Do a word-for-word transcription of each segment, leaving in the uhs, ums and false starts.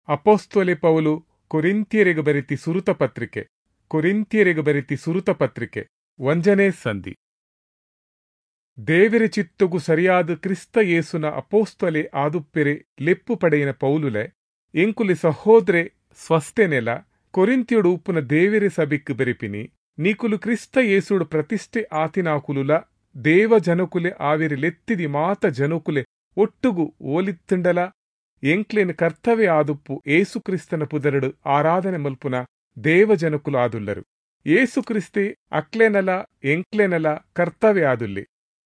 ಅಪೊಸ್ತಲೆ ಪೌಲು ಕೊರಿಂಥ್ಯೆರೆಗ್ ಬರೆತಿ ಸುರುತ ಪತ್ರಿಕೆ ಕೊರಿಂಥ್ಯೆರೆಗ್ ಬರೆತಿ ಸುರುತ ಪತ್ರಿಕೆ ಒಂಜನೇ ಸಂಧಿ. ದೇವೆರೆ ಚಿತ್ತೊಗು ಸರಿಯಾದ ಕ್ರಿಸ್ತ ಯೇಸುನ ಅಪೊಸ್ತಲೆ ಆದುಪ್ಪೆರೆ ಲೆಪ್ಪು ಪಡೆಯಿನ ಪೌಲುಲೆ ಎಂಕುಲೆ ಸಹೋದ್ರೆ ಸ್ವಸ್ಥೆನೆಲ ಕೊರಿಂಥ್ಯೊಡು ಉಪ್ಪುನ ದೇವೆರೆ ಸಭೆಕ್ ಬರೆಪಿನಿ. ನಿಕುಲು ಕ್ರಿಸ್ತ ಯೇಸುಡು ಪ್ರತಿಷ್ಠೆ ಆತಿನಾಕುಲುಲ ದೇವ ಜನಕುಲೆ ಆವೆರೆ ಲೆತ್ತಿದಿ ಮಾತ ಜನಕುಲೆ ಒಟ್ಟುಗು ಓಲಿತ್ತುಂಡಲ ಎಂಕ್ಲೆನ್ ಕರ್ತವ್ಯ ಆದುಪ್ಪು ಏಸು ಕ್ರಿಸ್ತನ ಪುದರಡು ಆರಾಧನೆ ಮಲ್ಪುನ ದೇವ ಜನಕುಲು ಆದುಲ್ಲರು. ಏಸು ಕ್ರಿಸ್ತೆ ಅಕ್ಲೆನಲ ಎಂಕ್ಲೆನಲ ಕರ್ತವ್ಯ ಆದುಲ್ಲೆ.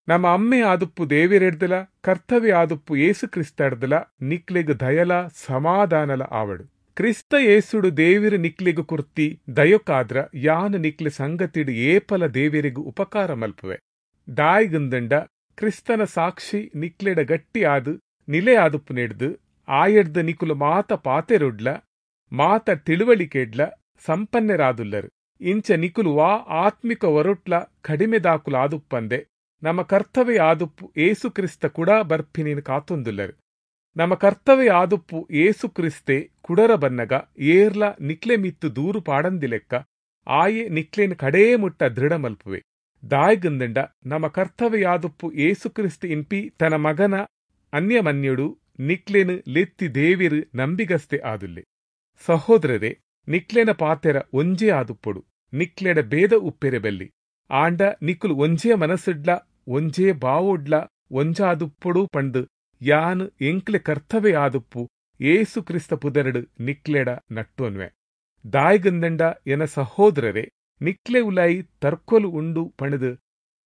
ನಮ್ಮ ಅಮ್ಮೆ ಆದುಪ್ಪು ದೇವಿರೆಡ್ದಲ ಕರ್ತವ್ಯ ಆದುಪ್ಪು ಏಸು ಕ್ರಿಸ್ತಡ್ದಲ ನಿಕ್ಲೆಗ್ ದಯಲ ಸಮಾಧಾನಲ ಆವಡು. ಕ್ರಿಸ್ತ ಏಸುಡು ದೇವಿರು ನಿಕ್ಲೆಗ್ ಕುರ್ತಿ ದಯೊಕಾದ್ರ ಯಾನ್ ನಿಕ್ಲೆ ಸಂಗತಿಡು ಏಪಲ ದೇವಿರಿಗ್ ಉಪಕಾರ ಮಲ್ಪುವೆ. ದಾಯಿಗುಂದಂಡ ಕ್ರಿಸ್ತನ ಸಾಕ್ಷಿ ನಿಕ್ಲೆಡ ಗಟ್ಟಿ ಆದು ನಿಲೆ ಆದುಪ್ಪು ನೆಡ್ದು ಆಯಡ್ದ ನಿಕುಲು ಮಾತ ಪಾತೆರುಡ್ಲ ಮಾತ ತಿಳುವಳಿಕೆಡ್ಲ ಸಂಪನ್ನರಾದುಲ್ಲರು. ಇಂಚ ನಿಕುಲು ವಾ ಆತ್ಮಿಕ ಒರೊಟ್ಲ ಕಡಿಮೆದಾಕುಲು ಆದುಪ್ಪಂದೆ ನಮ್ಮ ಕರ್ತವ್ಯ ಆದುಪ್ಪು ಏಸು ಕ್ರಿಸ್ತ ಕೂಡ ಬರ್ಪಿನೇನು ಕಾತೊಂದುಲ್ಲರು. ನಮ್ಮ ಕರ್ತವ್ಯ ಆದುಪ್ಪು ಏಸು ಕ್ರಿಸ್ತೆ ಕುಡರ ಬನ್ನಗ ಏರ್ಲ ನಿಕ್ಲೆ ಮಿತ್ತು ದೂರು ಪಾಡಂದಿಲೆಕ್ಕ ಆಯೆ ನಿಕ್ಲೇನು ಕಡೇ ಮುಟ್ಟ ದೃಢ ಮಲ್ಪುವೆ. ದಾಯ್ಗಂದಂಡ ನಮ್ಮ ಕರ್ತವ್ಯ ಆದುಪ್ಪು ಏಸು ಕ್ರಿಸ್ತ ಇನ್ಪಿ ತನ್ನ ಮಗನ ಅನ್ಯಮನ್ಯುಡು ನಿಕ್ಲೇನು ಲೆತ್ತಿ ದೇವಿರು ನಂಬಿಗಸ್ತೆ ಆದುಲ್ಲೆ. ಸಹೋದರರೇ, ನಿಕ್ಲೇನ ಪಾತೆರ ಒಂಜೇ ಆದುಪ್ಪೊಡು, ನಿಕ್ಲೆಡ ಭೇದ ಉಪ್ಪೆರೆ ಬಲ್ಲಿ. ಆಂಡ ನಿಕುಲು ಒಂಜೇ ಮನಸ್ಸುಡ್ಲ ಒಂಜೇ ಬಾವೊಡ್ಲ ಒಂಜಾದುಪ್ಪೊಡು ಪಂಡು ಯಾನ್ ಎಂಕ್ಲೆ ಕರ್ತವ್ಯ ಆದುಪ್ಪು ಏಸು ಕ್ರಿಸ್ತ ಪುದರಡು ನಿಕ್ಲೆಡ ನಟ್ಟೋನ್ವೆ. ದಾಯ್ಗಂದಂಡ ಎನ ಸಹೋದರರೇ, ನಿಕ್ಲೆ ಉಲಾಯಿ ತರ್ಕೊಲು ಉಂಡು ಪಣದು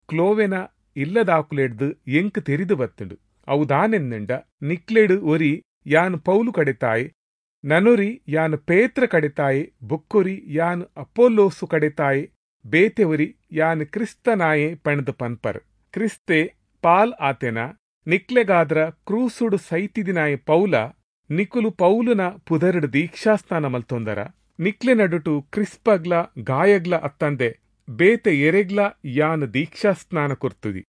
ಕ್ಲೋವೆನ ಇಲ್ಲದಾಕುಲೆಡ್ದು ಎಂಕ್ ತೆರಿದು ಬತ್ತುಂಡು. ಅವು ದಾನೆಂದಂಡ ನಿಕ್ಲೆಡು ಒರಿ ಯಾನ್ ಪೌಲು ಕಡೆತಾಯಿ, ನನೊರಿ ಯಾನ್ ಪೇತ್ರ ಕಡೆತಾಯಿ, ಬೊಕ್ಕೊರಿ ಯಾನ್ ಅಪೊಲ್ಲೋಸು ಕಡೆತಾಯಿ, ಬೇತೆ ಒರಿ ಯಾನ್ ಕ್ರಿಸ್ತನಾಯೆ ಪಣದು ಪನ್ಪರ್. ಕ್ರಿಸ್ತೆ ಪಾಲ್ ಆತೆನ ನಿಕ್ಲೆಗಾದ್ರ ಕ್ರೂಸುಡು ಸೈತಿದಿನಾಯ ಪೌಲ ನಿಕುಲು ಪೌಲುನ ಪುದರಡು ದೀಕ್ಷಾಸ್ನಾನ ಮಲ್ತೊಂದರ. ನಿಕ್ಲೆ ನಡುಟು ಕ್ರಿಸ್ಪಗ್ಲ ಗಾಯಗ್ಲ ಅತ್ತಂದೆ ಬೇತೆ ಎರೆಗ್ಲ ಯಾನ್ ದೀಕ್ಷಾಸ್ನಾನ ಕೊರ್ತುದಿ.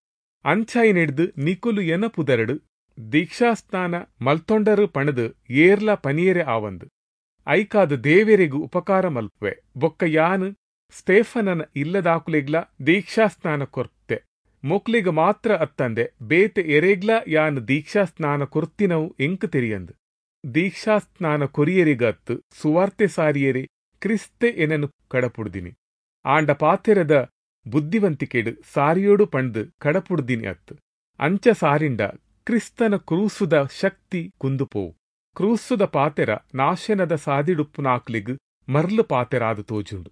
ಅಂಚಾಯಿನೆಡ್ದು ನಿಕುಲು ಎನ ಪುದರಡು ದೀಕ್ಷಾಸ್ನಾನ ಮಲ್ತೊಂಡರು ಪಣದು ಏರ್ಲ ಪನಿಯರೆ ಆವಂದು. ಐಕಾದ ದೇವೆರೆಗು ಉಪಕಾರ ಮಲ್ಪುವೆ. ಬೊಕ್ಕ ಯಾನ್ ಸ್ಟೇಫನನ ಇಲ್ಲದಾಕುಲೆಗ್ಲ ದೀಕ್ಷಾಸ್ನಾನ ಕೊರ್ತೆ. ಮೊಕ್ಲಿಗ ಮಾತ್ರ ಅತ್ತಂದೆ ಬೇತೆ ಎರೆಗ್ಲ ಯಾನ್ ದೀಕ್ಷಾಸ್ನಾನ ಕೊರ್ತಿನವು ಎಂಕ್ ತೆರಿಯಂದು. ದೀಕ್ಷಾಸ್ನಾನ ಕೊರಿಯರಿಗತ್ತು ಸುವಾರ್ತೆ ಸಾರಿಯರೆ ಕ್ರಿಸ್ತೆ ಎನನು ಕಡಪುಡ್ದಿನಿ. ಆಂಡ ಪಾತೆರದ ಬುದ್ಧಿವಂತಿಕೆಡು ಸಾರಿಯೋಡು ಪಂಡು ಕಡಪುಡ್ದಿನಿ ಅತ್ತು. ಅಂಚ ಸಾರಿಂಡ ಕ್ರಿಸ್ತನ ಕ್ರೂಸುದ ಶಕ್ತಿ ಕುಂದುಪೋವು. ಕ್ರೂಸುದ ಪಾತೆರ ನಾಶನದ ಸಾದಿಡುಪ್ಪುನಾಕ್ಲಿಗ್ ಮರ್ಲು ಪಾತೆರಾದು ತೋಜುಂಡು.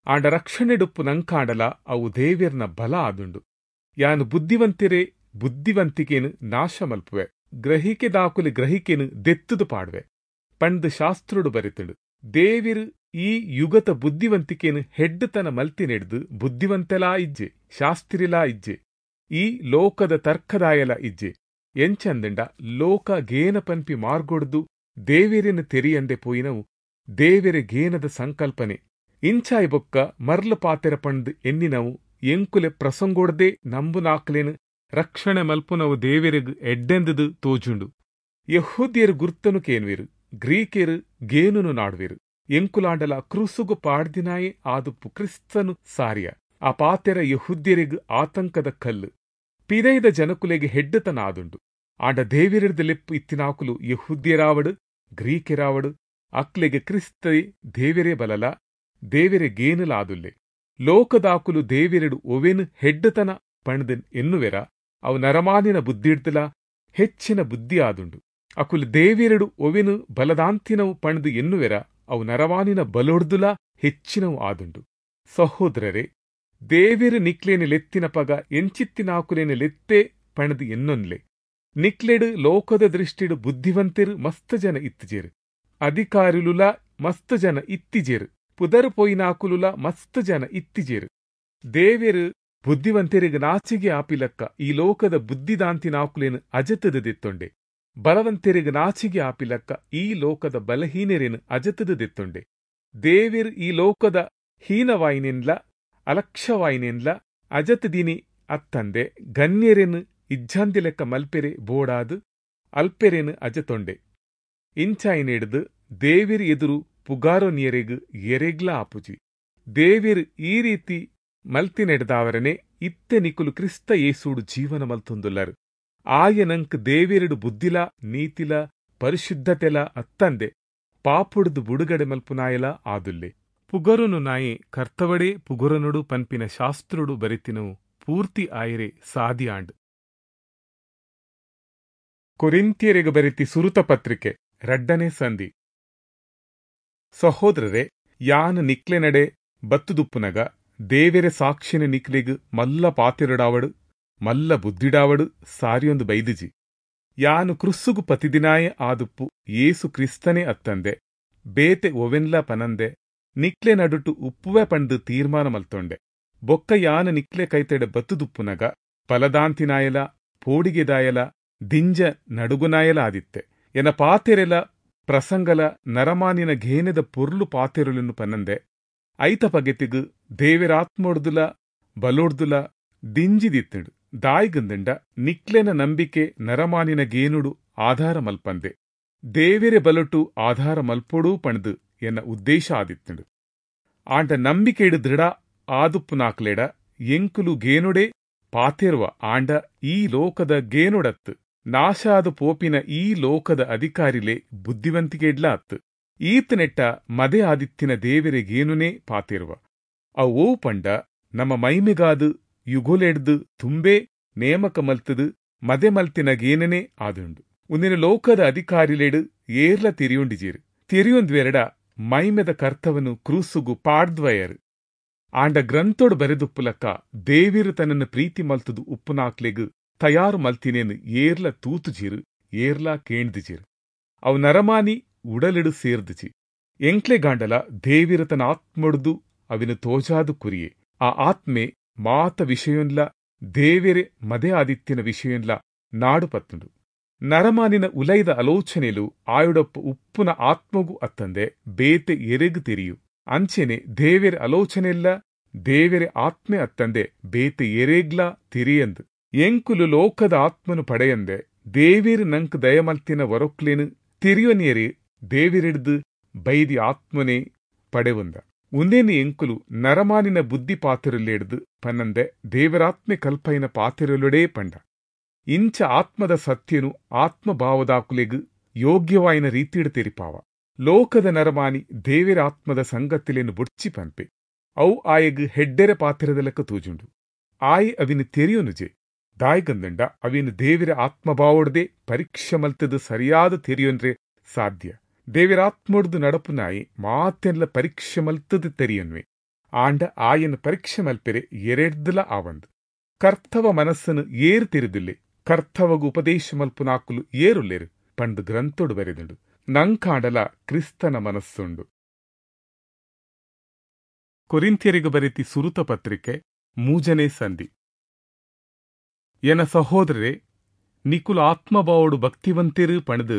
ಆಂಡ ರಕ್ಷಣೆಡುಪ್ಪು ನಂಕಾಂಡಲ ಅವು ದೇವಿರ್ನ ಬಲ ಆದುಂಡು. ಯಾನು ಬುದ್ಧಿವಂತಿರೇ ಬುದ್ಧಿವಂತಿಕೇನು ನಾಶ ಮಲ್ಪುವೆ, ಗ್ರಹಿಕೆ ದಾಕುಲಿ ಗ್ರಹಿಕೆನು ದೆತ್ತುದು ಪಾಡುವೆ ಪಂಡು ಶಾಸ್ತ್ರುಡು ಬರೆತುಂಡು. ದೇವಿರು ಈ ಯುಗತ ಬುದ್ಧಿವಂತಿಕೇನು ಹೆಡ್ಡುತನ ಮಲ್ತಿನೆಡ್ದು ಬುದ್ಧಿವಂತೆಲಾ ಇಜ್ಜೆ, ಶಾಸ್ತ್ರಿಲಾ ಇಜ್ಜೆ, ಈ ಲೋಕದ ತರ್ಕದಾಯಲ ಇಜ್ಜೆ. ಎಂಚಂದಂಡ ಲೋಕ ಗೇನ ಪನ್ಪಿ ಮಾರ್ಗೊಡ್ದು ದೇವಿರಿನ ತೆರಿಯಂದೆ ಪೋಯಿನವು ದೇವಿರೆ ಗೇನದ ಸಂಕಲ್ಪನೆ. ಇಂಚಾಯಿ ಬೊಕ್ಕ ಮರ್ಲು ಪಾತೆರ ಪಂಡು ಎನ್ನಿನವು ಎಂಕುಲೆ ಪ್ರಸಂಗೋಡ್ದೆ ನಂಬುನಾಕ್ಲೇನು ರಕ್ಷಣೆ ಮಲ್ಪುನವು ದೇವಿರಿಗ್ ಎಡ್ಡೆಂದುದು ತೋಜುಂಡು. ಯಹೂದ್ಯರು ಗುರ್ತನು ಕೇನ್ವಿರು, ಗ್ರೀಕೆರು ಗೇನುನು ನಾಡುವಿರು. ಎಂಕುಲಾಂಡಲ ಕ್ರೂಸುಗು ಪಾಡ್ದಿನಾಯೆ ಆದುಪ್ಪು ಕ್ರಿಸ್ತನು ಸಾರಿಯ. ಆ ಪಾತೆರ ಯಹೂದ್ಯರಿಗ್ ಆತಂಕದ ಕಲ್ಲು, ಪಿದೈದ ಜನಕುಲೆಗೆ ಹೆಡ್ಡತನ ಆದುಂಡು. ಆಂಡ ದೇವಿರಿಡ್ದ ಲೆಪ್ಪು ಇತ್ತಿನಾಕುಲು ಯಹೂದ್ಯರಾವಡು ಗ್ರೀಕೆರಾವಡು ಅಕ್ಲೆಗೆ ಕ್ರಿಸ್ತೇ ದೇವಿರೇ ಬಲಲ ದೇವಿರೆ ಗೇನುಲ ಆದುಲ್ಲೆ. ಲೋಕದಾಕುಲು ದೇವಿರೆಡು ಒವೆನು ಹೆಡ್ಡತನ ಪಣದು ಎನ್ನುವೆರ ಅವು ನರಮಾನಿನ ಬುದ್ಧಿಡ್ದಲ ಹೆಚ್ಚಿನ ಬುದ್ಧಿ ಆದುಂಡು. ಅಕುಲು ದೇವಿರೆಡು ಒವೆನು ಬಲದಾಂತಿನವು ಪಣದು ಎನ್ನುವೆರ ಅವು ನರವಾನಿನ ಬಲೊಡ್ದುಲ ಹೆಚ್ಚಿನವು ಆದುಂಡು. ಸಹೋದರರೇ, ದೇವಿರು ನಿಕ್ಲೇನು ಲೆತ್ತಿನ ಪಗ ಎಂಚಿತ್ತಿನಾಕುಲೇನು ಲೆತ್ತೆ ಪಣದು ಎನ್ನೊನ್ಲೆ. ನಿಕ್ಲೆಡು ಲೋಕದ ದೃಷ್ಟಿಡು ಬುದ್ಧಿವಂತಿರು ಮಸ್ತ್ ಜನ ಇತ್ತಿಜೇರು, ಅಧಿಕಾರಿಲುಲ ಮಸ್ತ್ ಜನ ಇತ್ತಿಜೇರು, ಪುದರು ಪೋಯಿನಾಕುಲುಲ ಮಸ್ತ್ ಜನ ಇತ್ತಿಜೇರು. ದೇವಿರು ಬುದ್ಧಿವಂತರಿಗೆ ನಾಚಿಗೆ ಆಪಿಲಕ್ಕ ಈ ಲೋಕದ ಬುದ್ಧಿದಾಂತಿನಾಕುಲೇನು ಅಜತದ ದೆತ್ತೊಂಡೆ. ಬಲವಂತರಿಗೆ ನಾಚಿಗೆ ಆಪಿಲಕ್ಕ ಈ ಲೋಕದ ಬಲಹೀನರೇನು ಅಜತದ ದೆತ್ತೊಂಡೆ. ದೇವಿರ್ ಈ ಲೋಕದ ಹೀನವಾಯಿನೆನ್ಲ ಅಲಕ್ಷ್ಯವಾಯಿನೆನ್ಲ ಅಜತದಿನಿ ಅತ್ತಂದೆ ಗಣ್ಯರೇನು ಇಜ್ಜಾಂದಿಲೆಕ್ಕ ಮಲ್ಪೆರೆ ಬೋಡಾದು ಅಲ್ಪೆರೇನು ಅಜತೊಂಡೆ. ಇಂಚಾಯಿನೆಡ್ದು ದೇವಿರ್ ಎದುರು ಪುಗಾರೊನಿಯರೆಗ್ ಎರೆಗ್ಲ ಆಪುಜಿ. ದೇವಿರ್ ಈ ರೀತಿ ಮಲ್ತಿನೆಡ್ದಾವರನೆ ಇತ್ತೆ ನಿಕುಲು ಕ್ರಿಸ್ತ ಯೇಸುಡು ಜೀವನ ಮಲ್ತೊಂದುಲ್ಲರು. ಆಯನಂಕ್ ದೇವಿರಡು ಬುದ್ಧಿಲ ನೀತಿಲ ಪರಿಶುದ್ಧತೆಲ ಅತ್ತಂದೆ ಪಾಪುಡ್ದು ಬುಡುಗಡೆ ಮಲ್ಪುನಾಯಲ ಆದುಲ್ಲೆ. ಪುಗರುನು ನಾಯೆ ಕರ್ತವಡೇ ಪುಗರನುಡು ಪನ್ಪಿನ ಶಾಸ್ತ್ರುಡು ಬರೆತಿನವು ಪೂರ್ತಿ ಆಯರೆ ಸಾದಿಯಾಂಡ್. ಕೊರಿಂಥ್ಯರಿಗೆ ಬರೆತಿ ಸುರುತ ಪತ್ರಿಕೆ ರಡ್ಡನೇ ಸಂಧಿ. ಸಹೋದರರೇ, ಯಾನ್ ನಿಕ್ಲೆ ನಡೆ ಬತ್ತುದುಪ್ಪುನಗ ದೇವೆರೆ ಸಾಕ್ಷಿನ ನಿಕ್ಲೆಗ್ ಮಲ್ಲ ಪಾತಿರಡಾವಡು ಮಲ್ಲ ಬುದ್ಧಿಡಾವಡು ಸಾರಿಯೊಂದು ಬೈದಿಜಿ. ಯಾನು ಕ್ರುಸ್ಸುಗು ಪತಿದಿನಾಯೆ ಆದುಪ್ಪು ಯೇಸು ಕ್ರಿಸ್ತನೇ ಅತ್ತಂದೆ ಬೇತೆ ಒವೆನ್ಲ ಪನಂದೆ ನಿಕ್ಲೆ ನಡುಟು ಉಪ್ಪುವೆ ಪಂಡು ತೀರ್ಮಾನ ಮಲ್ತೊಂಡೆ. ಬೊಕ್ಕ ಯಾನ ನಿಕ್ಲೆ ಕೈತೆಡೆ ಬತ್ತುದುಪ್ಪುನಗ ಫಲದಾಂತಿನಾಯಲ ಪೋಡಿಗೆದಾಯಲ ದಿಂಜ ನಡುಗುನಾಯಲ ಆದಿತ್ತೆ. ಎನ ಪಾತೆರೆಲ ಪ್ರಸಂಗಲ ನರಮಾನಿನ ಘೇನೆದ ಪೊರ್ಲು ಪಾತೆರುಲನ್ನು ಪನ್ನಂದೆ ಐತ ಪಗೆತಿಗು ದೇವೆರಾತ್ಮೊಡ್ದುಲ ಬಲೊಡ್ದುಲ ದಿಂಜಿದಿತ್ತುಂಡು. ದಾಯಿಗಂದಂಡ ನಿಕ್ಲೆನ ನಂಬಿಕೆ ನರಮಾನಿನ ಗೇನುಡು ಆಧಾರ ಮಲ್ಪಂದೆ ದೇವೆರೆ ಬಲೊಟು ಆಧಾರ ಮಲ್ಪೊಡೂ ಪಂಡ್ದು ಎನ್ನ ಉದ್ದೇಶ ಆದಿತ್ತುಂಡು. ಆಂಡ ನಂಬಿಕೆಡು ದೃಢ ಆದುಪ್ಪುನಾಕ್ಲೆಡ ಎಂಕುಲು ಗೇನುಡೆ ಪಾತೆರುವ ಆಂಡ ಈ ಲೋಕದ ಗೇನುಡತ್ತು ನಾಶಾದ ಪೋಪಿನ ಈ ಲೋಕದ ಅಧಿಕಾರಿಲೆ ಬುದ್ಧಿವಂತಿಕೆಡ್ಲ ಅತ್ತು. ಈತನೆಟ್ಟ ಮದೆ ಆದಿತ್ತಿನ ದೇವೆರೆ ಗೇನುನೇ ಪಾತೆರುವ ಅವು ಪಂಡ ನಮ್ಮ ಮೈಮೆಗಾದು ಯುಗೊಲೆಡ್ದು ತುಂಬೇ ನೇಮಕ ಮಲ್ತದು ಮದೆ ಮಲ್ತಿನ ಗೇನನೇ ಆದುಂಡು. ಉಂದಿನ ಲೋಕದ ಅಧಿಕಾರಿಲೆಡು ಏರ್ಲ ತಿರಿಯುಂಡಿಜೀರು ತಿರಿಯೊಂದ್ವೆರಡ ಮೈಮೆದ ಕರ್ತವನು ಕ್ರೂಸುಗು ಪಾಡ್ದ್ವಯರು. ಆಂಡ ಗ್ರಂಥೋಡು ಬರೆದುಪ್ಪುಲಕ್ಕ ದೇವಿರು ತನ್ನನ್ನು ಪ್ರೀತಿ ಮಲ್ತದು ಉಪ್ಪುನಾಕ್ಲೆಗು ತಯಾರು ಮಲ್ತಿನೇನು ಏರ್ಲ ತೂತುಜೀರು ಏರ್ಲ ಕೇಣ್ದಿಜೀರು. ಅವು ನರಮಾನಿ ಉಡಲಿಡು ಸೇರ್ದಿಜಿ. ಎಂಕ್ಲೆ ಗಾಂಡಲ ದೇವಿರು ತನ್ನ ಆತ್ಮೊಡ್ದು ಅವಿನ ತೋಜಾದು ಕುರಿಯೆ. ಆ ಆತ್ಮೆ ಮಾತ ವಿಷಯೊನ್ಲ ದೇವೆರೆ ಮದೆ ಆದಿತ್ತಿನ ವಿಷಯೊನ್ಲ ನಾಡು ಪತ್ತುಂಡು. ನರಮಾನಿನ ಉಲೈದ ಆಲೋಚನೆಲು ಆಯುಡಪ್ಪ ಉಪ್ಪುನ ಆತ್ಮಗು ಅತ್ತಂದೆ ಬೇತೆ ಎರೆಗು ತೆರಿಯು. ಅಂಚೆನೆ ದೇವೆರೆ ಆಲೋಚನೆಲ್ಲ ದೇವೆರೆ ಆತ್ಮೆ ಅತ್ತಂದೆ ಬೇತೆ ಎರೆಗ್ಲ ತೆರಿಯಂದು. ಎಂಕುಲು ಲೋಕದ ಆತ್ಮನು ಪಡೆಯಂದೆ ದೇವಿರು ನಂಕ್ ದಯಮಲ್ತಿನ ವರೊಕ್ಲೇನು ತಿರಿಯೊನಿಯರಿ ದೇವಿರಿಡ್ದು ಬೈದಿ ಆತ್ಮನೇ ಪಡೆವುಂದ. ಉಂದೇನು ಎಂಕುಲು ನರಮಾನಿನ ಬುದ್ಧಿ ಪಾತಿರಲೆಡ್ದು ಪನ್ನಂದೆ ದೇವರಾತ್ಮೆ ಕಲ್ಪೈನ ಪಾತಿರಲುಡೇ ಪಂಡ. ಇಂಚ ಆತ್ಮದ ಸತ್ಯನು ಆತ್ಮಭಾವದಾಕುಲೆಗು ಯೋಗ್ಯವಾಯಿನ ರೀತಿಡು ತೆರಿಪಾವ. ಲೋಕದ ನರಮಾನಿ ದೇವಿರಾತ್ಮದ ಸಂಗತಿಲೇನು ಬುಡ್ಚಿ ಪನ್ಪೆ. ಅವು ಆಯಗ್ ಹೆಡ್ಡೆರೆ ಪಾತಿರದಲಕ್ಕ ತೂಜುಂಡು. ಆಯ್ ಅವಿನ ತೆರಿಯೊನುಜೆ. ದಾಯ್ಗಂದಂಡ ಅವಿನ ದೇವಿರ ಆತ್ಮಭಾವೊಡ್ದೆ ಪರೀಕ್ಷೆ ಮಲ್ತದು ಸರಿಯಾದ ತೆರಿಯೊನ್ರೆ ಸಾಧ್ಯ. ದೇವಿರಾತ್ಮೊಡ್ದು ನಡಪುನಾಯಿ ಮಾತೆನ್ಲ ಪರೀಕ್ಷೆ ಮಲ್ತದು ತೆರಿಯೊನ್ವೆ. ಆಂಡ ಆಯನ ಪರೀಕ್ಷೆ ಮಲ್ಪೆರೆ ಎರೆಡ್ದಲ ಆವಂದು. ಕರ್ತವ ಮನಸ್ಸನ್ನು ಏರು ತೆರಿದುಲ್ಲೆ ಕರ್ತವಗು ಉಪದೇಶ ಮಲ್ಪುನಾಕುಲು ಏರುಲ್ಲೇರು ಪಂಡು ಗ್ರಂಥೊಡು ಬರೆದುಂಡು. ನಂಕಾಂಡಲ ಕ್ರಿಸ್ತನ ಮನಸ್ಸುಂಡು. ಕೊರಿಂಥ್ಯರಿಗೆ ಬರೆತಿ ಸುರುತ ಪತ್ರಿಕೆ ಮೂಜನೇ ಸಂಧಿ. ಎನ ಸಹೋದರರೇ, ನಿಕುಲು ಆತ್ಮಭಾವೋಡು ಭಕ್ತಿವಂತಿರು ಪಣದು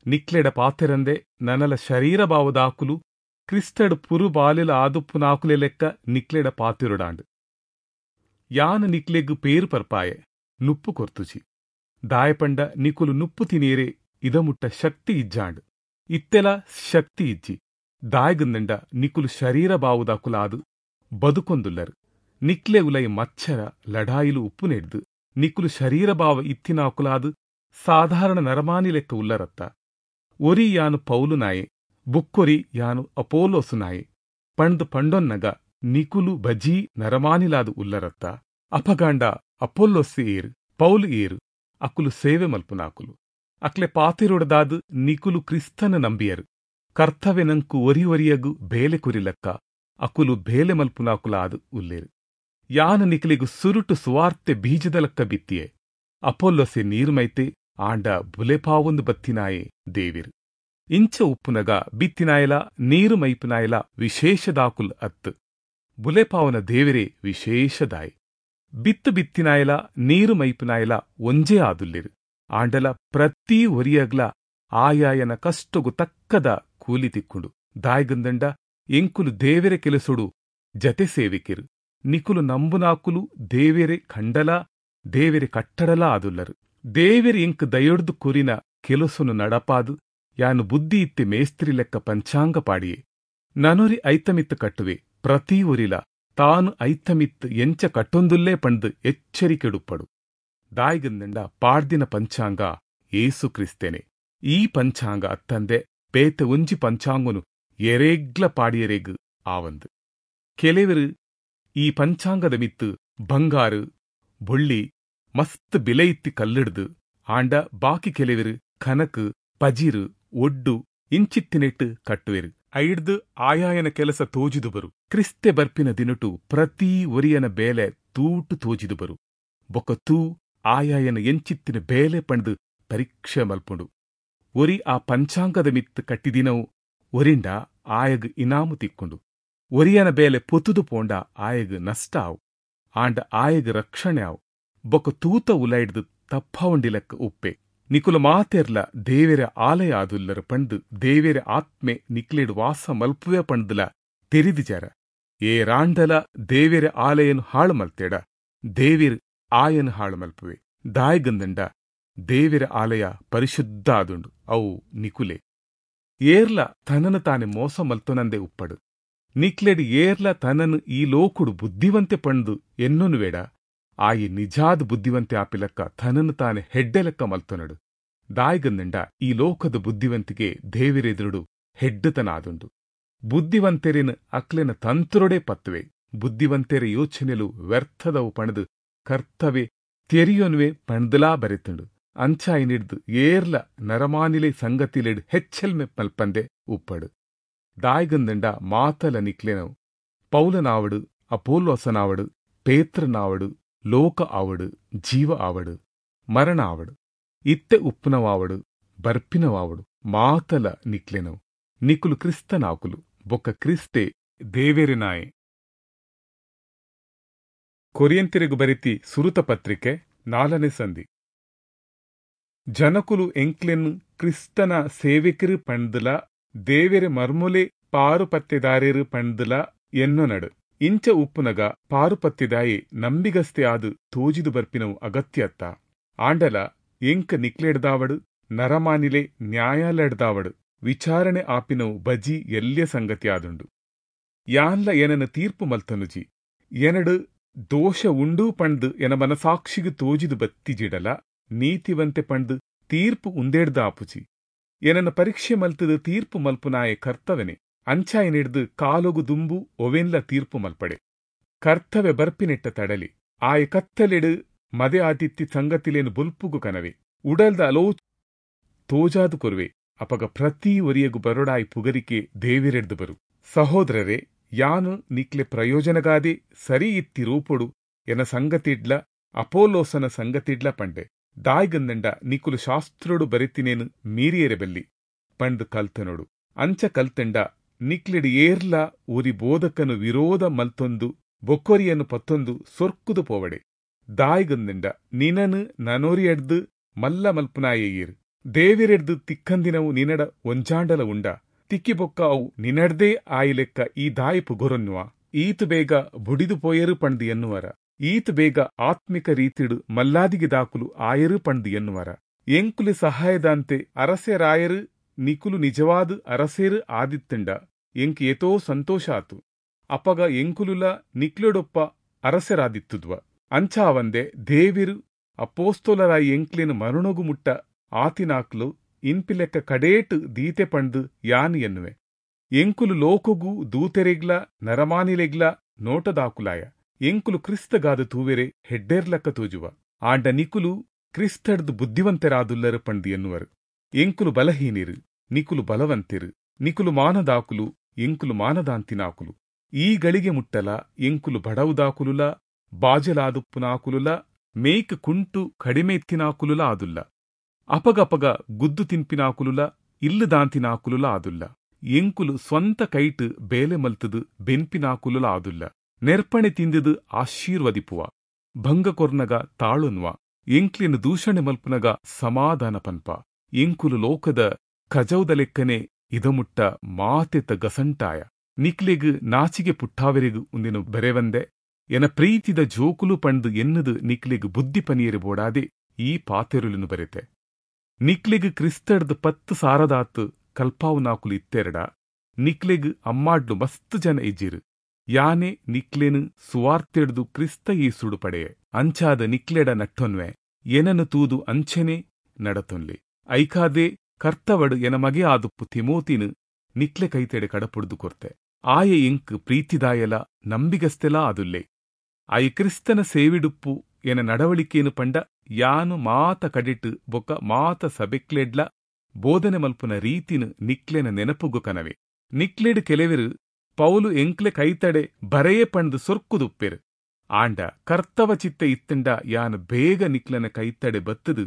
ನಿಕ್ಲೆಡ ಪಾತೆರಂದೆ ನನಲ ಶರೀರ ಭಾವದಾಕುಲು ಕ್ರಿಸ್ತಡು ಪುರು ಬಾಲಿಲ ಆದುಪ್ಪುನಾಕುಲೆ ಲೆಕ್ಕ ನಿಕ್ಲೆಡ ಪಾತಿರುಡಾಂಡು. ಯಾನ ನಿಕ್ಲೆಗು ಪೇರು ಪರ್ಪಾಯೆ ನುಪ್ಪು ಕೊರ್ತುಜಿ. ದಾಯಪಂಡ ನಿಕುಲು ನುಪ್ಪು ತಿನೀರೆ ಇದಮುಟ್ಟ ಶಕ್ತಿ ಇಜ್ಜಾಂಡು. ಇತ್ತೆಲ ಶಕ್ತಿ ಇಜ್ಜಿ. ದಾಯಗಂದಂಡ ನಿಕುಲು ಶರೀರ ಬಾವುದಾಕುಲಾದು ಬದುಕೊಂದುಲ್ಲರು. ನಿಕ್ಲೆ ಉಲೈ ಮಚ್ಚರ ಲಡಾಯಿಲು ಉಪ್ಪು ನೆಡ್ದು ನಿಕುಲು ಶರೀರ ಭಾವ ಇತ್ತಿನಾಕುಲಾದು ಸಾಧಾರಣ ನರಮಾನಿ ಲೆಕ್ಕ ಉಲ್ಲರತ್ತ. ಒರಿ ಯಾನು ಪೌಲು ನಾಯೆ, ಬುಕ್ಕೊರಿ ಯಾನು ಅಪೋಲೋಸು ನಾಯೆ ಪಂಡ್ದು ಪಂಡೊನ್ನಗ ನಿಕುಲು ಬಜೀ ನರಮಾನಿಲಾದು ಉಲ್ಲರತ್ತ. ಅಪಗಾಂಡ ಅಪೋಲೋಸು ಏರು ಪೌಲು ಏರು ಅಕುಲು ಸೇವೆ ಮಲ್ಪುನಾಕುಲು. ಅಕ್ಲೆ ಪಾತಿರೊಡದಾದು ನಿಕುಲು ಕ್ರಿಸ್ತನ ನಂಬಿಯರು. ಕರ್ತವ್ಯನಂಕು ಒರಿ ಒರಿಯಗು ಬೇಲೆ ಕುರಿಲಕ್ಕ ಅಕುಲು ಬೇಲೆ ಮಲ್ಪುನಾಕುಲಾದು ಉಲ್ಲೇರು. ಯಾನ ನಿಕಲಿಗು ಸುರುಟು ಸುವಾರ್ತೆ ಬೀಜದ ಲಕ್ಕ ಬಿತ್ತಿಯೆ. ಅಪೋಲೋಸೆ ನೀರ್ಮೈತೆ ಆಂಡ ಬುಲೆಪಾವೊಂದು ಬತ್ತಿನಾಯೆ ದೇವಿರು. ಇಂಚ ಉಪ್ಪುನಗ ಬಿತ್ತಿನಾಯಲ ನೀರು ಮೈಪುನಾಯಲ ವಿಶೇಷದಾಕುಲ್ ಅತ್ತು. ಬುಲೆಪಾವನ ದೇವಿರೇ ವಿಶೇಷದಾಯೆ. ಬಿತ್ತು ಬಿತ್ತಿನಾಯಲ ನೀರು ಮೈಪುನಾಯಲ ಒಂಜೇ ಆದುಲ್ಲಿರು. ಆಂಡಲ ಪ್ರತಿ ಒರಿಯಗ್ಲ ಆಯಾಯನ ಕಷ್ಟಗು ತಕ್ಕದ ಕೂಲಿ ತಿಕ್ಕುಂಡು. ದಾಯ್ಗಂದಂಡ ಎಂಕುಲು ದೇವೆರೆ ಕೆಲಸೊಡು ಜತೆ ಸೇವಿಕಿರು. ನಿಕುಲು ನಂಬುನಾಕುಲು ದೇವೆರೆ ಖಂಡಲ ದೇವೆರೆ ಕಟ್ಟಡಲ ಆದುಲ್ಲರು. ದೇವೆರೆ ಎಂಕ್ ದಯೊಡ್ದು ಕುರಿನ ಕೆಲಸೊನು ನಡಪಾದು ಯಾನು ಬುದ್ಧಿ ಇತ್ತಿ ಮೇಸ್ತ್ರಿ ಲೆಕ್ಕ ಪಂಚಾಂಗ ಪಾಡಿಯೆ. ನನೊರಿ ಐತಮಿತ್ತು ಕಟ್ಟುವೆ ಪ್ರತಿ ಒರಿಲ ತಾನು ಐತಮಿತ್ತು ಎಂಚ ಕಟ್ಟೊಂದುಲ್ಲೇ ಪಂಡ್ದು ಎಚ್ಚರಿಕೆಡುಪ್ಪಡು. ದಾಯಿಗಂದಂಡ ಪಾಡ್ದಿನ ಪಂಚಾಂಗ ಏಸು ಕ್ರಿಸ್ತೇನೆ. ಈ ಪಂಚಾಂಗ ಅತ್ತಂದೆ ಬೇತೆ ಒಂಜಿ ಪಂಚಾಂಗನು ಎರೇಗ್ಲ ಪಾಡಿಯರೆಗ್ ಆವಂದು. ಕೆಲವರು ಈ ಪಂಚಾಂಗದ ಮಿತ್ತು ಬಂಗಾರು ಬೊಳ್ಳಿ ಮಸ್ತ್ ಬಿಲೆ ಇತ್ತಿ ಕಲ್ಲಿಡ್ದು ಆಂಡ ಬಾಕಿ ಕೆಲವರು ಕನಕು ಪಜಿರು ಒಡ್ಡು ಇಂಚಿತ್ತಿನೆಟ್ಟು ಕಟ್ಟುವೆರು. ಐಡ್ದು ಆಯಾಯನ ಕೆಲಸ ತೋಜಿದು ಬರು. ಕ್ರಿಸ್ತೆ ಬರ್ಪಿನ ದಿನಟು ಪ್ರತಿ ಒರಿಯನ ಬೇಲೆ ತೂಟು ತೋಜಿದು ಬರು. ಬೊಕ್ಕ ತೂ ಆಯಾಯನ ಎಂಚಿತ್ತಿನ ಬೇಲೆ ಪಂಡ್ದು ಪರೀಕ್ಷೆ ಮಲ್ಪುಂಡು. ಒರಿ ಆ ಪಂಚಾಂಗದ ಮಿತ್ತು ಕಟ್ಟಿದಿನವು ಒರಿಂಡ ಆಯಗ್ ಇನಾಮು ತಿಕ್ಕೊಂಡು. ಒರಿಯನ ಬೇಲೆ ಪೊತುದು ಪೋಂಡ ಆಯಗ್ ನಷ್ಟ ಆವು, ಆಂಡ ಆಯಗ್ ರಕ್ಷಣೆ ಆವು. ಬೊಕ್ಕ ತೂತ ಉಲೈಡ್ದು ತಪ್ಪವಂಡಿಲಕ್ಕ ಉಪ್ಪೆ. ನಿಕುಲ ಮಾತೆರ್ಲ ದೇವೆರ ಆಲಯ ಆದುಲ್ಲರ ಪಂಡ್ದು ದೇವೆರ ಆತ್ಮೆ ನಿಕ್ಲೆಡ್ ವಾಸ ಮಲ್ಪುವೆ ಪಂಡ್ದುಲ ತೆರಿದಿಜಾರ. ಏ ರಾಂಡಲ ದೇವೆರ ಆಲಯನು ಹಾಳು ಮಲ್ತೇಡ ದೇವಿರ್ ಆಯನು ಹಾಳು ಮಲ್ಪುವೆ. ದಾಯಗಂದಂಡ ದೇವೆರ ಆಲಯ ಪರಿಶುದ್ಧ ಆದುಂಡು, ಅವು ನಿಕುಲೆ. ಏರ್ಲ ತನನು ತಾನೆ ಮೋಸ ಮಲ್ತೊನಂದೆ ಉಪ್ಪಡು. ನಿಕ್ಲೆಡ್ ಏರ್ಲ ತನನು ಈ ಲೋಕುಡು ಬುದ್ಧಿವಂತೆ ಪಂಡ್ದು ಎನ್ನೊನುವೇಡ ಆಯಿ ನಿಜಾದ ಬುದ್ಧಿವಂತೆ ಆಪಿಲಕ್ಕ ತನನು ತಾನೆ ಹೆಡ್ಡೆಲಕ್ಕ ಮಲ್ತೊನಡು. ದಾಯಿಗಂದಂಡ ಈ ಲೋಕದ ಬುದ್ಧಿವಂತಿಗೆ ದೇವಿರೆದುರುಡು ಹೆಡ್ಡತನ ಆದುಂಡು. ಬುದ್ಧಿವಂತೆರಿನ ಅಕ್ಲೆನ ತಂತ್ರೊಡೆ ಪತ್ತುವೆ. ಬುದ್ಧಿವಂತೆರ ಯೋಚನೆಲು ವ್ಯರ್ಥದವು ಪಣದು ಕರ್ತವೆ ತೆರಿಯೊನುವೆ ಪಣದಲಾ ಬರೆತುಂಡು. ಅಂಚಾಯಿನಿಡ್ದು ಏರ್ಲ ನರಮಾನಿಲೆ ಸಂಗತಿಲೆಡ್ ಹೆಚ್ಚೆಲ್ಮೆ ಮಲ್ಪಂದೆ ಉಪ್ಪಡು. ದಾಯಿಗಂದಂಡ ಮಾತಲ ನಿಕ್ಲೆನವು. ಪೌಲನಾವಡು, ಅಪೋಲೋಸನಾವಡು, ಪೇತ್ರನಾವಡು, ಲೋಕ ಆವಡು, ಜೀವ ಆವಡು, ಮರಣ ಆವಡು, ಇತ್ತೆ ಉಪ್ಪುನವಾವಡು, ಬರ್ಪಿನವಾವಡು ಮಾತಲ ನಿಕ್ಲೆನವು. ನಿಕುಲು ಕ್ರಿಸ್ತನಾಕುಲು, ಬೊಕ್ಕ ಕ್ರಿಸ್ತೆ ದೇವೆರಿನಾಯೆ. ಕೊರಿಯಂತಿರಿಗು ಬರಿತಿ ಸುರುತ ಪತ್ರಿಕೆ ನಾಲ್ಕನೇ ಸಂಧಿ. ಜನಕುಲು ಎಂಕ್ಲೆನ್ ಕ್ರಿಸ್ತನ ಸೇವಕರು ಪಂಡ್ದುಲ ದೇವೆರೆ ಮರ್ಮೊಲೆ ಪಾರುಪತ್ತೆದಾರೇರು ಪಂಡ್ದುಲ ಎನ್ನೊನಡು. ಇಂಚ ಉಪ್ಪುನಗ ಪಾರುಪತ್ತೆದಾಯೆ ನಂಬಿಗಸ್ತೆ ಆದು ತೋಜಿದು ಬರ್ಪಿನವು ಅಗತ್ಯತ್ತ. ಆಂಡಲ ಎಂಕ ನಿಕ್ಲೆಡ್ದಾವಡು ನರಮಾನಿಲೆ ನ್ಯಾಯಾಲಯಡ್ದಾವಡು ವಿಚಾರಣೆ ಆಪಿನವು ಬಜಿ ಎಲ್ಯ ಸಂಗತಿ ಆದುಂಡು. ಯಾನ್ಲ ಏನನ ತೀರ್ಪು ಮಲ್ತನುಜಿ. ಎನಡು ದೋಷ ಉಂಡು ಪಂಡ್ದು ಎನ ಮನಸಾಕ್ಷಿಗು ತೋಜಿದು ಬತ್ತಿಜಿಡಲ ನೀತಿವಂತೆ ಪಂಡ್ದು ತೀರ್ಪು ಉಂದೇಡ್ದ ಆಪುಜಿ. ಏನನ್ನ ಪರೀಕ್ಷೆ ಮಲ್ತದು ತೀರ್ಪು ಮಲ್ಪುನಾಯೆ ಕರ್ತವನೆ. ಅಂಚಾಯನಿಡ್ದು ಕಾಲೊಗು ದುಂಬು ಒವೆನ್ಲ ತೀರ್ಪು ಮಲ್ಪಡೆ. ಕರ್ತವೆ ಬರ್ಪಿನೆಟ್ಟ ತಡಲಿ. ಆಯ ಕತ್ತಲೆಡು ಮದೆ ಆತಿತ್ತಿ ಸಂಗತಿಲೇನು ಬುಲ್ಪುಗು ಕನವೆ. ಉಡಲ್ದ ಅಲೋ ತೋಜಾದು ಕೊರುವೆ. ಅಪಗ ಪ್ರತಿ ಒರಿಯಗು ಬರೊಡಾಯಿ ಪುಗರಿಕೆ ದೇವಿರೆಡ್ದು ಬರು. ಸಹೋದರರೇ, ಯಾನು ನಿಕ್ಲೆ ಪ್ರಯೋಜನಗಾದೆ ಸರಿ ಇತ್ತಿ ರೂಪೊಡು ಎನ ಸಂಗತಿಡ್ಲ ಅಪೋಲೋಸನ ಸಂಗತಿಡ್ಲ ಪಂಡೆ. ದಾಯ್ಗಂದಂಡ ನಿಕುಲು ಶಾಸ್ತ್ರೋಡು ಬರೆತಿನೇನು ಮೀರಿಯರೆ ಬಲ್ಲಿ ಪಂಡ್ ಕಲ್ತನೋಡು. ಅಂಚ ಕಲ್ತಂಡ ನಿಕ್ಲೆಡ್ ಏರ್ಲ ಊರಿ ಬೋಧಕನು ವಿರೋಧ ಮಲ್ತೊಂದು ಬೊಕ್ಕೊರಿಯನ್ನು ಪತ್ತೊಂದು ಸೊರ್ಕುದು ಪೋವಡೆ. ದಾಯ್ಗಂದಂಡ ನಿನನು ನನೋರಿಯಡ್ದು ಮಲ್ಲ ಮಲ್ಪುನಾಯೇಯಿರ್. ದೇವಿರೆಡ್ದು ತಿಕ್ಕಂದಿನವು ನಿನಡ ಒಂಜಾಂಡಲ ಉಂಡ. ತಿಕ್ಕಿಬೊಕ್ಕ ಅವು ನಿನಡ್ದೇ ಆಯಿಲೆಕ್ಕ ಈ ದಾಯಿ ಪುಗೊರೊನ್ನುವ. ಈತು ಬೇಗ ಬುಡಿದು ಪೋಯರು ಪಂಡ್ದು ಎನ್ನುವರ. ಈತು ಬೇಗ ಆತ್ಮಿಕ ರೀತಿಡು ಮಲ್ಲಾದಿಗೆ ದಾಕುಲು ಆಯರು ಪಂಡ್ದು ಎನ್ನುವರ. ಎಂಕುಲಿ ಸಹಾಯದಂತೆ ಅರಸೆರಾಯರು ನಿಕುಲು ನಿಜವಾದ ಅರಸೇರು ಆದಿತ್ತಂಡ ಎಂಕ್ ಏತೋ ಸಂತೋಷ ಆತು. ಅಪಗ ಎಂಕುಲುಲ ನಿಕ್ಲೊಡೊಪ್ಪ ಅರಸೆರಾದಿತ್ತುದ್ವ. ಅಂಚಾವಂದೆ ದೇವಿರು ಅಪೋಸ್ತೋಲರಾಯಿ ಎಂಕ್ಲಿನ ಮರಣೊಗು ಮುಟ್ಟ ಆತಿನಾಕ್ಲು ಇನ್ಪಿಲೆಕ್ಕ ಕಡೇಟು ದೀತೆ ಪಂಡ್ದು ಯಾನ್ ಎನ್ನುವೆ. ಎಂಕುಲು ಲೋಕಗು ದೂತೆರೆಗ್ಲ ನರಮಾನಿಲೆಗ್ಲ ನೋಟದಾಕುಲಾಯ. ಎಂಕುಲು ಕ್ರಿಸ್ತಗಾದ ತೂವೆರೆ ಹೆಡ್ಡೇರ್ಲಕ್ಕ ತೋಜುವ. ಆಂಡ ನಿಕುಲು ಕ್ರಿಸ್ತಡ್ದು ಬುದ್ಧಿವಂತರಾದುಲ್ಲರು ಪಂಡ್ದು ಎನ್ನುವರು. ಎಂಕುಲು ಬಲಹೀನಿರು, ನಿಕುಲು ಬಲವಂತಿರು. ನಿಕುಲು ಮಾನದಾಕುಲು, ಎಂಕುಲು ಮಾನದಾಂತಿನಾಕುಲು. ಈ ಗಳಿಗೆ ಮುಟ್ಟಲ ಎಂಕುಲು ಬಡವುದಾಕುಲುಲ ಬಾಜಲಾದುಪ್ಪುನಾಕುಲುಲ ಮೇಕ್ ಕುಂಟು ಕಡಿಮೆ ಇತ್ತಿನಾಕುಲುಲ ಆದುಲ್ಲ. ಅಪಗಪಗ ಗುದ್ದು ತಿನ್ಪಿನಾಕುಲುಲ ಇಲ್ಲುದಾಂತಿನಾಕುಲುಲ ಆದುಲ್ಲ. ಎಂಕುಲು ಸ್ವಂತ ಕೈಟ್ ಬೇಲೆ ಮಲ್ತದು ಬೆನ್ಪಿನಾಕುಲುಲ ಆದುಲ್ಲ. ನೆರ್ಪಣೆ ತಿಂದಿದು ಆಶೀರ್ವದಿಪುವ. ಭಂಗ ಕೊರ್ನಗ ತಾಳುನ್ವ. ಎಂಕ್ಲಿನ ದೂಷಣೆ ಮಲ್ಪುನಗ ಸಮಾಧಾನ ಪನ್ಪ. ಎಂಕುಲು ಲೋಕದ ಕಜೌದ ಲೆಕ್ಕನೆ ಇದಮುಟ್ಟ ಮಾತೆತ ಗಸಂಟಾಯ. ನಿಕ್ಲೆಗ್ ನಾಚಿಗೆ ಪುಟ್ಟಾವೆರೆಗು ಉಂದಿನ ಬರೆವಂದೆ ಎನ ಪ್ರೀತಿದ ಜೋಕುಲು ಪಂಡ್ದು ಎನ್ನುದು ನಿಕ್ಲೆಗ್ ಬುದ್ಧಿ ಪನಿಯರೆ ಬೋಡಾದೆ ಈ ಪಾತೆರುಲುನು ಬರೆತೆ. ನಿಕ್ಲೆಗ್ ಕ್ರಿಸ್ತಡ್ದ್ ಪತ್ತು ಸಾರದಾತ್ ಕಲ್ಪಾವುನಾಕುಲು ಇತ್ತೆರಡ ನಿಕ್ಲೆಗ್ ಅಮ್ಮಾಡ್ಲು ಮಸ್ತ್ ಜನ ಇಜ್ಜಿರು. ಯಾನೆ ನಿಕ್ಲೆನ್ ಸುವಾರ್ತೆಡ್ದು ಕ್ರಿಸ್ತ ಯೇಸುಡು ಪಡೆಯೆ. ಅಂಚಾದ ನಿಕ್ಲೆಡ ನಟ್ಟೊನ್ವೆ ಎನನು ತೂದು ಅಂಚನೆ ನಡತೊನ್ಲೆ. ಐಕಾದೆ ಕರ್ತವಡು ಎನ ಮಗೆ ಆದುಪ್ಪು ತಿಮೋತಿನು ನಿಕ್ಲೆ ಕೈತೆಡೆ ಕಡಪುಡ್ದು ಕೊರ್ತೆ. ಆಯೆ ಎಂಕ್ ಪ್ರೀತಿದಾಯಲ ನಂಬಿಗಸ್ತೆಲಾ ಆದುಲ್ಲೆ. ಆಯೆ ಕ್ರಿಸ್ತನ ಸೇವಿಡುಪ್ಪು ಎನ ನಡವಳಿಕೇನು ಪಂಡ ಯಾನು ಮಾತ ಕಡಿಟ್ ಬೊಕ ಮಾತ ಸಬೆಕ್ಲೆಡ್ಲ ಬೋಧನೆ ಮಲ್ಪುನ ರೀತಿನ ನಿಕ್ಲೆನ ನೆನಪುಗು ಕನವೆ. ನಿಕ್ಲೆಡ್ ಕೆಲವೆರು ಪೌಲು ಎಂಕ್ಲೆ ಕೈತಡೆ ಬರೆಯೇ ಪಂಡ್ದು ಸೊರ್ಕುದುಪ್ಪೆರು. ಆಂಡ ಕರ್ತವ ಚಿತ್ತ ಇತ್ತಂಡ ಯಾನು ಬೇಗ ನಿಕ್ಲೆನ ಕೈತಡೆ ಬತ್ತದು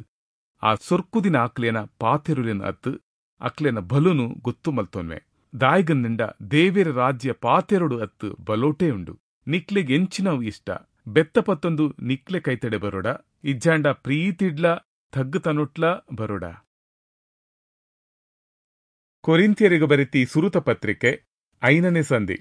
ಆ ಸೊರ್ಕುದಿನ ಆಕ್ಲೆನ ಪಾತೆರುಲೆನ ಅತ್ತು ಅಕ್ಲೆನ ಬಲುನು ಗೊತ್ತು ಮಲ್ತೊನ್ವೆ. ದಾಯ್ಗಂದಿಂಡ ದೇವೆರ ರಾಜ್ಯ ಪಾತೆರೊಡು ಅತ್ತು ಬಲೋಟೇ ಉಂಡು. ನಿಕ್ಲೆಗ್ ಎಂಚಿನವು ಇಷ್ಟ ಬೆತ್ತ ಪತ್ತೊಂದು ನಿಕ್ಲೆ ಕೈತಡೆ ಬರೋಡ, ಇಜ್ಜಾಂಡ ಪ್ರೀತಿಡ್ಲ ತಗ್ಗುತನೊಟ್ಲ ಬರೋಡ. ಕೊರಿಂಥ್ಯರಿಗೆ ಬರೆತಿ ಸುರುತ ಪತ್ರಿಕೆ ಐನನೇ ಸಂಧಿ.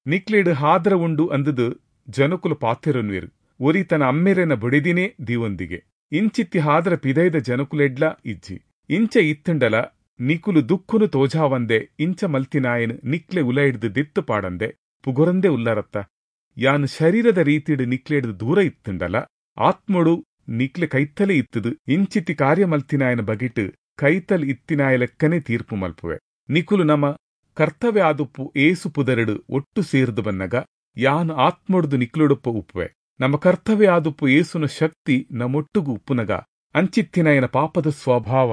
ನಿಕ್ಲೆಡ್ ಹಾದ್ರ ಉಂಡು ಅಂದದು ಜನಕುಲು ಪಾತೆರೊನ್ವೆರು. ಒರಿ ತನ್ನ ಅಮ್ಮೆರೆನ ಬೊಡೆದಿನೇ ದೀವೊಂದಿಗೆ. ಇಂಚಿತ್ತಿ ಹಾದ್ರ ಪಿದೈದ ಜನಕುಲೆಡ್ಲ ಇಜ್ಜಿ. ಇಂಚ ಇತ್ತಂಡಲ ನಿಕುಲು ದುಃಖನು ತೋಜಾವಂದೆ ಇಂಚ ಮಲ್ತಿನಾಯನ್ ನಿಕ್ಲೆ ಉಲೈಡ್ದು ದಿತ್ತು ಪಾಡಂದೆ ಪುಗೊರಂದೆ ಉಲ್ಲರತ್ತ. ಯಾನು ಶರೀರದ ರೀತಿಡ್ ನಿಕ್ಲೆಡ್ದು ದೂರ ಇತ್ತಂಡಲ ಆತ್ಮಡು ನಿಕ್ಲೆ ಕೈತಲೆ ಇತ್ತದು ಇಂಚಿತ್ತಿ ಕಾರ್ಯ ಮಲ್ತಿನಾಯನ ಬಗೆಟ್ ಕೈತಲ್ ಇತ್ತಿನಾಯ ಲೆಕ್ಕನೆ ತೀರ್ಪು ಮಲ್ಪುವೆ. ನಿಕುಲು ನಮ ಕರ್ತವ್ಯ ಆದುಪ್ಪು ಏಸು ಪುದರಡು ಒಟ್ಟು ಸೇರ್ದು ಬನ್ನಗ ಯಾನು ಆತ್ಮೊಡ್ದು ನಿಕ್ಲುಡುಪ್ಪ ಉಪ್ಪುವೆ. ನಮ್ಮ ಕರ್ತವ್ಯ ಆದುಪ್ಪು ಏಸುನ ಶಕ್ತಿ ನಮ್ಮೊಟ್ಟುಗು ಉಪ್ಪುನಗ ಅಂಚಿತ್ತಿನಾಯನ ಪಾಪದ ಸ್ವಭಾವ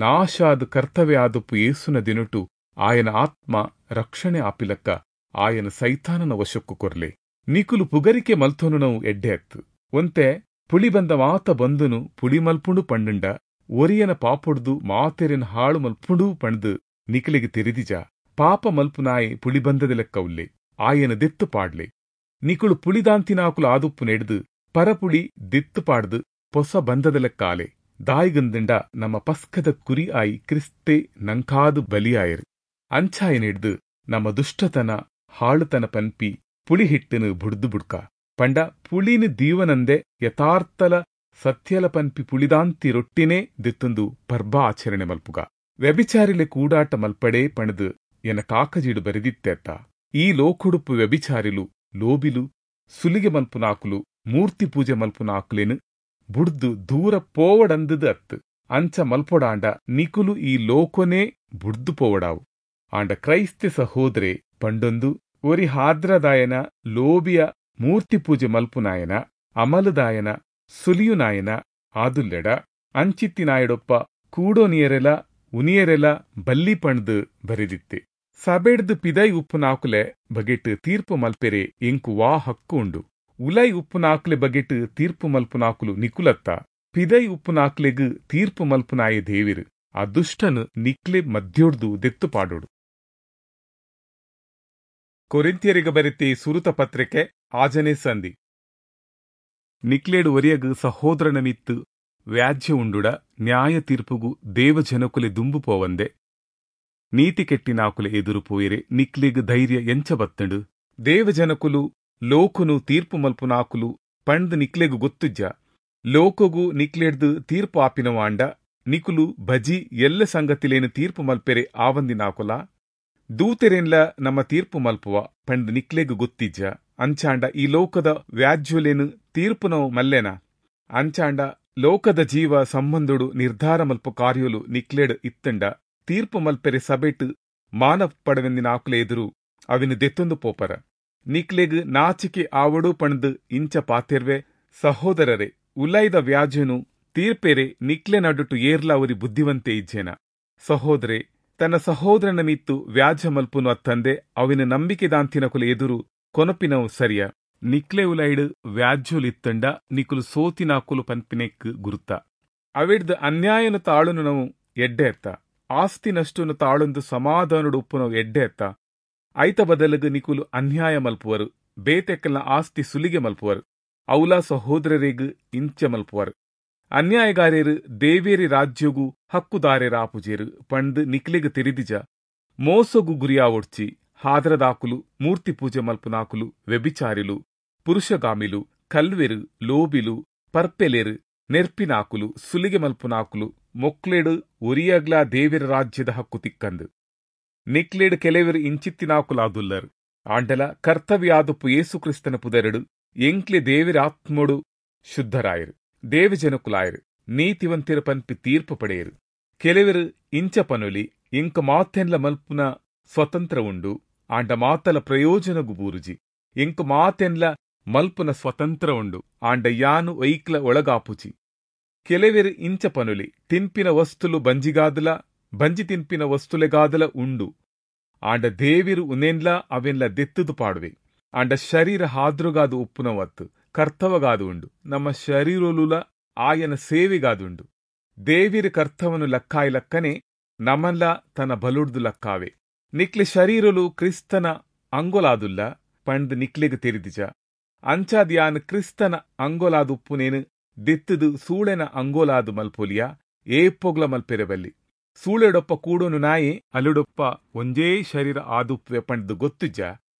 ನಾಶಾದ ಕರ್ತವ್ಯ ಆದುಪ್ಪು ಏಸುನ ದಿನಟು ಆಯನ ಆತ್ಮ ರಕ್ಷಣೆ ಆಪಿಲಕ್ಕ ಆಯನ ಸೈತಾನನ ವಶಕ್ಕು ಕೊರ್ಲೆ. ನಿಕುಲು ಪುಗರಿಕೆ ಮಲ್ತೊನು ನಾವು ಎಡ್ಡೆ ಅತ್ತು. ಒಂತೆ ಪುಳಿ ಬಂದ ಮಾತ ಬಂದುನು ಪುಳಿ ಮಲ್ಪುಂಡು ಪಂಡುಂಡ ಒರಿಯನ ಪಾಪೊಡ್ದು ಮಾತೆರೆನ್ ಹಾಳು ಮಲ್ಪುಂಡು ಪಂಡ್ದು ನಿಕಲಿಗೆ ತೆರಿದಿಜ. ಪಾಪ ಮಲ್ಪುನಾಯಿ ಪುಳಿ ಬಂದದ ಲೆಕ್ಕ ಉಲ್ಲೆ, ಆಯನ ದೆತ್ತು ಪಾಡ್ಲೆ. ನಿಕುಳು ಪುಳಿದಾಂತಿನಾಕುಲು ಆದುಪ್ಪು ನೆಡ್ದು ಪರಪುಳಿ ದೆತ್ತು ಪಾಡ್ದು ಪೊಸ ಬಂದದ ಲೆಕ್ಕಾಲೆ. ದಾಯಿಗಂದಿಂಡ ನಮ್ಮ ಪಸ್ಕದ ಕುರಿ ಆಯಿ ಕ್ರಿಸ್ತೆ ನಂಕಾದು ಬಲಿಯಾಯರು. ಅಂಚಾಯ ನೆಡ್ದು ನಮ್ಮ ದುಷ್ಟತನ ಹಾಳುತನ ಪನ್ಪಿ ಪುಳಿ ಹಿಟ್ಟನು ಬುಡ್ದು ಬುಡ್ಕ. ಪಂಡ ಪುಳಿನ ದೀವನಂದೆ ಯಥಾರ್ಥಲ ಸತ್ಯಲ ಪನ್ಪಿ ಪುಳಿದಾಂತಿ ರೊಟ್ಟಿನೇ ದೆತ್ತೊಂದು ಪರ್ಬ ಆಚರಣೆ ಮಲ್ಪುಗ. ವ್ಯಭಿಚಾರಿಲೆ ಕೂಡಾಟ ಮಲ್ಪಡೆ ಪಣದು ಎನ ಕಾಕಜೀಡು ಬರೆದಿತ್ತೆತ್ತ. ಈ ಲೋಕುಡುಪ್ಪು ವ್ಯಭಿಚಾರಿಲು ಲೋಬಿಲು ಸುಲಿಗೆ ಮಲ್ಪುನಾಕುಲು ಮೂರ್ತಿ ಪೂಜೆ ಮಲ್ಪುನಾಕುಲೇನು ಬುಡ್ದು ದೂರ ಪೋವಡಂದದು ಅತ್ತು. ಅಂಚ ಮಲ್ಪೊಡಾಂಡ ನಿಕುಲು ಈ ಲೋಕೊನೇ ಬುಡ್ದು ಪೋವಡಾವು. ಆಂಡ ಕ್ರೈಸ್ತ ಸಹೋದರೆ ಪಂಡೊಂದು ಒರಿ ಹಾದ್ರದಾಯನ ಲೋಬಿಯ ಮೂರ್ತಿ ಪೂಜೆ ಮಲ್ಪುನಾಯನ ಅಮಲದಾಯನ ಸುಲಿಯುನಾಯನ ಆದುಲ್ಲೆಡ ಅಂಚಿತ್ತಿನಾಯಡೊಪ್ಪ ಕೂಡೋನಿಯರೆಲ ಉನಿಯರೆಲ ಬಲ್ಲಿ ಪಣ್ದು ಬರೆದಿತ್ತೆ. ಸಬೆಡ್ದು ಪಿದೈ ಉಪ್ಪುನಾಕುಲೆ ಬಗೆಟ್ ತೀರ್ಪು ಮಲ್ಪೆರೆ ಎಂಕು ವಾ ಹಕ್ಕು ಉಂಡು. ಉಲೈ ಉಪ್ಪುನಾಕುಲೆ ಬಗೆಟ್ ತೀರ್ಪು ಮಲ್ಪುನಾಕುಲು ನಿಕುಲತ್ತ. ಪಿದೈ ಉಪ್ಪುನಾಕ್ಲೆಗ್ ತೀರ್ಪು ಮಲ್ಪುನಾಯೆ ದೇವಿರು. ಆ ದುಷ್ಟನು ನಿಕ್ಲೆ ಮಧ್ಯೋಡ್ದು ದೆತ್ತು ಪಾಡೋಡು. ಕೊರಿಂಥ್ಯರಿಗೆ ಬರೆತಿ ಸುರುತ ಪತ್ರಿಕೆ ಆಜನೇ ಸಂಧಿ. ನಿಕ್ಲೇಡು ಒರಿಯಗ್ ಸಹೋದರನ ಮಿತ್ತು ವ್ಯಾಜ್ಯ ಉಂಡುಡ ನ್ಯಾಯ ತೀರ್ಪುಗು ದೇವಜನಕುಲೆ ದುಂಬು ಪೋವಂದೆ ನೀತಿ ಕೆಟ್ಟಿನಾಕುಲೆ ಎದುರು ಪೋಯಿರೆ ನಿಕ್ಲೆಗ್ ಧೈರ್ಯ ಎಂಚ ಬತ್ತಂಡು. ದೇವಜನಕುಲು ಲೋಕುನು ತೀರ್ಪು ಮಲ್ಪುನಾಕುಲು ಪಂಡ್ ನಿಕ್ಲೆಗು ಗೊತ್ತುಜ್ಜ. ಲೋಕಗು ನಿಕ್ಲೆಡ್ದು ತೀರ್ಪು ಆಪಿನವಾಂಡ ನಿಕುಲು ಬಜಿ ಎಲ್ಲ ಸಂಗತಿಲೇನು ತೀರ್ಪು ಮಲ್ಪೆರೆ ಆವಂದಿನಾಕುಲ. ದೂತೆರೆನ್ಲ ನಮ್ಮ ತೀರ್ಪು ಮಲ್ಪುವ ಪಂಡ್ ನಿಕ್ಲೆಗ್ ಗೊತ್ತಿಜ್ಜ. ಅಂಚಾಂಡ ಈ ಲೋಕದ ವ್ಯಾಜ್ಯುಲೇನು ತೀರ್ಪುನವು ಮಲ್ಲೆನ. ಅಂಚಾಂಡ ಲೋಕದ ಜೀವ ಸಂಬಂಧುಡು ನಿರ್ಧಾರ ಮಲ್ಪು ಕಾರ್ಯಲು ನಿಕ್ಲೆಡ್ ಇತ್ತಂಡ ತೀರ್ಪು ಮಲ್ಪೆರೆ ಸಬೆಟ್ ಮಾನ ಪಡವೆಂದಿನಾಕುಲೆ ಎದುರು ಅವಿನ ದೆತ್ತೊಂದು ಪೋಪರ. ನಿಕ್ಲೆಗ್ ನಾಚಿಕೆ ಆವಡು ಪಂಡ್ ಇಂಚ ಪಾತೆರ್ವೆ. ಸಹೋದರರೇ, ಉಲೈದ ವ್ಯಾಜ್ಯನು ತೀರ್ಪೆರೆ ನಿಕ್ಲೆ ನಡುಟು ಏರ್ಲ ಅವರಿ ಬುದ್ಧಿವಂತೆ ಇಜ್ಜೇನ. ಸಹೋದರೇ, ತನ್ನ ಸಹೋದರನ ಮಿತ್ತು ವ್ಯಾಜ್ಯ ಮಲ್ಪುನು ಅತ್ತಂದೆ ಅವಿನ ನಂಬಿಕೆದಾಂತಿನಕುಲೆ ಎದುರು ಕೊನಪಿನವು ಸರಿಯ. ನಿಕ್ಲೆ ಉಲೈಡ್ ವ್ಯಾಜ್ಯುಲಿತ್ತಂಡ ನಿಕುಲು ಸೋತಿನಾಕುಲು ಪನ್ಪಿನೆಕ್ ಗುರುತ. ಅವಿಡ್ದು ಅನ್ಯಾಯನು ತಾಳುನು ನಾವು ಎಡ್ಡೆ ಎತ್ತ. ಆಸ್ತಿನಷ್ಟುನು ತಾಳೊಂದು ಸಮಾಧಾನಡು ಉಪ್ಪುನವು ಎಡ್ಡೆ ಎತ್ತ. ಐತ ಬದಲಗು ನಿಕುಲು ಅನ್ಯಾಯ ಮಲ್ಪುವರು, ಬೇತೆಕ್ಕಲ್ನ ಆಸ್ತಿ ಸುಲಿಗೆ ಮಲ್ಪುವರು, ಔಲ ಸಹೋದರರಿಗ್ ಇಂಚ ಮಲ್ಪುವರು. ಅನ್ಯಾಯಗಾರ್ಯರು ದೇವೇರಿ ರಾಜ್ಯಗೂ ಹಕ್ಕುದಾರ್ಯರ ಆಪುಜೇರು ಪಂಡ್ ನಿಕ್ಲೆಗ್ ತೆರಿದಿಜ. ಮೋಸಗು ಗುರಿಯಾವೊಡ್ಚಿ ಹಾದ್ರದಾಕುಲು ಮೂರ್ತಿ ಪೂಜೆ ಮಲ್ಪುನಾಕುಲು ವ್ಯಭಿಚಾರಿಲು ಪುರುಷಗಾಮಿಲು ಕಲ್ವೆರು ಲೋಬಿಲು ಪರ್ಪೆಲೆರು ನೆರ್ಪಿನಾಕುಲು ಸುಲಿಗೆ ಮಲ್ಪುನಾಕುಲು ಮೊಕ್ಲೆಡು ಒರಿಯಗ್ಲಾ ದೇವಿರ ರಾಜ್ಯದ ಹಕ್ಕು ತಿಕ್ಕಂದು. ನಿಕ್ಲೇಡು ಕೆಲವರು ಇಂಚಿತ್ತಿನಾಕುಲಾದುಲ್ಲರು. ಆಂಡಲ ಕರ್ತವ್ಯಾದುಪ್ಪು ಯೇಸುಕ್ರಿಸ್ತನ ಪುದರೆಡು ಎಂಕ್ಲೆ ದೇವಿರ ಆತ್ಮೊಡು ಶುದ್ಧರಾಯರು, ದೇವಜನಕುಲಾಯರು, ನೀತಿವಂತಿರ ಪನ್ಪಿ ತೀರ್ಪು ಪಡೆಯರು. ಕೆಲವರು ಇಂಚ ಪನುಲಿ, ಇಂಕ ಮಾತೆನ್ಲ ಮಲ್ಪುನ ಸ್ವತಂತ್ರ ಉಂಡು, ಆಂಡ ಮಾತಲ ಪ್ರಯೋಜನಗು ಬೂರುಜಿ. ಇಂಕ ಮಾತೆನ್ಲ ಮಲ್ಪುನ ಸ್ವತಂತ್ರ ಉಂಡು, ಆಂಡ ಯಾನು ಐಕ್ಲ ಒಳಗಾಪುಜಿ. ಕೆಲವರು ಇಂಚ ಪನುಲಿ, ತಿನ್ಪಿನ ವಸ್ತುಲು ಬಂಜಿಗಾದಲ ಬಂಜಿ ತಿನ್ಪಿನ ವಸ್ತುಲೆಗಾದಲ ಉಂಡು, ಆಂಡ ದೇವಿರು ಉನೆನ್ಲ ಅವೆನ್ಲ ದೆತ್ತದು ಪಾಡುವೆ. ಆಂಡ ಶರೀರ ಹಾದ್ರುಗಾದು ಉಪ್ಪುನವತ್ತು ಕರ್ತವಗಾದು ಉಂಡು, ನಮ್ಮ ಶರೀರೊಲುಲ ಆಯನ ಸೇವೆಗಾದುಂಡು. ದೇವಿರು ಕರ್ತವನು ಲಕ್ಕಾಯಿ ಲಕ್ಕನೆ ನಮನ್ಲ ತನ್ನ ಬಲುಡ್ದು ಲಕ್ಕಾವೆ. ನಿಕ್ಲೆ ಶರೀರೊಲು ಕ್ರಿಸ್ತನ ಅಂಗೊಲಾದುಲ್ಲ ಪಂಡ್ ನಿಕ್ಲೆಗ್ ತೆರಿದಿಜ. ಅಂಚಾದ್ ಯಾನ್ ಕ್ರಿಸ್ತನ ಅಂಗೊಲಾದುಪ್ಪುನೇನು ದೆತ್ತದು ಸೂಳೆನ ಅಂಗೋಲಾದು ಮಲ್ಪೊಲಿಯ ಏಪೊಗ್ಲ ಮಲ್ಪೆರೆ ಬಲ್ಲಿ. ಸೂಳೆಡೊಪ್ಪ ಕೂಡೋನು ನಾಯಿ ಅಲುಡೊಪ್ಪ ಒಂಜೇ ಶರೀರ ಆದುಪ್ಪೆ ಪಂಡ್ದು ಗೊತ್ತುಜ್ಜ.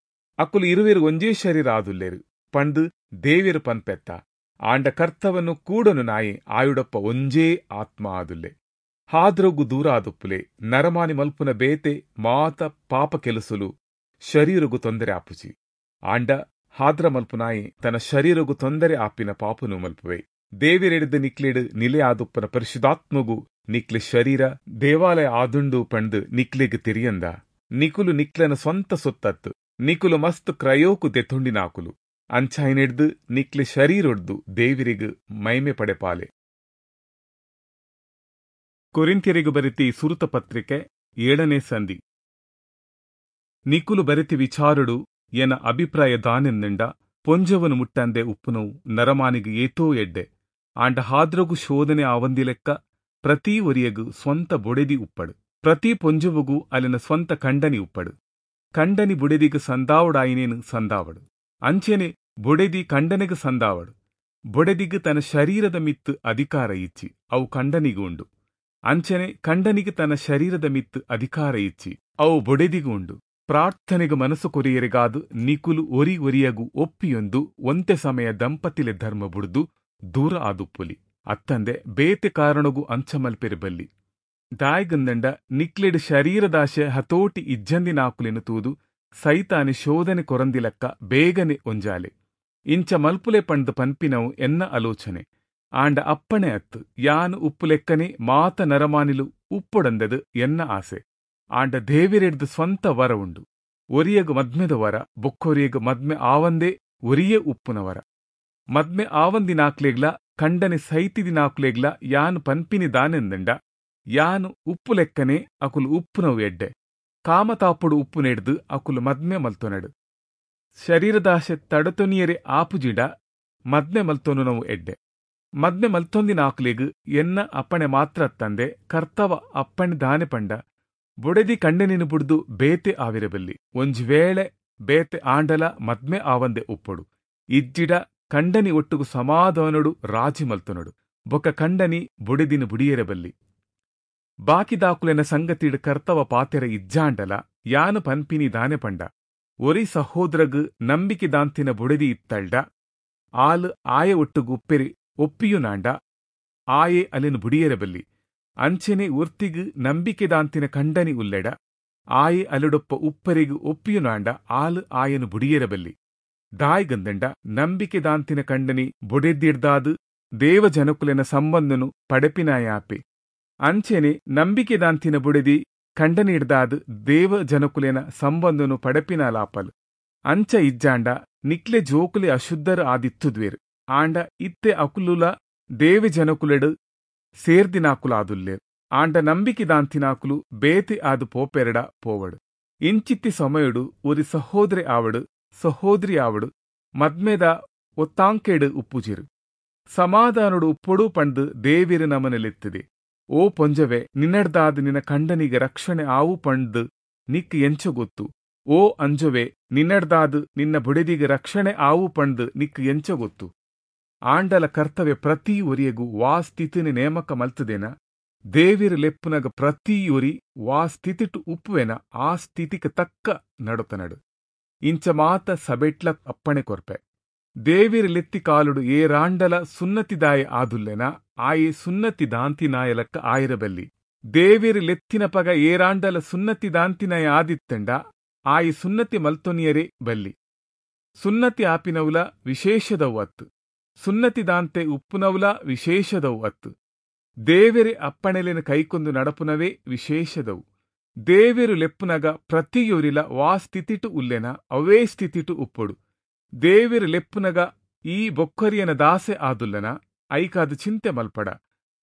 ಅಕುಲು ಇರುವೆರು ಒಂಜೇ ಶರೀರ ಆದುಲ್ಲೇರು ಪಂಡ್ ದೇವಿರು ಪನ್ಪೆತ್ತ. ಆಂಡ ಕರ್ತವನ್ನು ಕೂಡನು ನಾಯಿ ಆಯುಡೊಪ್ಪ ಒಂಜೇ ಆತ್ಮ ಆದುಲ್ಲೆ. ಹಾದ್ರೊಗು ದೂರ ಆದುಪ್ಪುಲೆ. ನರಮಾನಿ ಮಲ್ಪುನ ಬೇತೆ ಮಾತ ಪಾಪ ಕೆಲಸುಲು ಶರೀರಗು ತೊಂದರೆ ಆಪುಜಿ. ಆಂಡ ಹಾದ್ರ ಮಲ್ಪುನಾಯಿ ತನ್ನ ಶರೀರಗು ತೊಂದರೆ ಆಪಿನ ಪಾಪನು ಮಲ್ಪುವೆ. ದೇವಿರೆಡ್ದು ನಿಕ್ಲೆಡು ನಿಲೆ ಆದುಪ್ಪನ ಪರಿಶುದ್ಧಾತ್ಮಗು ನಿಕ್ಲೆ ಶರೀರ ದೇವಾಲಯ ಆದುಂಡು ಪಂಡ್ ನಿಕ್ಲೆಗ್ ತೆರಿಯಂದ. ನಿಕುಲು ನಿಕ್ಲೆನ ಸ್ವಂತ ಸೊತ್ತತ್ತು, ನಿಕುಲು ಮಸ್ತ್ ಕ್ರಯೋಕು ದೆತ್ತುಂಡಿನಾಕುಲು. ಅಂಚಾಯಿನೆಡ್ದು ನಿಕ್ಲೆ ಶರೀರೊಡ್ದು ದೇವಿರಿಗ್ ಮೈಮೆ ಪಡೆಪಾಲೆ. ಕೊರಿಂಥ್ಯರಿಗು ಬರೆತಿ ಸುರುತ ಪತ್ರಿಕೆ ಏಳನೇ ಸಂಧಿ. ನಿಕುಲು ಬರೆತಿ ವಿಚಾರುಡು ಎನ ಅಭಿಪ್ರಾಯ ದಾನೆಂದಂಡ ಪೊಂಜವನು ಮುಟ್ಟಂದೆ ಉಪ್ಪುನವು ನರಮಾನಿಗೆ ಏತೋ ಎಡ್ಡೆ. ಆಂಡ ಹಾದ್ರಗು ಶೋಧನೆ ಆವಂದಿಲೆಕ್ಕ ಪ್ರತಿ ಒರಿಯಗು ಸ್ವಂತ ಬೊಡೆದಿ ಉಪ್ಪಡು, ಪ್ರತಿ ಪೊಂಜವುಗೂ ಅಲ್ಲಿನ ಸ್ವಂತ ಕಂಡನಿ ಉಪ್ಪಡು. ಕಂಡನಿ ಬುಡೆದಿಗೆ ಸಂದಾವಡಾಯಿನೇನು ಸಂದಾವಡು, ಅಂಚೆನೆ ಬೊಡೆದಿ ಕಂಡನಿಗೆ ಸಂದಾವಡು. ಬೊಡೆದಿಗೆ ತನ್ನ ಶರೀರದ ಮಿತ್ತು ಅಧಿಕಾರ ಇಚ್ಚಿ ಅವು ಕಂಡನಿಗೂ ಉಂಡು. ಅಂಚೆನೆ ಕಂಡನಿಗೆ ತನ್ನ ಶರೀರದ ಮಿತ್ತು ಅಧಿಕಾರ ಇಚ್ಚಿ ಅವು ಬೊಡೆದಿಗೂ ಉಂಡು. ಪ್ರಾರ್ಥನೆಗೆ ಮನಸ್ಸು ಕೊರಿಯರಿಗಾದು ನಿಕುಲು ಒರಿ ಒರಿಯಗು ಒಪ್ಪಿಯೊಂದು ಒಂತೆ ಸಮಯ ದಂಪತಿಲೆ ಧರ್ಮ ಬುಡ್ದು ದೂರ ಆದುಪ್ಪುಲಿ. ಅತ್ತಂದೆ ಬೇತೆ ಕಾರಣಗೂ ಅಂಚಮಲ್ಪೆರು ಬಲ್ಲಿ. ದಾಯ್ಗಂದಂಡ ನಿಕ್ಲೆಡ್ ಶರೀರದಾಶೆ ಹತೋಟಿ ಇಜ್ಜಂದಿನಾಕುಲೆನು ತೂದು ಸೈತಾನೆ ಶೋಧನೆ ಕೊರಂದಿಲಕ್ಕ ಬೇಗನೆ ಒಂಜಾಲೆ. ಇಂಚ ಮಲ್ಪುಲೆ ಪಂಡ್ ಪನ್ಪಿನವು ಎನ್ನ ಆಲೋಚನೆ. ಆಂಡ ಅಪ್ಪಣೆ ಅತ್ತು ಯಾನು ಉಪ್ಪುಲೆಕ್ಕನೆ ಮಾತ ನರಮಾನಿಲು ಉಪ್ಪೊಡಂದದು ಎನ್ನ ಆಸೆ. ಆಂಡ ದೇವಿರೆಡ್ದು ಸ್ವಂತ ವರ ಉಂಡು. ಒರಿಯಗು ಮದ್ಮೆದ ವರ, ಬೊಕ್ಕೊರಿಯಗು ಮದ್ಮೆ ಆವಂದೇ ಒರಿಯೇ ಉಪ್ಪುನ ವರ. ಮದ್ಮೆ ಆವಂದಿನಾಕ್ಲೆಗ್ಲ ಕಂಡನೆ ಸೈತಿದಿನಾಕ್ಲೆಗ್ಲ ಯಾನು ಪನ್ಪಿನಿ ದಾನೆಂದಂಡ ಯಾನು ಉಪ್ಪುಲೆಕ್ಕನೆ ಅಕುಲು ಉಪ್ಪುನವು ಎಡ್ಡೆ. ಕಾಮತಾಪುಡು ಉಪ್ಪು ನೆಡ್ದು ಅಕುಲು ಮದ್ಮೆ ಮಲ್ತೊನಡು. ಶರೀರದಾಶೆ ತಡತೊನಿಯರೆ ಆಪುಜಿಡ ಮದ್ಮೆ ಮಲ್ತೊನು ನಾವು ಎಡ್ಡೆ. ಮದ್ಮೆ ಮಲ್ತೊಂದಿನಾಕ್ಲೆಗ್ ಎನ್ನ ಅಪ್ಪಣೆ ಮಾತ್ರ ತಂದೆ ಕರ್ತವ ಅಪ್ಪಣೆ ದಾನೆ ಪಂಡ ಬೊಡೆದಿ ಕಂಡನಿನ ಬುಡ್ದು ಬೇತೆ ಆವಿರಬಲ್ಲಿ. ಒಂಜಿ ವೇಳೆ ಬೇತೆ ಆಂಡಲ ಮದ್ಮೆ ಆವಂದೆ ಉಪ್ಪೊಡು. ಇಜ್ಜಿಡ ಕಂಡನಿ ಒಟ್ಟುಗು ಸಮಾಧಾನಡು ರಾಜಿ ಮಲ್ತೊನಡು. ಬೊಕ್ಕ ಕಂಡನಿ ಬೊಡೆದಿನ ಬುಡಿಯರಬಲ್ಲಿ. ಬಾಕಿದಾಕುಲೆನ ಸಂಗತಿಡು ಕರ್ತವ ಪಾತೆರ ಇಜ್ಜಾಂಡಲ ಯಾನು ಪನ್ಪಿನಿ ದಾನೆ ಪಂಡ ಒರಿ ಸಹೋದರಗು ನಂಬಿಕೆ ದಾಂತಿನ ಬೊಡೆದಿ ಇತ್ತಲ್ಡ ಆಲು ಆಯ ಒಟ್ಟುಗು ಉಪ್ಪೆರಿ ಒಪ್ಪಿಯುನಾಂಡ ಆಯೆ ಅಲೆನು ಬುಡಿಯರಬಲ್ಲಿ. ಅಂಚೆನೆ ಒರ್ತಿಗು ನಂಬಿಕೆ ದಾಂತಿನ ಕಂಡನಿ ಉಲ್ಲೆಡ ಆಯೆ ಅಲೆಡೊಪ್ಪ ಉಪ್ಪರಿಗು ಒಪ್ಪಿಯುನಾಂಡ ಆಲು ಆಯನು ಬುಡಿಯರಬಲ್ಲಿ. ದಾಯ್ಗಂದಂಡ ನಂಬಿಕೆ ದಾಂತಿನ ಕಂಡನಿ ಬೊಡೆದಿಡ್ದಾದು ದೇವಜನಕುಲೆನ ಸಂಬಂಧನು ಪಡೆಪಿನಾಯಾಪೆ. ಅಂಚೆನೆ ನಂಬಿಕೆ ದಾಂತಿನ ಬುಡೆದಿ ಕಂಡನಿಡ್ದಾದು ದೇವ ಜನಕುಲೆನ ಸಂಬಂಧನು ಪಡೆಪಿನಾಲಾಪಲ್. ಅಂಚ ಇಜ್ಜಾಂಡ ನಿಕ್ಲೆ ಜೋಕುಲೆ ಅಶುದ್ಧರು ಆದಿತ್ತುದ್ವೇರು. ಆಂಡ ಇತ್ತೆ ಅಕುಲುಲ ದೇವ ಜನಕುಲೆಡು ಸೇರ್ದಿನಾಕುಲಾದುಲ್ಲೇರು. ಆಂಡ ನಂಬಿಕೆ ದಾಂತಿನಾಕುಲು ಬೇತೆ ಆದು ಪೋಪೆರಡ ಪೋವಡು. ಇಂಚಿತ್ತಿ ಸಮಯುಡು ಒರಿ ಸಹೋದರಿ ಆವಡು ಸಹೋದರಿ ಆವಡು ಮದ್ಮೆದ ಒತ್ತಾಂಕೆಡು ಉಪ್ಪುಜಿರು. ಸಮಾಧಾನಡು ಉಪ್ಪೊಡು ಪಂಡು ದೇವಿರು ನಮನೆಲೆತ್ತಿದೆ. ಓ ಪೊಂಜವೆ, ನಿನ್ನಡ್ದಾದ ನಿನ್ನ ಕಂಡನಿಗೆ ರಕ್ಷಣೆ ಆವು ಪಂಡ್ದು ನಿಕ್ ಎಂಚ ಗೊತ್ತು. ಓ ಅಂಜುವೆ, ನಿನ್ನಡ್ದಾದ ನಿನ್ನ ಬುಡೆದಿಗೆ ರಕ್ಷಣೆ ಆವು ಪಂಡ್ದು ನಿಕ್ ಎಂಚ ಗೊತ್ತು. ಆಂಡಲ ಕರ್ತವ್ಯ ಪ್ರತಿ ಒರಿಯಗು ವಾ ಸ್ಥಿತಿನ ನೇಮಕ ಮಲ್ತದೇನ ದೇವಿರು ಲೆಪ್ಪುನಗ ಪ್ರತಿ ಒರಿ ವಾ ಸ್ಥಿತಿಟು ಉಪ್ಪುವೆನ ಆ ಸ್ಥಿತಿಗೆ ತಕ್ಕ ನಡುತನಡು. ಇಂಚ ಮಾತ ಸಬೆಟ್ಲ ಅಪ್ಪಣೆ ಕೊರ್ಪೆ. ದೇವಿರ್ ಲೆತ್ತಿ ಕಾಲುಡು ಏರಾಂಡಲ ಸುನ್ನತಿದಾಯ ಆದುಲ್ಲೆನ ಆಯೆ ಸುನ್ನತಿ ದಾಂತಿನಾಯಲಕ್ಕ ಆಯಿರಬಲ್ಲಿ. ದೇವಿರ್ ಲೆತ್ತಿನ ಪಗ ಏರಾಂಡಲ ಸುನ್ನತಿ ದಾಂತಿನಾಯ ಆದಿತ್ತಂಡ ಆಯಿ ಸುನ್ನತಿ ಮಲ್ತೊನಿಯರೇ ಬಲ್ಲಿ. ಸುನ್ನತಿ ಆಪಿನವುಲ ವಿಶೇಷದವು ಅತ್ತು, ಸುನ್ನತಿ ದಾಂತೆ ಉಪ್ಪುನವುಲ ವಿಶೇಷದವು ಅತ್ತು. ದೇವೆರೆ ಅಪ್ಪಣೆಲೆನ ಕೈಕೊಂದು ನಡಪುನವೇ ವಿಶೇಷದವು. ದೇವೆರು ಲೆಪ್ಪುನಗ ಪ್ರತಿಯೊರಿಲ ವಾ ಸ್ಥಿತಿಟು ಉಲ್ಲೆನ ಅವೇ ಸ್ಥಿತಿಟು ಉಪ್ಪೊಡು. ದೇವೆರು ಲೆಪ್ಪುನಗ ಈ ಬೊಕ್ಕರಿಯನ ದಾಸೆ ಆದುಲ್ಲನ ಐಕಾದ ಚಿಂತೆ ಮಲ್ಪಡ.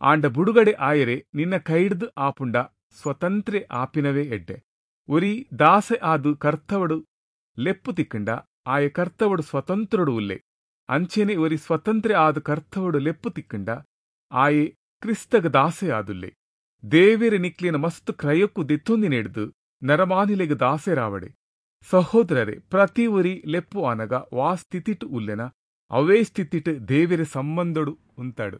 ಆಂಡ ಬುಡುಗಡೆ ಆಯರೆ ನಿನ್ನ ಕೈಡ್ದು ಆಪುಂಡ ಸ್ವತಂತ್ರೆ ಆಪಿನವೇ ಎಡ್ಡೆ. ಒರಿ ದಾಸೆ ಆದು ಕರ್ತವಡು ಲೆಪ್ಪು ತಿಕ್ಕಂಡ ಆಯ ಕರ್ತವಡು ಸ್ವತಂತ್ರಡು ಉಲ್ಲೆ. ಅಂಚೆನೆ ಒರಿ ಸ್ವತಂತ್ರೆ ಆದು ಕರ್ತವಡು ಲೆಪ್ಪು ತಿಕ್ಕಂಡ ಆಯೆ ಕ್ರಿಸ್ತಗ ದಾಸೆ ಆದುಲ್ಲೆ. ದೇವೆರೆ ನಿಕ್ಲಿನ ಮಸ್ತ್ ಕ್ರಯಕ್ಕೂ ದೆತ್ತೊಂದಿನೆಡ್ದು ನರಮಾನಿಲೆಗ್ ದಾಸೆರಾವಡೆ. ಸಹೋದರರೇ, ಪ್ರತಿ ಒರಿ ಲೆಪ್ಪು ಆನಗ ವಾ ಸ್ಥಿತಿಟು ಉಲ್ಲೆನ ಅವೇ ಸ್ಥಿತಿಟು ದೇವೆರೆ ಸಂಬಂಧಡು ಉಂತಾಡು.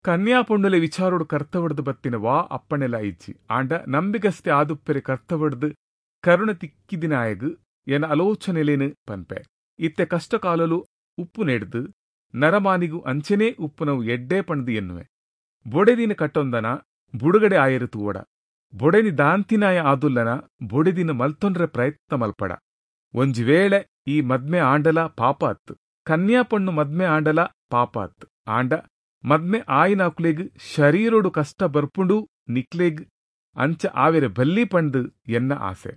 ಕನ್ಯಾ ಪೊಣ್ಣುಲೆ ವಿಚಾರೋಡು ಕರ್ತವಡ್ದು ಬತ್ತಿನ ವಾ ಅಪ್ಪಣೆಲ ಇಜ್ಜಿ. ಆಂಡ ನಂಬಿಗಸ್ತೆ ಆದುಪ್ಪೆರೆ ಕರ್ತವಡ್ದು ಕರುಣ ತಿಕ್ಕಿದಿನಾಯಗ್ ಎನ ಆಲೋಚನೆಲೇನು ಪನ್ಪೆ. ಇತ್ತೆ ಕಷ್ಟಕಾಲಲು ಉಪ್ಪು ನೆಡ್ದು ನರಮಾನಿಗು ಅಂಚೆನೇ ಉಪ್ಪುನವು ಎಡ್ಡೆ ಪಂಡ್ದು ಎನ್ನುವೆ. ಬೊಡೆದಿನ ಕಟ್ಟೊಂದನ ಬುಡುಗಡೆ ಆಯರು ತೂವಡ. ಬೊಡೆನಿ ದಾಂತಿನಾಯ ಆದುಲ್ಲನ ಬೊಡೆದಿನ ಮಲ್ತೊಂಡ್ರೆ ಪ್ರಯತ್ನ ಮಲ್ಪಡ. ಒಂಜಿ ವೇಳೆ ಈ ಮದ್ಮೆ ಆಂಡಲ ಪಾಪ ಅತ್ತು, ಕನ್ಯಾ ಪಣ್ಣು ಮದ್ಮೆ ಆಂಡಲ ಪಾಪ ಅತ್ತು. ಆಂಡ ಮದ್ಮೆ ಆಯಿನಾಕುಲೆಗ್ ಶರೀರೊಡು ಕಷ್ಟ ಬರ್ಪುಂಡು ನಿಕ್ಲೆಗ್ ಅಂಚ ಆವೆರೆ ಬಲ್ಲಿ ಪಂಡ್ದು ಎನ್ನ ಆಸೆ.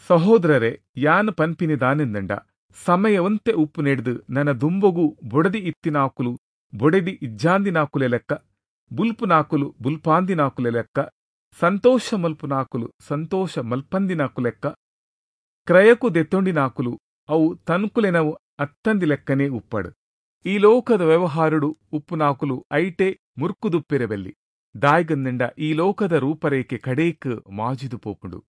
ಸಹೋದರರೇ, ಯಾನ್ ಪನ್ಪಿನಿ ದಾನೆಂದಂಡ ಸಮಯ ಒಂತೆ ಉಪ್ಪು ನೆಡ್ದು ನನ್ನ ದುಂಬೊಗು ಬೊಡದಿ ಇತ್ತಿನಾಕುಲು ಬೊಡೆದಿ ಇಜ್ಜಾಂದಿನಾಕುಲೆ ಲೆಕ್ಕ, ಬುಲ್ಪುನಾಕುಲು ಬುಲ್ಪಾಂದಿನಾಕುಲೆ ಲೆಕ್ಕ, ಸಂತೋಷ ಮಲ್ಪುನಾಕುಲು ಸಂತೋಷ ಮಲ್ಪಂದಿನಾಕು ಲೆಕ್ಕ, ಕ್ರಯಕು ದೆತ್ತೊಂಡಿನಾಕುಲು ಅವು ತನ್ಕುಲೆನವು ಅತ್ತಂದಿ ಲೆಕ್ಕನೇ ಉಪ್ಪಡು. ಈ ಲೋಕದ ವ್ಯವಹಾರುಡು ಉಪ್ಪುನಾಕುಲು ಐಟೆ ಮುರ್ಕುದುಪ್ಪಿರಬೆಲ್ಲಿ. ದಾಯ್ಗಂದಿಂಡ ಈ ಲೋಕದ ರೂಪರೇಖೆ ಕಡೇಕ್ ಮಾಜಿದು ಪೋಪುಂಡು.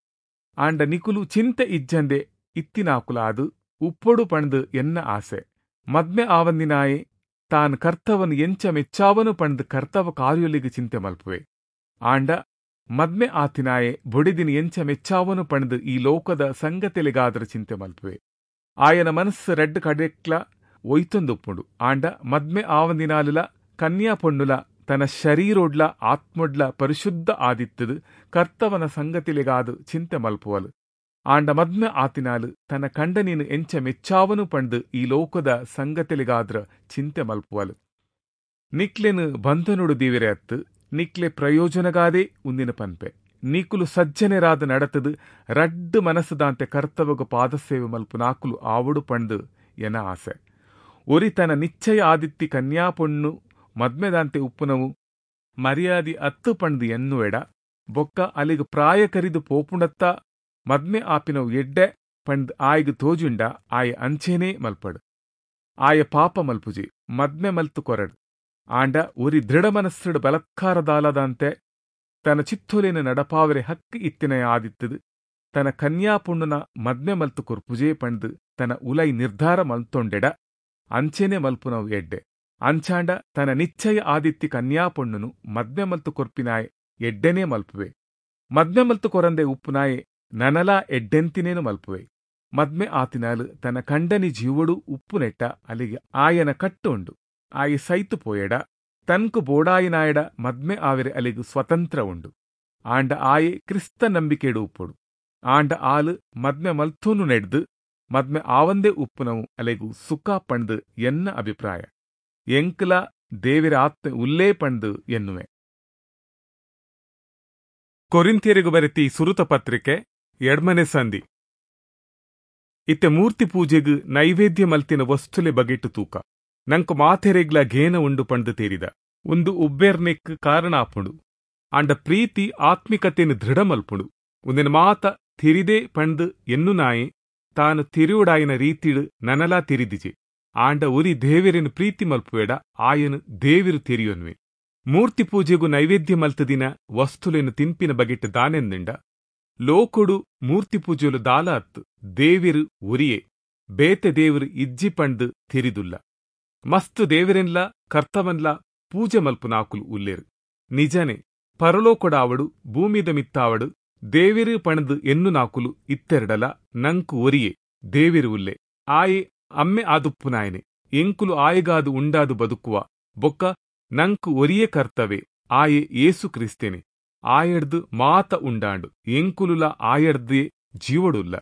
ಆಂಡ ನಿಕುಲು ಚಿಂತೆ ಇಜ್ಜಂದೆ ಇತ್ತಿನಾಕುಲಾದು ಉಪ್ಪೊಡು ಪಂಡ್ದು ಎನ್ನ ಆಸೆ. ಮದ್ಮೆ ಆವಂದಿನಾಯೆ ತಾನ್ ಕರ್ತವನು ಎಂಚ ಮೆಚ್ಚಾವನು ಪಂಡ್ದು ಕರ್ತವ ಕಾರ್ಯೊಲಿಗೆ ಚಿಂತೆ ಮಲ್ಪುವೆ. ಆಂಡ ಮದ್ಮೆ ಆತಿನಾಯೆ ಬೊಡಿದಿನ ಎಂಚ ಮೆಚ್ಚಾವನು ಪಂಡ್ದು ಈ ಲೋಕದ ಸಂಗತಿಲೆಗಾದ್ರ ಚಿಂತೆ ಮಲ್ಪುವೆ. ಆಯನ ಮನಸ್ಸು ರಡ್ಡ್ ಕಡೆಕ್ಲ ಒಯ್ತೊಂದುಪ್ಪುಂಡು. ಆಂಡ ಮದ್ಮೆ ಆವಂದಿನಾಲುಲ ಕನ್ಯಾ ಪೊಣ್ಣುಲ ತನ್ನ ಶರೀರೊಡ್ಲ ಆತ್ಮೊಡ್ಲ ಪರಿಶುದ್ಧ ಆದಿತ್ತದು ಕರ್ತವನ ಸಂಗತಿಲೆಗಾದು ಚಿಂತೆ ಮಲ್ಪುವಲು. ಆಂಡ ಮದ್ಮೆ ಆತಿನಾಲು ತನ್ನ ಕಂಡನಿನ ಎಂಚ ಮೆಚ್ಚಾವನು ಪಂಡ್ದು ಈ ಲೋಕದ ಸಂಗತಿಲೆಗಾದ್ರ ಚಿಂತೆ ಮಲ್ಪುವಲು. ನಿಕ್ಲೆನು ಬಂಧನುಡು ದೀವಿರೆ ಅತ್ತು ನಿಕ್ಲೆ ಪ್ರಯೋಜನಗಾದೇ ಉಂದಿನ ಪನ್ಪೆ. ನೀಕುಲು ಸಜ್ಜನೆರಾದ ನಡತದು ರಡ್ಡು ಮನಸ್ಸುದಾಂತೆ ಕರ್ತವಗ ಪಾದಸೇವೆ ಮಲ್ಪು ನಾಕುಲು ಆವಡು ಪಂಡ್ದು ಎನ ಆಸೆ. ಒರಿ ತನ್ನ ನಿಶ್ಚಯ ಆದಿತ್ತಿ ಕನ್ಯಾ ಪೊಣ್ಣು ಮದ್ಮೆದಾಂತೆ ಉಪ್ಪುನವು ಮರ್ಯಾದಿ ಅತ್ತು ಪಂಡ್ದು ಎನ್ನುವೆಡ ಬೊಕ್ಕ ಅಲ್ಲಿಗೆ ಪ್ರಾಯ ಕರಿದು ಪೋಪುಂಡತ್ತ ಮದ್ಮೆ ಆಪಿನವು ಎಡ್ಡೆ ಪಂಡ್ ಆಯ್ಗ್ ತೋಜುಂಡ ಆಯ ಅಂಚೇನೇ ಮಲ್ಪಡು. ಆಯ ಪಾಪ ಮಲ್ಪುಜಿ ಮದ್ಮೆ ಮಲ್ತು ಕೊರಡು. ಆಂಡ ಒರಿ ದೃಢ ಮನಸ್ಸುಡು ಬಲತ್ಕಾರದಾಲದಂತೆ ತನ್ನ ಚಿತ್ತೊಲೆನ ನಡಪಾವರೆ ಹಕ್ಕು ಇತ್ತಿನ ಆದಿತ್ತದು ತನ್ನ ಕನ್ಯಾ ಪೊಣ್ಣುನ ಮದ್ಮೆ ಮಲ್ತು ಕೊರ್ಪುಜೇ ಪಂಡ್ದು ತನ್ನ ಉಲೈ ನಿರ್ಧಾರ ಮಲ್ತೊಂಡೆಡ ಅಂಚೇನೆ ಮಲ್ಪುನವು ಎಡ್ಡೆ. ಅಂಚಾಂಡ ತನ್ನ ನಿಶ್ಚಯ ಆದಿತ್ತಿ ಕನ್ಯಾ ಪೊಣ್ಣುನು ಮದ್ಮೆ ಮಲ್ತು ಕೊರ್ಪಿನಾಯೆ ಎಡ್ಡೆನೇ ಮಲ್ಪುವೆ. ಮದ್ಮೆ ಮಲ್ತು ಕೊರಂದೆ ಉಪ್ಪುನಾಯೆ ನನಲಾ ಎಡ್ಡೆಂತಿನೇನು ಮಲ್ಪುವೆ. ಮದ್ಮೆ ಆತಿನಾಲು ತನ್ನ ಕಂಡನಿ ಜೀವಡು ಉಪ್ಪುನೆಟ್ಟ ಅಲ್ಲಿಗೆ ಆಯನ ಕಟ್ಟು ಉಂಡು. ಆಯಿ ಸೈತು ಪೋಯೆಡ ತನ್ಕು ಬೋಡಾಯಿನಾಯಡ ಮದ್ಮೆ ಆವೆರೆ ಅಲ್ಲಿಗೆ ಸ್ವತಂತ್ರ ಉಂಡು. ಆಂಡ ಆಯೆ ಕ್ರಿಸ್ತ ನಂಬಿಕೆಡು ಉಪ್ಪುಡು. ಆಂಡ ಆಲು ಮದ್ಮೆ ಮಲ್ತೂನು ನೆಡ್ದು ಮದ್ಮೆ ಆವಂದೇ ಉಪ್ಪುನವು ಅಲೆಗು ಸುಖ ಪಂಡ್ದು ಎನ್ನ ಅಭಿಪ್ರಾಯ. ಎಂಕ್ಲ ದೇವಿರ ಆತ್ಮೆ ಉಲ್ಲೇ ಪಂಡ್ದು ಎನ್ನುವೆ. ಕೊರಿಂಥಿಯರಿಗೂ ಬರೆತಿ ಸುರುತ ಪತ್ರಿಕೆ ಎಡ್ಮನೆ ಸಂಧಿ. ಇತ್ತೆ ಮೂರ್ತಿ ಪೂಜೆಗು ನೈವೇದ್ಯ ಮಲ್ತಿನ ವಸ್ತುಲೆ ಬಗೆಟ್ಟು ತೂಕ ನಂಕು ಮಾತೆರೆಗ್ಲ ಗೇನ ಉಂಡು ಪಂಡ್ದು ತೇರಿದ. ಒಂದು ಉಬ್ಬೇರ್ನೆಕ್ ಕಾರಣ ಆಪುಂಡು. ಆಂಡ ಪ್ರೀತಿ ಆತ್ಮಿಕತೆಯನ್ನು ದೃಢ ಮಲ್ಪುಂಡು. ಒಂದಿನ ಮಾತ ತಿರಿದೆ ಪಂಡ್ದು ಎನ್ನು ನಾಯಿ ತಾನು ತಿರುವುಡಾಯಿನ ರೀತಿಡು ನನಲಾ ತಿರಿದಿಜೆ. ಆಂಡ ಉರಿ ದೇವಿರನು ಪ್ರೀತಿ ಮಲ್ಪುವೆಡ ಆಯನು ದೇವಿರು ತಿರಿಯೊನ್ವೆ. ಮೂರ್ತಿ ಪೂಜೆಗೂ ನೈವೇದ್ಯ ಮಲ್ತದಿನ ವಸ್ತುಲೆನು ತಿನ್ಪಿನ ಬಗೆಟ್ಟು ದಾನೆಂದಿಂಡ ಲೋಕೊಡು ಮೂರ್ತಿ ಪೂಜೆಲು ದಾಲ ಅತ್ತು ದೇವಿರು ಉರಿಯೆ ಬೇತೆ ದೇವರು ಇಜ್ಜಿ ಪಂಡ್ದು ತಿರಿದುಲ್ಲ. ಮಸ್ತು ದೇವಿರೆನ್ಲ ಕರ್ತವನ್ಲ ಪೂಜೆ ಮಲ್ಪುನಾಕುಲು ಉಲ್ಲೇರು. ನಿಜನೇ ಪರಲೋಕೊಡಾವಡು ಭೂಮಿದ ಮಿತ್ತಾವಡು ದೇವಿರು ಪಣದು ಎನ್ನು ನಾಕುಲು ಇತ್ತೆರಡಲ ನಂಕು ಒರಿಯೆ ದೇವಿರು ಉಲ್ಲೆ. ಆಯೆ ಅಮ್ಮೆ ಆದುಪ್ಪುನಾಯನೆ. ಎಂಕುಲು ಆಯಗಾದು ಉಂಡಾದು ಬದುಕುವ ಬೊಕ್ಕ ನಂಕು ಒರಿಯೇ ಕರ್ತವೆ ಆಯೆ ಯೇಸು ಕ್ರಿಸ್ತೇನೆ. ಆಯಡ್ದು ಮಾತ ಉಂಡಾಂಡು, ಎಂಕುಲುಲ ಆಯಡ್ದೇ ಜೀವಡುಲ್ಲ.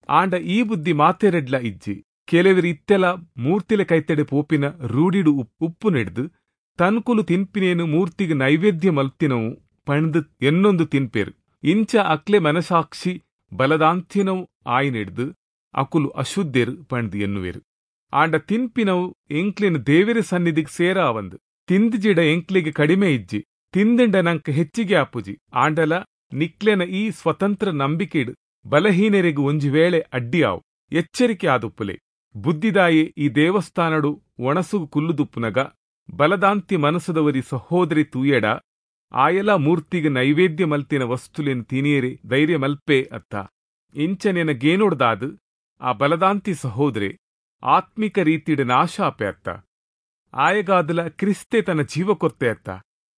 ಆಂಡ ಈ ಬುದ್ಧಿ ಮಾತೆರೆಡ್ಲ ಇಜ್ಜಿ. ಕೆಲವರು ಇತ್ತೆಲ ಮೂರ್ತಿಲೆ ಕೈತಡೆ ಪೋಪಿನ ರೂಢಿಡು ಉಪ್ಪು ನೆಡ್ದು ತನ್ಕುಲು ತಿನ್ಪಿನೇನು ಮೂರ್ತಿಗೆ ನೈವೇದ್ಯ ಮಲ್ತಿನವು ಪಣ್ದು ಎನ್ನೊಂದು ತಿನ್ಪೇರು. ಇಂಚ ಅಕ್ಲೆ ಮನಸಾಕ್ಷಿ ಬಲದಾಂತಿನವು ಆಯ್ನೆಡ್ದು ಅಕುಲು ಅಶುದ್ಧೆರು ಪಣ್ದು ಎನ್ನುವೇರು. ಆಂಡ ತಿನ್ಪಿನವು ಎಂಕ್ಲೆನ ದೇವೆರೆ ಸನ್ನಿಧಿಗೆ ಸೇರಾವಂದು. ತಿಂದಿಜಿಡ ಎಂಕ್ಲೆಗೆ ಕಡಿಮೆ ಇಜ್ಜಿ, ತಿಂದಿಂಡ ನಂಕ್ ಹೆಚ್ಚಿಗೆ ಆಪುಜಿ. ಆಂಡಲ ನಿಕ್ಲೆನ ಈ ಸ್ವತಂತ್ರ ನಂಬಿಕೆಡು ಬಲಹೀನರಿಗೂ ಒಂಜಿ ವೇಳೆ ಅಡ್ಡಿಯಾವು. ಎಚ್ಚರಿಕೆ ಆದುಪ್ಪುಲೆ. ಬುದ್ಧಿದಾಯೆ ಈ ದೇವಸ್ಥಾನಡು ಒಣಸುಗು ಕುಲ್ಲುದುಪ್ಪುನಗ ಬಲದಾಂತಿ ಮನಸ್ಸದವರಿ ಸಹೋದರಿ ತೂಯೆಡ ಆಯಲ ಮೂರ್ತಿಗೆ ನೈವೇದ್ಯ ಮಲ್ತಿನ ವಸ್ತುಲೆನ್ ತಿನಿಯರೆ ಧೈರ್ಯ ಮಲ್ಪೆ ಅತ್ತ. ಇಂಚನೆನ ಗೇನೊಡ್ದಾದು ಆ ಬಲದಾಂತಿ ಸಹೋದರಿ ಆತ್ಮಿಕ ರೀತಿಡ ನಾಶ ಆಪೆ ಅತ್ತ. ಆಯಗಾದಲ ಕ್ರಿಸ್ತೆ ತನ್ನ ಜೀವ ಕೊರ್ತೆ ಅತ್ತ.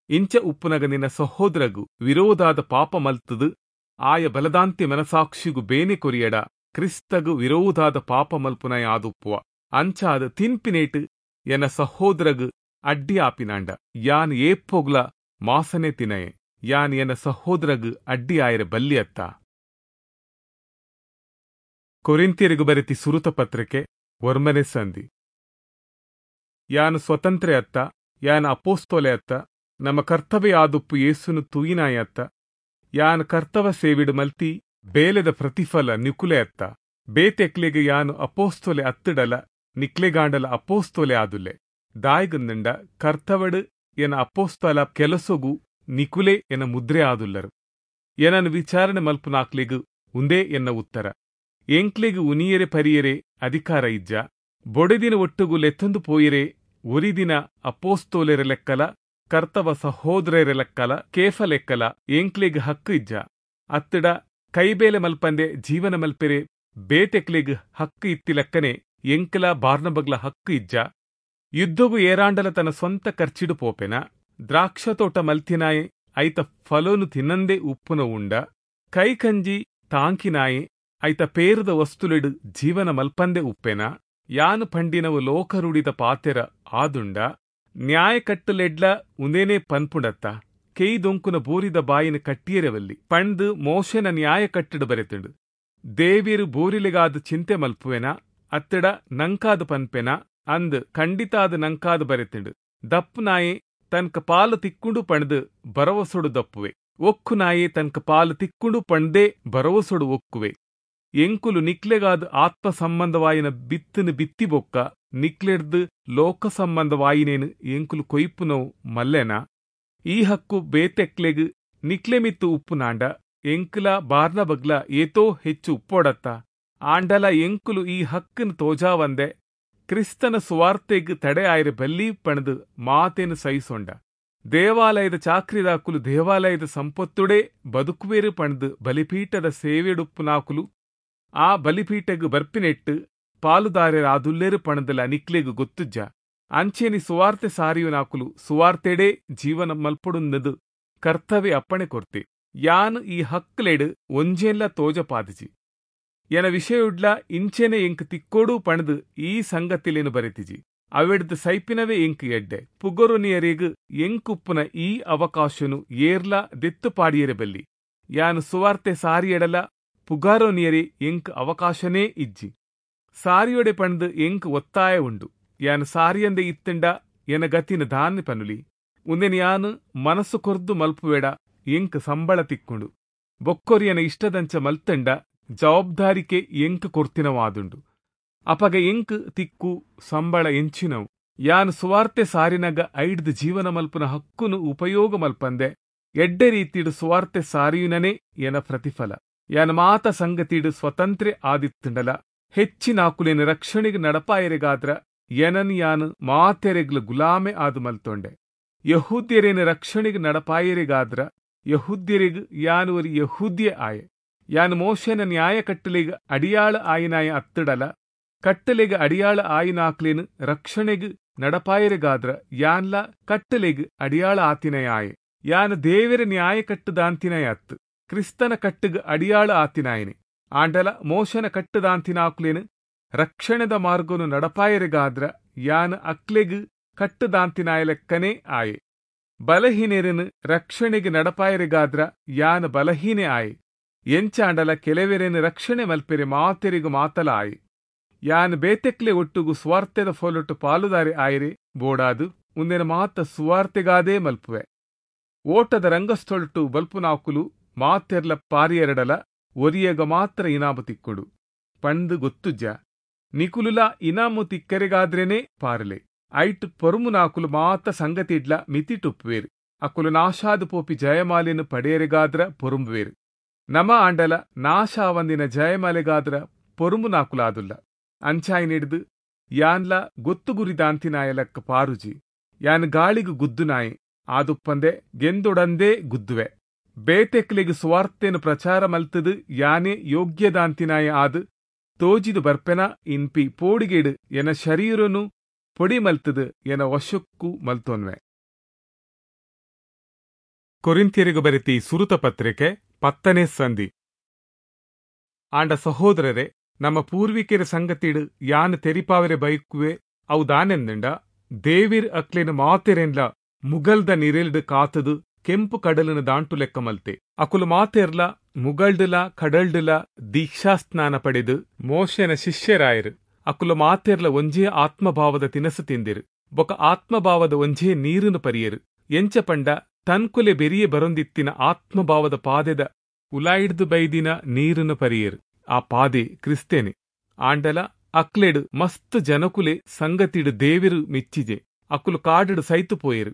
ಇಂಚ ಉಪ್ಪುನಗ ನಿನ್ನ ಸಹೋದರಗು ವಿರೋಧಾದ ಪಾಪ ಮಲ್ತದು ಆಯ ಬಲದಾಂತಿ ಮನಸಾಕ್ಷಿಗು ಬೇನೆ ಕೊರಿಯಡ ಕ್ರಿಸ್ತಗು ವಿರೋಧಾದ ಪಾಪ ಮಲ್ಪುನಯ ಆದುಪ್ಪುವ. ಅಂಚಾದ ತಿನ್ಪಿನೇಟು ಎನ್ನ ಸಹೋದರಗು ಅಡ್ಡಿ ಆಪಿನಾಂಡ ಯಾನ್ ಏಪ್ಪೊಗ್ಲ ಮಾಸನೆ ತಿನಯೆ, ಯಾನ್ ಎನ್ನ ಸಹೋದರಗು ಅಡ್ಡಿ ಆಯರೆ ಬಲ್ಲಿ ಅತ್ತ. ಕೊರಿಂತಿಯರಿಗು ಬರೆತಿ ಸುರುತ ಪತ್ರಿಕೆ ಒರ್ಮನೆ ಸಂಧಿ. ಯಾನು ಸ್ವತಂತ್ರೆ ಅತ್ತ, ಯಾನ್ ಅಪೋಸ್ತೋಲೆ ಅತ್ತ, ನಮ್ಮ ಕರ್ತವ್ಯ ಆದುಪ್ಪು ಯೇಸುನು ತೂಯಿನಾಯ ಅತ್ತ. ಯಾನು ಕರ್ತವ ಸೇವಿಡು ಮಲ್ತಿ ಬೇಲೆದ ಪ್ರತಿಫಲ ನಿಕುಲೆ ಅತ್ತ. ಬೇತೆಕ್ಲೆಗೆ ಯಾನು ಅಪೋಸ್ತೋಲೆ ಅತ್ತಡಲ ನಿಕ್ಲೆಗಾಂಡಲ ಅಪೋಸ್ತೋಲೆ ಆದುಲ್ಲೆ. ದಾಯ್ಗಂದಂಡ ಕರ್ತವಡು ಎನ ಅಪೋಸ್ತಲ ಕೆಲಸೊಗು ನಿಕುಲೆ ಎನ ಮುದ್ರೆ ಆದುಲ್ಲರು. ಎನನು ವಿಚಾರಣೆ ಮಲ್ಪುನಾಕ್ಲೆಗು ಉಂದೇ ಎನ್ನ ಉತ್ತರ. ಎಂಕ್ಲೆಗು ಉನಿಯರೆ ಪರಿಯರೆ ಅಧಿಕಾರ ಇಜ್ಜ. ಬೊಡೆದಿನ ಒಟ್ಟುಗು ಲೆತ್ತೊಂದು ಪೋಯಿರೆ ಒರಿದಿನ ಅಪೋಸ್ತೋಲೆರ ಲೆಕ್ಕಲ ಕರ್ತವ ಸಹೋದರರ ಲೆಕ್ಕಲ ಕೇಫ ಲೆಕ್ಕಲ ಎಂಕ್ಲೆಗ್ ಹಕ್ಕು ಇಜ್ಜ. ಅತ್ತಡ ಕೈಬೇಲೆ ಮಲ್ಪಂದೆ ಜೀವನ ಮಲ್ಪೆರೆ ಬೇತೆಕ್ಲೆಗ್ ಹಕ್ಕು ಇತ್ತಿ ಲೆಕ್ಕನೆ ಎಂಕಲ ಬಾರ್ನಬಗ್ಲ ಹಕ್ಕು ಇಜ್ಜ. ಯುದ್ಧಗು ಏರಾಂಡಲ ತನ್ನ ಸ್ವಂತ ಖರ್ಚಿಡು ಪೋಪೆನ. ದ್ರಾಕ್ಷ ತೋಟ ಮಲ್ತಿನಾಯೆ ಐತ ಫಲೋನು ತಿನ್ನಂದೇ ಉಪ್ಪುನ ಉಂಡ. ಕೈಕಂಜಿ ತಾಂಕಿನಾಯೆ ಐತ ಪೇರದ ವಸ್ತುಲೆಡು ಜೀವನ ಮಲ್ಪಂದೆ ಉಪ್ಪೆನ. ಯಾನು ಪಂಡಿನವು ಲೋಕರುಡಿದ ಪಾತೆರ ಆದುಂಡ. ನ್ಯಾಯ ಕಟ್ಟುಲೆಡ್ಲ ಉಂದೇನೆ ಪನ್ಪುಂಡತ್ತ. ಕೆಯ್ದೊಂಕುನ ಬೋರಿದ ಬಾಯಿನ ಕಟ್ಟಿಯರವಲ್ಲಿ ಪಂಡು ಮೋಶನ ನ್ಯಾಯ ಕಟ್ಟಡು ಬರೆತುಂಡು. ದೇವಿರು ಬೋರಿಲೆಗಾದ ಚಿಂತೆ ಮಲ್ಪುವೆನ ಅತ್ತಡ ನಂಕಾದ ಪನ್ಪೆನ ಅಂದ್ ಖಂಡಿತಾದ ನಂಕಾದ ಬರೆತುಂಡು. ದಪ್ಪು ನಾಯೆ ತನ್ಕ ಪಾಲು ತಿಕ್కుంಡು ಪಣ್ದು ಭರವಸೊಡು ದಪ್ಪುವೆ. ಒಕ್ಕು ನಾಯೆ ತನ್ಕ ಪಾಲು ತಿಕ್కుంಡು ಪಣ್ದೇ ಭರವಸೊಡು ಒಕ್ಕುವೆ. ಎಂಕುಲು ನಿಕ್ಲೆಗಾದ ಆತ್ಮ ಸಂಬಂಧವಾಯಿನ ಬಿತ್ತನು ಬಿತ್ತಿ ಬೊಕ್ಕ ನಿಕ್ಲೆಡ್ದು ಲೋಕ ಸಂಬಂಧವಾಯಿನೇನು ಎಂಕುಲು ಕೊಯ್ಪುನವು ಮಲ್ಲೆನ. ಈ ಹಕ್ಕು ಬೇತೆಕ್ಲೆಗ್ ನಿಕ್ಲೆ ಮಿತ್ತು ಉಪ್ಪುನಾಂಡ ಎಂಕುಲ ಬಾರ್ನ ಬಗ್ಲ ಏತೋ ಹೆಚ್ಚು ಉಪ್ಪೋಡತ್ತ. ಆಂಡಲ ಎಂಕುಲು ಈ ಹಕ್ಕನ್ನು ತೋಜಾವಂದೆ ಕ್ರಿಸ್ತನ ಸುವಾರ್ತೆಗ್ ತಡೆ ಆಯ್ರೆ ಬಲ್ಲಿ ಪಣದು ಮಾತೇನು ಸಹಿಸೊಂಡ. ದೇವಾಲಯದ ಚಾಕ್ರಿದಾಕುಲು ದೇವಾಲಯದ ಸಂಪತ್ತುಡೇ ಬದುಕುವೇರು ಪಣದು ಬಲಿಪೀಠದ ಸೇವೆಡುಪ್ಪುನಾಕುಲು ಆ ಬಲಿಪೀಠಗ್ ಬರ್ಪಿನೆಟ್ಟು ಪಾಲುದಾರರಾದುಲ್ಲೇರು ಪಣದಲ ನಿಕ್ಲೆಗ್ ಗೊತ್ತುಜ್ಜ. ಅಂಚೇನಿ ಸುವಾರ್ತೆ ಸಾರಿಯುನಾಕುಲು ಸುವಾರ್ತೆಡೇ ಜೀವನ ಮಲ್ಪೊಡುನ್ನದು ಕರ್ತವ್ಯ ಅಪ್ಪಣೆ ಕೊರ್ತೆ. ಯಾನು ಈ ಹಕ್ಲೆಡು ಒಂಜೇನ್ಲ ತೋಜಪಾದಿಜಿ. ಎನ ವಿಷಯುಡ್ಲ ಇಂಚೆನೆ ಎಂಕ್ ತಿಕ್ಕೋಡು ಪಣದು ಈ ಸಂಗತಿಲೇನು ಬರೆತಿಜಿ. ಅವೆಡ್ದು ಸೈಪಿನವೇ ಎಂಕ್ ಎಡ್ಡೆ. ಪುಗೊರುನಿಯರಿಗ್ ಎಂಕುಪ್ಪುನ ಈ ಅವಕಾಶನು ಏರ್ಲ ದೆತ್ತು ಪಾಡಿಯರೆ ಬಲ್ಲಿ. ಯಾನು ಸುವಾರ್ತೆ ಸಾರಿಯಡಲ ಪುಗಾರೋನಿಯರೇ ಎಂಕ್ ಅವಕಾಶನೇ ಇಜ್ಜಿ. ಸಾರಿಯೊಡೆ ಪಣ್ದು ಎಂಕ್ ಒತ್ತಾಯ ಉಂಡು. ಯಾನು ಸಾರಿಯಂದೆ ಇತ್ತಂಡ ಎನ ಗತಿನ ದಾನ್ನೆ ಪನುಲಿ. ಉಂದೆನ್ ಯಾನು ಮನಸ್ಸು ಕೊರ್ದು ಮಲ್ಪುವೇಡ ಎಂಕ್ ಸಂಬಳ ತಿಕ್ಕೊಂಡು. ಬೊಕ್ಕೊರಿಯನ ಇಷ್ಟದಂಚ ಮಲ್ತಂಡ ಜವಾಬ್ದಾರಿಕೆ ಎಂಕ್ ಕೊರ್ತಿನವಾದುಂಡು. ಅಪಗ ಎಂಕ್ ತಿಕ್ಕು ಸಂಬಳ ಎಂಚಿನವು. ಯಾನು ಸುವಾರ್ತೆ ಸಾರಿನಗ ಐಡ್ದು ಜೀವನ ಮಲ್ಪುನ ಹಕ್ಕುನು ಉಪಯೋಗ ಮಲ್ಪಂದೆ ಎಡ್ಡೆ ರೀತಿಡು ಸುವಾರ್ತೆ ಸಾರಿಯುನನೇ ಎನ ಪ್ರತಿಫಲ. ಯಾನ ಮಾತ ಸಂಗತಿಡು ಸ್ವತಂತ್ರೆ ಆದಿತ್ತುಂಡಲ ಹೆಚ್ಚಿನಾಕುಲೇನ ರಕ್ಷಣೆಗೆ ನಡಪಾಯರೆಗಾದ್ರ ಎನನ್ ಯಾನು ಮಾತೆರೆಗ್ಲ ಗುಲಾಮೆ ಆದು ಮಲ್ತೊಂಡೆ. ಯಹೂದ್ಯರೇನ ರಕ್ಷಣೆಗೆ ನಡಪಾಯರೆಗಾದ್ರ ಯಹೂದ್ಯರಿಗ್ ಯಾನು ಒರಿ ಯಹೂದ್ಯ ಆಯೆ. ಯಾನು ಮೋಶನ ನ್ಯಾಯ ಕಟ್ಟಲೆಗ್ ಅಡಿಯಾಳ ಆಯಿನಾಯ ಅತ್ತಡಲ ಕಟ್ಟಲೆಗ್ ಅಡಿಯಾಳ ಆಯಿನಾಕ್ಲೇನು ರಕ್ಷಣೆಗ್ ನಡಪಾಯರೆಗಾದ್ರ ಯಾನ್ಲ ಕಟ್ಟಲೆಗ್ ಅಡಿಯಾಳ ಆತಿನಯ ಆಯೆ. ಯಾನು ದೇವರ ನ್ಯಾಯ ಕಟ್ಟುದಾಂತಿನಯ ಅತ್ತು ಕ್ರಿಸ್ತನ ಕಟ್ಟುಗ್ ಅಡಿಯಾಳ ಆತಿನಾಯನೆ. ಆಂಡಲ ಮೋಶನ ಕಟ್ಟುದಾಂತಿನಾಕ್ಲೇನು ರಕ್ಷಣೆದ ಮಾರ್ಗನು ನಡಪಾಯೆರೆಗಾದ್ರ ಯಾನ್ ಅಕ್ಲೆಗ್ ಕಟ್ಟುದಾಂತಿನಾಯಲೆಕ್ಕನೇ ಆಯೆ. ಬಲಹೀನೆರೆನ್ ರಕ್ಷಣೆಗೆ ನಡಪಾಯೆರೆಗಾದ್ರ ಯಾನ್ ಬಲಹೀನೆ ಆಯೆ. ಎಂಚಾಂಡಲ ಕೆಲವೆರೆನ್ ರಕ್ಷಣೆ ಮಲ್ಪೆರೆ ಮಾತೆರಿಗು ಮಾತಲ ಆಯೆ. ಯಾನ್ ಬೇತೆಕ್ಲೆ ಒಟ್ಟುಗು ಸ್ವಾರ್ಥದ ಫೋಲೊಟ್ಟು ಪಾಲುದಾರೆ ಆಯೆರೆ ಬೋಡಾದು ಉಂದೆನ ಮಾತ ಸುವಾರ್ತೆಗಾದೇ ಮಲ್ಪುವೆ. ಓಟದ ರಂಗಸ್ಥಳಟು ಬಲ್ಪುನಾಕುಲು ಮಾತೆರ್ಲ ಪಾರಿಯೆರಡಲ ಒರಿಯಗ ಮಾತ್ರ ಇನಾಮು ತಿಕ್ಕುಂಡು ಪಂದ್ ಗೊತ್ತುಜ್ಜ? ನಿಕುಲುಲ ಇನಾಮು ತಿಕ್ಕರೆಗಾದ್ರೇನೆ ಪಾರಲೆ. ಐಟ್ ಪೊರುಮುನಾಕುಲು ಮಾತ ಸಂಗತಿಡ್ಲ ಮಿತಿಟುಪ್ಪುವೇರು. ಅಕುಲು ನಾಶಾದು ಪೋಪಿ ಜಯಮಾಲೆನು ಪಡೆಯರೆಗಾದ್ರ ಪೊರುಂಬುವೇರು. ನಮ ಆಂಡಲ ನಾಶ ಆವಂದಿನ ಜಯಮಾಲೆಗಾದ್ರ ಪೊರುಂಬುನಾಕುಲಾದುಲ್ಲ. ಅಂಚಾಯಿನಿಡ್ದು ಯಾನ್ಲ ಗೊತ್ತು ಗುರಿದಾಂತಿನಾಯಲಕ್ಕ ಪಾರುಜಿ. ಯಾನ್ ಗಾಳಿಗು ಗುದ್ದುನಾಯೆ ಆದುಪ್ಪಂದೆ ಗೆಂದೊಡಂದೇ ಗುದ್ದುವೆ. ಬೇತೆಕ್ಲೆಗ್ ಸುವಾರ್ತೆನು ಪ್ರಚಾರ ಮಲ್ತದು ಯಾನೇ ಯೋಗ್ಯದಾಂತಿನಾಯ ಆದ್ ತೋಜಿದು ಬರ್ಪೆನ ಇನ್ಪಿ ಪೋಡಿಗೆಡು ಎನ ಶರೀರನು ಪೊಡಿ ಮಲ್ತದು ಎನ ವಶಕ್ಕೂ ಮಲ್ತೊನ್ವೆ. ಕೊರಿಂಥ್ಯರಿಗೆ ಬರೆತಿ ಸುರುತ ಪತ್ರಿಕೆ ಪತ್ತನೇ ಸಂಧಿ. ಆಂಡ ಸಹೋದರರೇ, ನಮ್ಮ ಪೂರ್ವಿಕರ ಸಂಗತಿಡು ಯಾನ್ ತೆರಿಪಾವರೆ ಬೈಕುವೆ ಅವು ದಾನೆಂದಂಡ, ದೇವಿರ್ ಅಕ್ಲೆನ ಮಾತೆರೆನ್ಲ ಮುಗಲ್ದ ನಿರೆಲ್ಡ್ ಕಾತದು ಕೆಂಪು ಕಡಲಿನ ದಾಂಟು ಲೆಕ್ಕ ಮಲ್ತೆ. ಅಕುಲು ಮಾತೆರ್ಲ ಮುಗಲ್ಡ್ಲ ಕಡಲ್ಡ್ಲ ದೀಕ್ಷಾಸ್ನಾನ ಪಡೆದು ಮೋಶೆನ ಶಿಷ್ಯರಾಯರು. ಅಕುಲು ಮಾತೆರ್ಲ ಒಂಜೇ ಆತ್ಮಭಾವದ ತಿನಸು ತಿಂದಿರು ಬೊಕ ಆತ್ಮಭಾವದ ಒಂಜೇ ನೀರನ್ನು ಪರಿಯರು. ಎಂಚ ಪಂಡ ತನ್ಕುಲೆ ಬೆರಿಯೆ ಬರೊಂದಿತ್ತಿನ ಆತ್ಮಭಾವದ ಪಾದೆದ ಉಲಾಯಿಡ್ದು ಬೈದಿನ ನೀರನ್ನು ಪರಿಯರು. ಆ ಪಾದೆ ಕ್ರಿಸ್ತೇನೆ. ಆಂಡಲ ಅಕ್ಲೆಡು ಮಸ್ತ್ ಜನಕುಲೆ ಸಂಗತಿಡು ದೇವಿರು ಮೆಚ್ಚಿಜೆ. ಅಕುಲು ಕಾಡುಡು ಸೈತು ಪೋಯರು.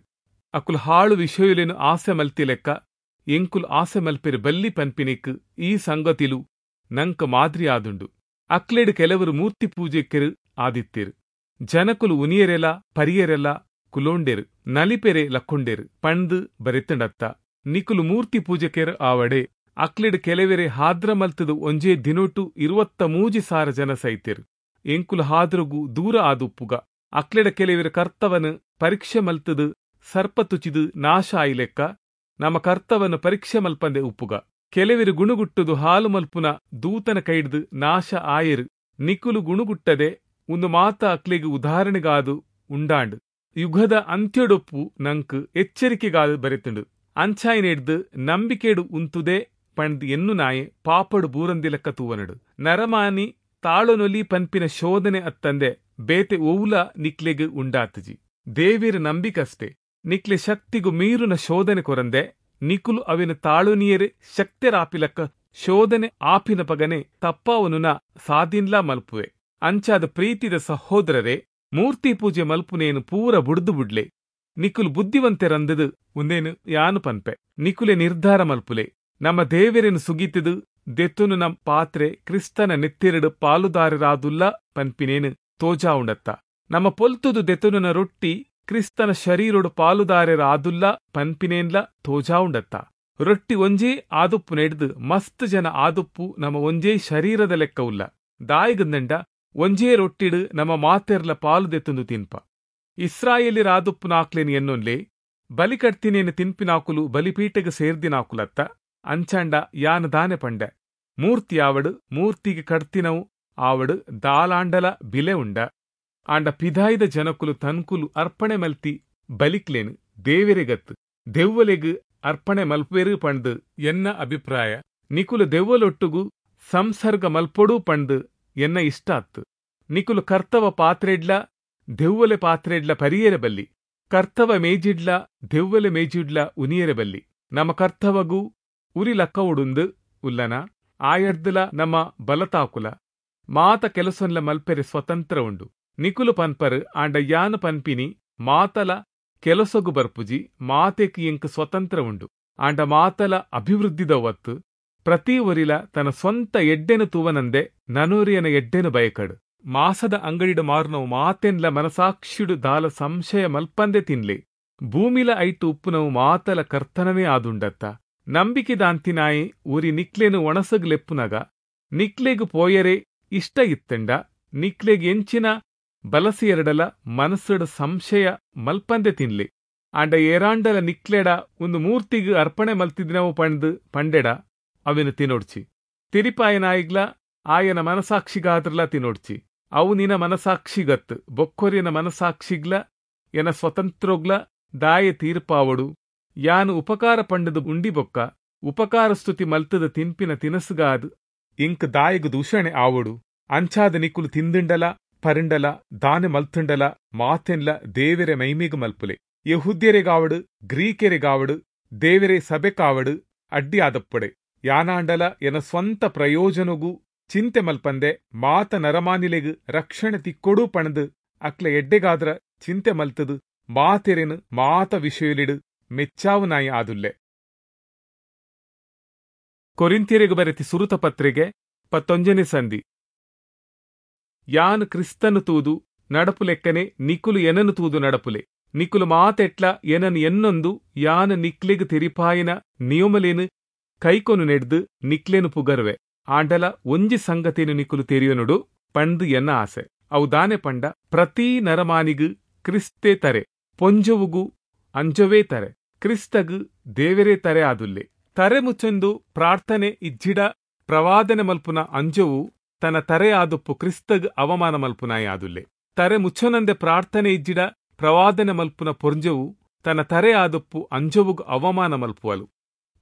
ಅಕುಲು ಹಾಳು ವಿಷಯಲೇನು ಆಸೆ ಮಲ್ತಿ ಲೆಕ್ಕ ಎಂಕುಲು ಆಸೆ ಮಲ್ಪೆರು ಬಲ್ಲಿ ಪನ್ಪಿನಿಕ್ ಈ ಸಂಗತಿಲು ನಂಕ ಮಾದರಿ ಆದುಂಡು. ಅಕ್ಲೆಡು ಕೆಲವರು ಮೂರ್ತಿ ಪೂಜೆಕೆರು ಆದಿತ್ತೆರು. ಜನಕುಲು ಉನಿಯರೆಲ ಪರಿಯರೆಲ ಕುಲೋಂಡೆರು, ನಲಿಪೆರೆ ಲಕ್ಕೊಂಡೆರು ಪಂದ್ ಬರೆತಂಡತ್ತ. ನಿಕುಲು ಮೂರ್ತಿ ಪೂಜೆಕೆರು ಆವಡೆ. ಅಕ್ಲೆಡು ಕೆಲವೆರೆ ಹಾದ್ರ ಮಲ್ತದು ಒಂಜೇ ದಿನೊಟು ಇರುವತ್ತ ಮೂಜಿ ಸಾರ ಜನ ಸೈತೆರು. ಎಂಕುಲು ಹಾದ್ರಗು ದೂರ ಆದುಪ್ಪುಗ. ಅಕ್ಲೆಡ ಕೆಲವೆರು ಕರ್ತವನು ಪರೀಕ್ಷೆ ಮಲ್ತದು ಸರ್ಪ ತುಚಿದು ನಾಶ ಆಯಿಲೆಕ್ಕ ನಮ್ಮ ಕರ್ತವನು ಪರೀಕ್ಷೆ ಮಲ್ಪಂದೆ ಉಪ್ಪುಗ. ಕೆಲವೆರು ಗುಣುಗುಟ್ಟುದು ಹಾಲು ಮಲ್ಪುನ ದೂತನ ಕೈಡ್ದು ನಾಶ ಆಯರು. ನಿಕುಲು ಗುಣುಗುಟ್ಟದೆ ಒಂದು ಮಾತ ಅಕ್ಲೆಗು ಉದಾಹರಣೆಗಾದು ಉಂಡಾಂಡು. ಯುಗದ ಅಂತ್ಯೊಡೊಪ್ಪು ನಂಕ್ ಎಚ್ಚರಿಕೆಗಾದು ಬರೆತುಂಡು. ಅಂಚಾಯಿನೆಡ್ದು ನಂಬಿಕೆಡು ಉಂತುದೆ ಪಂದ್ ಎನ್ನು ನಾಯೆ ಪಾಪಡು ಬೂರಂದಿಲಕ್ಕ ತೂವನಡು. ನರಮಾನಿ ತಾಳೊನೊಲಿ ಪನ್ಪಿನ ಶೋಧನೆ ಅತ್ತಂದೆ ಬೇತೆ ಓವುಲ ನಿಕ್ಲೆಗ್ ಉಂಡಾತುಜಿ. ದೇವಿರ ನಂಬಿಕಷ್ಟೆ. ನಿಕ್ಲೆ ಶಕ್ತಿಗು ಮೀರುನ ಶೋಧನೆ ಕೊರಂದೆ ನಿಕುಲು ಅವಿನ ತಾಳುನಿಯರೆ ಶಕ್ತಿರಾಪಿಲಕ್ಕ ಶೋಧನೆ ಆಪಿನ ಪಗನೆ ತಪ್ಪಾವನುನ ಸಾದಿನ್ಲಾ ಮಲ್ಪುವೆ. ಅಂಚಾದ ಪ್ರೀತಿದ ಸಹೋದರರೇ, ಮೂರ್ತಿ ಪೂಜೆ ಮಲ್ಪುನೇನು ಪೂರ ಬುಡ್ದು ಬುಡ್ಲೆ. ನಿಕುಲು ಬುದ್ಧಿವಂತೆರಂದದು ಒಂದೇನು ಯಾನು ಪನ್ಪೆ. ನಿಕುಲೆ ನಿರ್ಧಾರ ಮಲ್ಪುಲೆ. ನಮ್ಮ ದೇವರೇನು ಸುಗೀತದು ದೆತ್ತುನು ನಮ್ ಪಾತ್ರೆ ಕ್ರಿಸ್ತನ ನೆತ್ತಿರಡು ಪಾಲುದಾರರಾದುಲ್ಲ ಪನ್ಪಿನೇನು ತೋಜಾ ಉಂಡತ್ತ. ನಮ್ಮ ಪೊಲ್ತುದು ದೆತ್ತುನ ರೊಟ್ಟಿ ಕ್ರಿಸ್ತನ ಶರೀರೊಡು ಪಾಲುದಾರರಾದುಲ್ಲ ಪನ್ಪಿನೇನ್ಲ ತೋಜಾ ಉಂಡತ್ತ. ರೊಟ್ಟಿ ಒಂಜೇ ಆದುಪ್ಪು ನೆಡ್ದು ಮಸ್ತ್ ಜನ ಆದುಪ್ಪು ನಮ್ಮ ಒಂಜೇ ಶರೀರದ ಲೆಕ್ಕ ಉಲ್ಲ. ದಾಯಿಗಂದಂಡ ಒಂಜೇ ರೊಟ್ಟಿಡು ನಮ್ಮ ಮಾತೆರ್ಲ ಪಾಲು ದೆತ್ತುಂದು ತಿನ್ಪ. ಇಸ್ರಾಯೇಲಿರಾದುಪ್ಪು ನಾಕ್ಲೇನು ಎನ್ನೊನ್ಲೆ ಬಲಿ ಕಟ್ತಿನೇನು ತಿನ್ಪಿನಾಕುಲು ಬಲಿಪೀಟೆಗೆ ಸೇರ್ದಿನಾಕುಲತ್ತ. ಅಂಚಾಂಡ ಯಾನ್ ದಾನೆ ಪಂಡೆ, ಮೂರ್ತಿ ಆವಡು ಮೂರ್ತಿಗೆ ಕಡ್ತಿನವು ಆವಡು ದಾಲಾಂಡಲ ಬಿಲೆ ಉಂಡ. ಆಂಡ ಪಿದಾಯಿದ ಜನಕುಲು ತನ್ಕುಲು ಅರ್ಪಣೆ ಮಲ್ತಿ ಬಲಿಕ್ಲೇನು ದೇವೆರೆಗತ್ತು ದೆವ್ವಲೆಗ್ ಅರ್ಪಣೆ ಮಲ್ಪುವೆರು ಪಂಡ್ ಎನ್ನ ಅಭಿಪ್ರಾಯ. ನಿಕುಲು ದೆವ್ವಲೊಟ್ಟುಗು ಸಂಸರ್ಗ ಮಲ್ಪೊಡು ಪಂಡ್ ಎನ್ನ ಇಷ್ಟ ಅತ್ತು. ನಿಕುಲು ಕರ್ತವ ಪಾತ್ರೆಡ್ಲ ದೆವ್ವಲೆ ಪಾತ್ರೆಡ್ಲ ಪರಿಯರೆ ಬಲ್ಲಿ. ಕರ್ತವ ಮೇಜಿಡ್ಲ ದೆವ್ವಲೆ ಮೇಜಿಡ್ಲ ಉನಿಯರೆ ಬಲ್ಲಿ. ನಮ್ಮ ಕರ್ತವಗೂ ಉರಿ ಲಕ್ಕವುಡುಂದು ಉಲ್ಲನ ಆಯಡ್ದಲ ನಮ್ಮ ಬಲತಾಕುಲ ಮಾತ ಕೆಲಸೊನ್ಲ ಮಲ್ಪೆರೆ ಸ್ವತಂತ್ರ ಉಂಡು. ನಿಕುಲು ಪನ್ಪರು ಆಂಡ ಯಾನು ಪನ್ಪಿನಿ ಮಾತಲ ಕೆಲಸೊಗು ಬರ್ಪುಜಿ, ಮಾತೆಕ್ ಎಂಕ್ ಸ್ವತಂತ್ರ ಉಂಡು. ಆಂಡ ಮಾತಲ ಅಭಿವೃದ್ಧಿದ ಒತ್ತು. ಪ್ರತಿ ಒರಿಲ ತನ್ನ ಸ್ವಂತ ಎಡ್ಡೆನು ತೂವನಂದೆ ನನೊರಿಯನ ಎಡ್ಡೆನು ಬಯಕಡು. ಮಾಸದ ಅಂಗಡಿಡು ಮಾರುನವು ಮಾತೆನ್ಲ ಮನಸಾಕ್ಷಿಡು ದಾಲ ಸಂಶಯ ಮಲ್ಪಂದೆ ತಿನ್ಲೆ. ಭೂಮಿಲ ಐಟು ಉಪ್ಪುನವು ಮಾತಲ ಕರ್ತನವೇ ಆದುಂಡತ್ತ. ನಂಬಿಕೆದಾಂತಿನಾಯಿ ಒರಿ ನಿಕ್ಲೆನು ಒಣಸಗ್ ಲೆಪ್ಪುನಗ ನಿಕ್ಲೆಗ್ ಪೋಯರೆ ಇಷ್ಟ ಇತ್ತಂಡ ನಿಕ್ಲೆಗ್ ಎಂಚಿನ ಬಲಸಿಯರಡಲ ಮನಸ್ಸುಡು ಸಂಶಯ ಮಲ್ಪಂದೆ ತಿನ್ಲೆ. ಆಂಡ ಏರಾಂಡಲ ನಿಕ್ಲೆಡ ಒಂದು ಮೂರ್ತಿಗ್ ಅರ್ಪಣೆ ಮಲ್ತಿದಿನವು ಪಂಡ್ ಪಂಡೆಡ ಅವಿನ ತಿನೋಡ್ಚಿ. ತಿರಿಪಾಯನಾಯಿಗ್ಲ ಆಯನ ಮನಸಾಕ್ಷಿಗಾದ್ರಲ ತಿನೋಡ್ಚಿ. ಅವು ನಿನ ಮನಸಾಕ್ಷಿಗತ್ತು ಬೊಕ್ಕೊರಿನ ಮನಸಾಕ್ಷಿಗ್ಲ ಎನ ಸ್ವತಂತ್ರೋಗ್ಲ ದಾಯೆ ತೀರ್ಪಾವಡು. ಯಾನು ಉಪಕಾರ ಪಂಡದು ಉಂಡಿ ಬೊಕ್ಕ ಉಪಕಾರ ಸ್ತುತಿ ಮಲ್ತದ ತಿನ್ಪಿನ ತಿನಸುಗಾದು ಇಂಕ್ ದಾಯೆಗು ದೂಷಣೆ ಆವಡು. ಅಂಚಾದ ನಿಕುಲು ತಿಂದಿಂಡಲ ಪರಿಂಡಲ ದಾನೆ ಮಲ್ತುಂಡಲ ಮಾತೆನ್ಲ ದೇವೆರೆ ಮೈಮಿಗು ಮಲ್ಪುಲೆ. ಯೆಹೂದ್ಯರೆಗಾವಡು ಗ್ರೀಕೆರೆಗಾವಡು ದೇವೆರೆ ಸಭೆಕಾವಡು ಅಡ್ಡಿ ಆದಪ್ಪಡೆ. ಯಾನಾಂಡಲ ಎನ ಸ್ವಂತ ಪ್ರಯೋಜನಗೂ ಚಿಂತೆ ಮಲ್ಪಂದೆ ಮಾತ ನರಮಾನಿಲೆಗು ರಕ್ಷಣೆ ತಿಕ್ಕೊಡು ಪಣದು ಅಕ್ಲೆ ಎಡ್ಡೆಗಾದ್ರ ಚಿಂತೆ ಮಲ್ತದು ಮಾತೆರೆನು ಮಾತ ವಿಷಯಲಿಡು ಮೆಚ್ಚಾವು ನಾಯಿ ಆದುಲ್ಲೆ. ಕೊರಿಂಥ್ಯರಿಗೆ ಬರೆತಿ ಸುರುತ ಪತ್ರಿಕೆ ಪತ್ತೊಂಜನೇ ಸಂಧಿ. ಯಾನ್ ಕ್ರಿಸ್ತನು ತೂದು ನಡಪುಲೆಕ್ಕನೆ ನಿಕುಲು ಎನನು ತೂದು ನಡಪುಲೆ. ನಿಕುಲು ಮಾತೆಟ್ಲ ಎನನು ಎನ್ನೊಂದು ಯಾನ್ ನಿಕ್ಲೆಗ್ ತೆರಿಪಾಯಿನ ನಿಯಮಲೇನು ಕೈಕೊನು ನೆಡ್ದು ನಿಕ್ಲೇನು ಪುಗರ್ವೆ. ಆಂಡಲ ಒಂಜಿ ಸಂಗತಿನು ನಿಕುಲು ತೆರಿಯನುಡು ಪಂದು ಎನ್ನ ಆಸೆ. ಅವು ದಾನೆ ಪಂಡ ಪ್ರತಿ ನರಮಾನಿಗು ಕ್ರಿಸ್ತೇ ತರೆ, ಪೊಂಜೊವುಗು ಅಂಜೊವೇ ತರೆ, ಕ್ರಿಸ್ತಗು ದೇವರೇ ತರೆ ಆದುಲ್ಲೆ. ತರೆ ಮುಚ್ಚೊಂದು ಪ್ರಾರ್ಥನೆ ಇಜ್ಜಿಡ ಪ್ರವಾದನೆ ಮಲ್ಪುನ ಅಂಜೊವು ತನ್ನ ತರೆ ಆದುಪ್ಪು ಕ್ರಿಸ್ತಗ್ ಅವಮಾನ ಮಲ್ಪುನಾಯ ಆದುಲ್ಲೆ. ತರೆ ಮುಚ್ಚೊನಂದೆ ಪ್ರಾರ್ಥನೆ ಇಜ್ಜಿಡ ಪ್ರವಾದನೆ ಮಲ್ಪುನ ಪೊಂಜೊವು ತನ್ನ ತರೆ ಆದುಪ್ಪು ಅಂಜೊವುಗು ಅವಮಾನ ಮಲ್ಪುವಲು.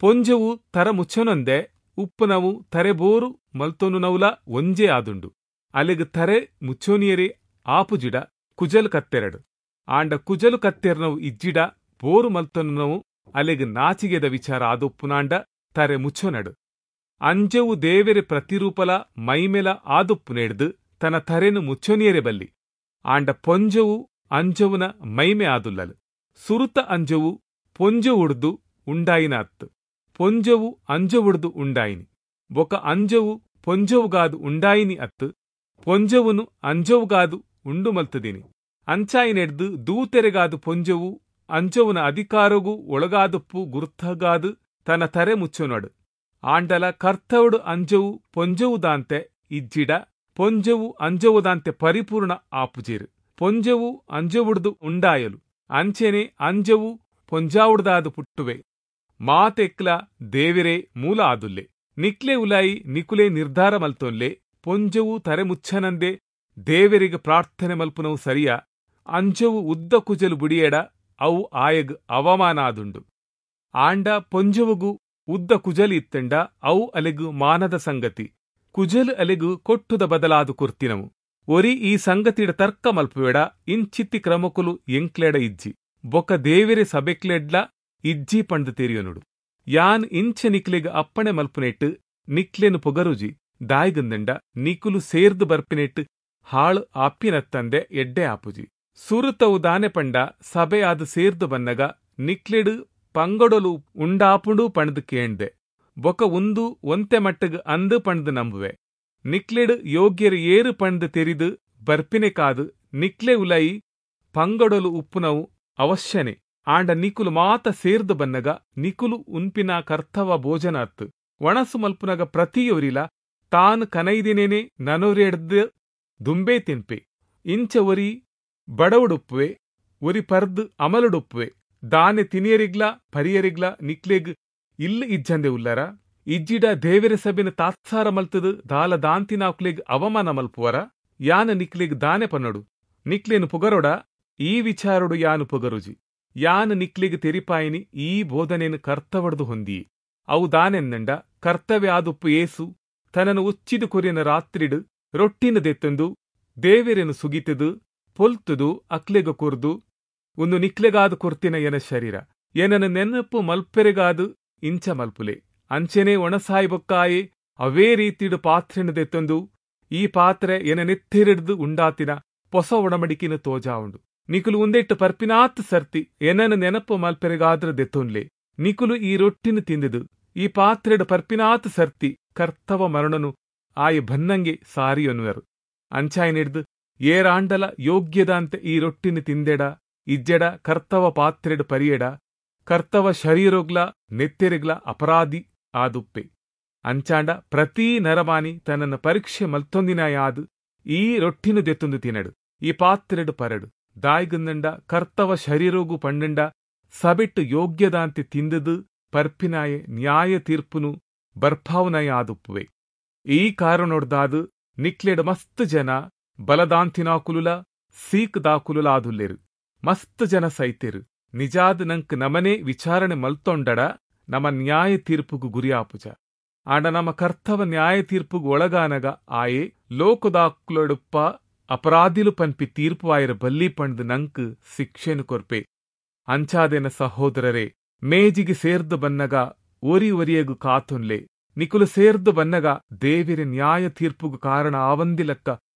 ಪೊಂಜೊವು ತರ ಮುಚ್ಚೊನಂದೆ ಉಪ್ಪುನವು ತರೆಬೋರು ಮಲ್ತೊನುನವುಲ ಒಂಜೇ ಆದುಂಡು. ಅಲೆಗ್ ತರೆ ಮುಚ್ಚೋನಿಯರೇ ಆಪುಜಿಡ ಕುಜಲು ಕತ್ತೆರಡು. ಆಂಡ ಕುಜಲು ಕತ್ತೆರ್ನವು ಇಜ್ಜಿಡ ಬೋರು ಮಲ್ತೊನುನವು ಅಲೆಗ್ ನಾಚಿಗೆದ ವಿಚಾರ ಆದುಪ್ಪುನಾಂಡ ತರೆ ಮುಚ್ಚೊನಡು. ಅಂಜವು ದೇವೆರೆ ಪ್ರತಿರೂಪಲ ಮೈಮೆಲ ಆದುಪ್ಪುನೆಡ್ದು ತನ್ನ ತರೆನು ಮುಚ್ಚೊನಿಯರೆ ಬಲ್ಲಿ. ಆಂಡ ಪೊಂಜೊವು ಅಂಜವುನ ಮೈಮೆ ಆದುಲ್ಲಲು. ಸುರುತ ಅಂಜವು ಪೊಂಜೊವುಡ್ದು ಉಂಡಾಯಿನ ಅತ್ತು, ಪೊಂಜೊವು ಅಂಜೊವುಡ್ದು ಉಂಡಾಯಿನಿ. ಬೊಕ ಅಂಜೊವು ಪೊಂಜೊವುಗಾದು ಉಂಡಾಯಿನಿ ಅತ್ತು, ಪೊಂಜೊವುನು ಅಂಜೊವುಗಾದು ಉಂಡು ಮಲ್ತದಿನಿ. ಅಂಚಾಯಿನೆಡ್ದು ದೂತೆರೆಗಾದು ಪೊಂಜೊವು ಅಂಜೊವುನ ಅಧಿಕಾರಗೂ ಒಳಗಾದುಪ್ಪು ಗುರ್ತಗಾದು ತನ್ನ ತರೆ ಮುಚ್ಚೊನಡು. ಆಂಡಲ ಕರ್ತವುಡು ಅಂಜೊವು ಪೊಂಜೊವುದಾಂತೆ ಇಜ್ಜಿಡ ಪೊಂಜೊವು ಅಂಜೊವುದಾಂತೆ ಪರಿಪೂರ್ಣ ಆಪುಜೇರು. ಪೊಂಜೊವು ಅಂಜೊವುಡ್ದು ಉಂಡಾಯಲು, ಅಂಚೆನೆ ಅಂಜೊವು ಪೊಂಜಾವುಡ್ದಾದು ಪುಟ್ಟುವೆ. ಮಾತೆಕ್ಲ ದೇವಿರೇ ಮೂಲ ಆದುಲ್ಲೆ. ನಿಕ್ಲೆ ಉಲಾಯಿ ನಿಕುಲೆ ನಿರ್ಧಾರ ಮಲ್ತೊನ್ಲೆ. ಪೊಂಜೊವು ತರೆ ಮುಚ್ಚನಂದೆ ದೇವರಿಗೆ ಪ್ರಾರ್ಥನೆ ಮಲ್ಪುನವು ಸರಿಯಾ? ಅಂಜೊವು ಉದ್ದ ಕುಜಲು ಬುಡಿಯೆಡ ಅವು ಆಯಗ್ ಅವಮಾನ ಆದುಂಡು. ಆಂಡ ಪೊಂಜೊವುಗು ಉದ್ದ ಕುಜಲು ಇತ್ತಂಡ ಅವು ಅಲೆಗು ಮಾನದ ಸಂಗತಿ. ಕುಜಲು ಅಲೆಗು ಕೊಟ್ಟುದ ಬದಲಾದು ಕೊರ್ತಿನವು. ಒರಿ ಈ ಸಂಗತಿಡ ತರ್ಕ ಮಲ್ಪುವೆಡ ಇಂಚಿತ್ತಿ ಕ್ರಮಕುಲು ಎಂಕ್ಲೆಡ ಇಜ್ಜಿ, ಬೊಕ ದೇವೆರೆ ಸಬೆಕ್ಲೆಡ್ಲ ಇಜ್ಜಿ ಪಂಡ್ ತೆರಿಯನುಡು. ಯಾನ್ ಇಂಚೆ ನಿಕ್ಲೆಗ್ ಅಪ್ಪಣೆ ಮಲ್ಪುನೆಟ್ಟು ನಿಕ್ಲೆನು ಪೊಗರುಜಿ. ದಾಯ್ಗಂದಂಡ ನಿಕುಲು ಸೇರ್ದು ಬರ್ಪಿನೆಟ್ಟು ಹಾಳು ಆಪ್ಪಿನತ್ತಂದೆ ಎಡ್ಡೆ ಆಪುಜಿ. ಸುರುತವು ದಾನೆ ಪಂಡ ಸಭೆಯಾದ ಸೇರ್ದು ಬನ್ನಗ ನಿಕ್ಲೆಡು ಪಂಗಡೊಲು ಉಂಡಾಪುಂಡು ಪಂಡ್ದು ಕೇಂದೆ. ಬೊಕ ಉಂದು ಒಂತೆ ಮಟ್ಟಗ್ ಅಂದು ಪಂಡ್ದು ನಂಬುವೆ. ನಿಕ್ಲೆಡು ಯೋಗ್ಯರು ಏರು ಪಂಡ್ದು ತೆರಿದು ಬರ್ಪಿನೆ ಕಾದು ನಿಕ್ಲೆ ಉಲೈ ಪಂಗಡೊಲು ಉಪ್ಪುನವು ಅವಶ್ಯನೆ. ಆಂಡ ನಿಕುಲು ಮಾತ ಸೇರ್ದು ಬನ್ನಗ ನಿಕುಲು ಉನ್ಪಿನ ಕರ್ತವ ಭೋಜನ ಅತ್ತು. ಒಣಸು ಮಲ್ಪುನಗ ಪ್ರತಿಯೊರಿಲ ತಾನು ಕನೈದಿನೇನೆ ನನೊರೆಡ್ದು ದುಂಬೇ ತಿನ್ಪೆ. ಇಂಚ ಒರಿ ಬಡವುಡುಪ್ಪುವೆ, ಒರಿ ಪರ್ದು ಅಮಲುಡುಪ್ಪುವೆ. ದಾನೆ ತಿನಿಯರಿಗ್ಲ ಪರಿಯರಿಗ್ಲ ನಿಕ್ಲೆಗ್ ಇಲ್ಲ ಇಜ್ಜಂದೆ ಉಲ್ಲರ? ಇಜ್ಜಿಡ ದೇವೆರೆ ಸಭೆನ ತಾತ್ಸಾರ ಮಲ್ತದು ದಾಲ ದಾಂತಿನಾಕ್ಲೆಗ್ ಅವಮಾನ ಮಲ್ಪುವರ? ಯಾನ ನಿಕ್ಲೆಗ್ ದಾನೆ ಪನ್ನಡು, ನಿಕ್ಲೇನು ಪುಗರೊಡ? ಈ ವಿಚಾರೊಡು ಯಾನು ಪುಗರುಜಿ. ಯಾನು ನಿಕ್ಲೆಗ್ ತೆರಿಪಾಯಿನಿ ಈ ಬೋಧನೆನು ಕರ್ತವಡ್ದು ಹೊಂದಿಯೆ. ಅವು ದಾನೆಂದಂಡ ಕರ್ತವ್ಯ ಆದುಪ್ಪು ಏಸು ತನನು ಉಚ್ಚಿದು ಕೊರಿನ ರಾತ್ರಿಡು ರೊಟ್ಟಿನ ದೆತ್ತಂದು ದೇವೆರೆನು ಸುಗಿತದು ಪೊಲ್ತುದು ಅಕ್ಲೆಗ ಕೊರ್ದು, ಒಂದು ನಿಕ್ಲೆಗಾದು ಕೊರ್ತಿನ ಎನ ಶರೀರ, ಏನನ ನೆನಪು ಮಲ್ಪೆರೆಗಾದು ಇಂಚ ಮಲ್ಪುಲೆ. ಅಂಚೆನೆ ಒಣಸಾಯಿ ಬೊಕ್ಕಾಯೆ ಅವೇ ರೀತಿಡು ಪಾತ್ರೆನು ದೆತ್ತಂದು ಈ ಪಾತ್ರೆ ಎನ ನೆತ್ತಿರಿಡ್ದು ಉಂಡಾತಿನ ಪೊಸ ಒಡಮಡಿಕಿನ ತೋಜಾವುಂಡು. ನಿಕುಲು ಉಂದೆಟ್ಟು ಪರ್ಪಿನಾತ್ ಸರ್ತಿ ಎನನ ನೆನಪು ಮಲ್ಪೆರೆಗಾದ್ರ ದೆತ್ತೊನ್ಲೆ. ನಿಕುಲು ಈ ರೊಟ್ಟಿನ ತಿಂದಿದು ಈ ಪಾತ್ರೆಡು ಪರ್ಪಿನಾತ್ ಸರ್ತಿ ಕರ್ತವ ಮರಣನು ಆಯ ಬನ್ನಂಗೆ ಸಾರಿಯೊನ್ನುವರು. ಅಂಚಾಯನಿಡ್ದು ಏರಾಂಡಲ ಯೋಗ್ಯದಾಂತೆ ಈ ರೊಟ್ಟಿನ ತಿಂದೆಡ ಇಜ್ಜೆಡ ಕರ್ತವ ಪಾತ್ರೆಡು ಪರಿಯೆಡ ಕರ್ತವ ಶರೀರೋಗ್ಲ ನೆತ್ತೆರೆಗ್ಲ ಅಪರಾಧಿ ಆದುಪ್ಪೆ. ಅಂಚಾಂಡ ಪ್ರತಿ ನರಮಾನಿ ತನ್ನನ್ನು ಪರೀಕ್ಷೆ ಮಲ್ತೊಂದಿನಾಯಾದು ಈ ರೊಟ್ಟಿನ ದೆತ್ತೊಂದು ತಿನಡು, ಈ ಪಾತ್ರೆಡು ಪರಡು. ದಾಯ್ಗಂದಂಡ ಕರ್ತವ ಶರೀರೋಗು ಪಂಡಂಡ ಸಬೆಟ್ಟು ಯೋಗ್ಯದಾಂತೆ ತಿಂದದು ಪರ್ಪಿನಾಯೆ ನ್ಯಾಯ ತೀರ್ಪುನು ಬರ್ಪಾವನಾಯ ಆದುಪ್ಪುವೆ. ಈ ಕಾರಣೊಡ್ದಾದು ನಿಕ್ಲೆಡ್ ಮಸ್ತ್ ಜನ ಬಲದಾಂತಿನಾಕುಲುಲ ಸೀಕ್ದಾಕುಲುಲಾದುಲ್ಲೆರು. ಮಸ್ತ್ ಜನ ಸೈತೆರು. ನಿಜಾದ್ ನಂಕ್ ನಮನೆ ವಿಚಾರಣೆ ಮಲ್ತೊಂಡಡ ನಮ ನ್ಯಾಯ ತೀರ್ಪುಗು ಗುರಿಯಾಪುಜ. ಆಂಡ ನಮ ಕರ್ತವ ನ್ಯಾಯ ತೀರ್ಪುಗು ಒಳಗಾನಗ ಆಯೆ ಲೋಕದಾಕುಲೊಡುಪ್ಪ ಅಪರಾಧಿಲು ಪನ್ಪಿ ತೀರ್ಪು ಆಯರ ಬಲ್ಲಿ ಪಂಡ್ದ್ ನಂಕ್ ಶಿಕ್ಷೆನು ಕೊರ್ಪೆ. ಅಂಚಾದೆನ ಸಹೋದರರೇ, ಮೇಜಿಗೆ ಸೇರ್ದು ಬನ್ನಗ ಒರಿ ಒರಿಯಗು ಕಾತೊನ್ಲೆ. ನಿಕುಲು ಸೇರ್ದು ಬನ್ನಗ ದೇವಿರ ನ್ಯಾಯ ತೀರ್ಪುಗು ಕಾರಣ ಆವಂದಿಲಕ್ಕ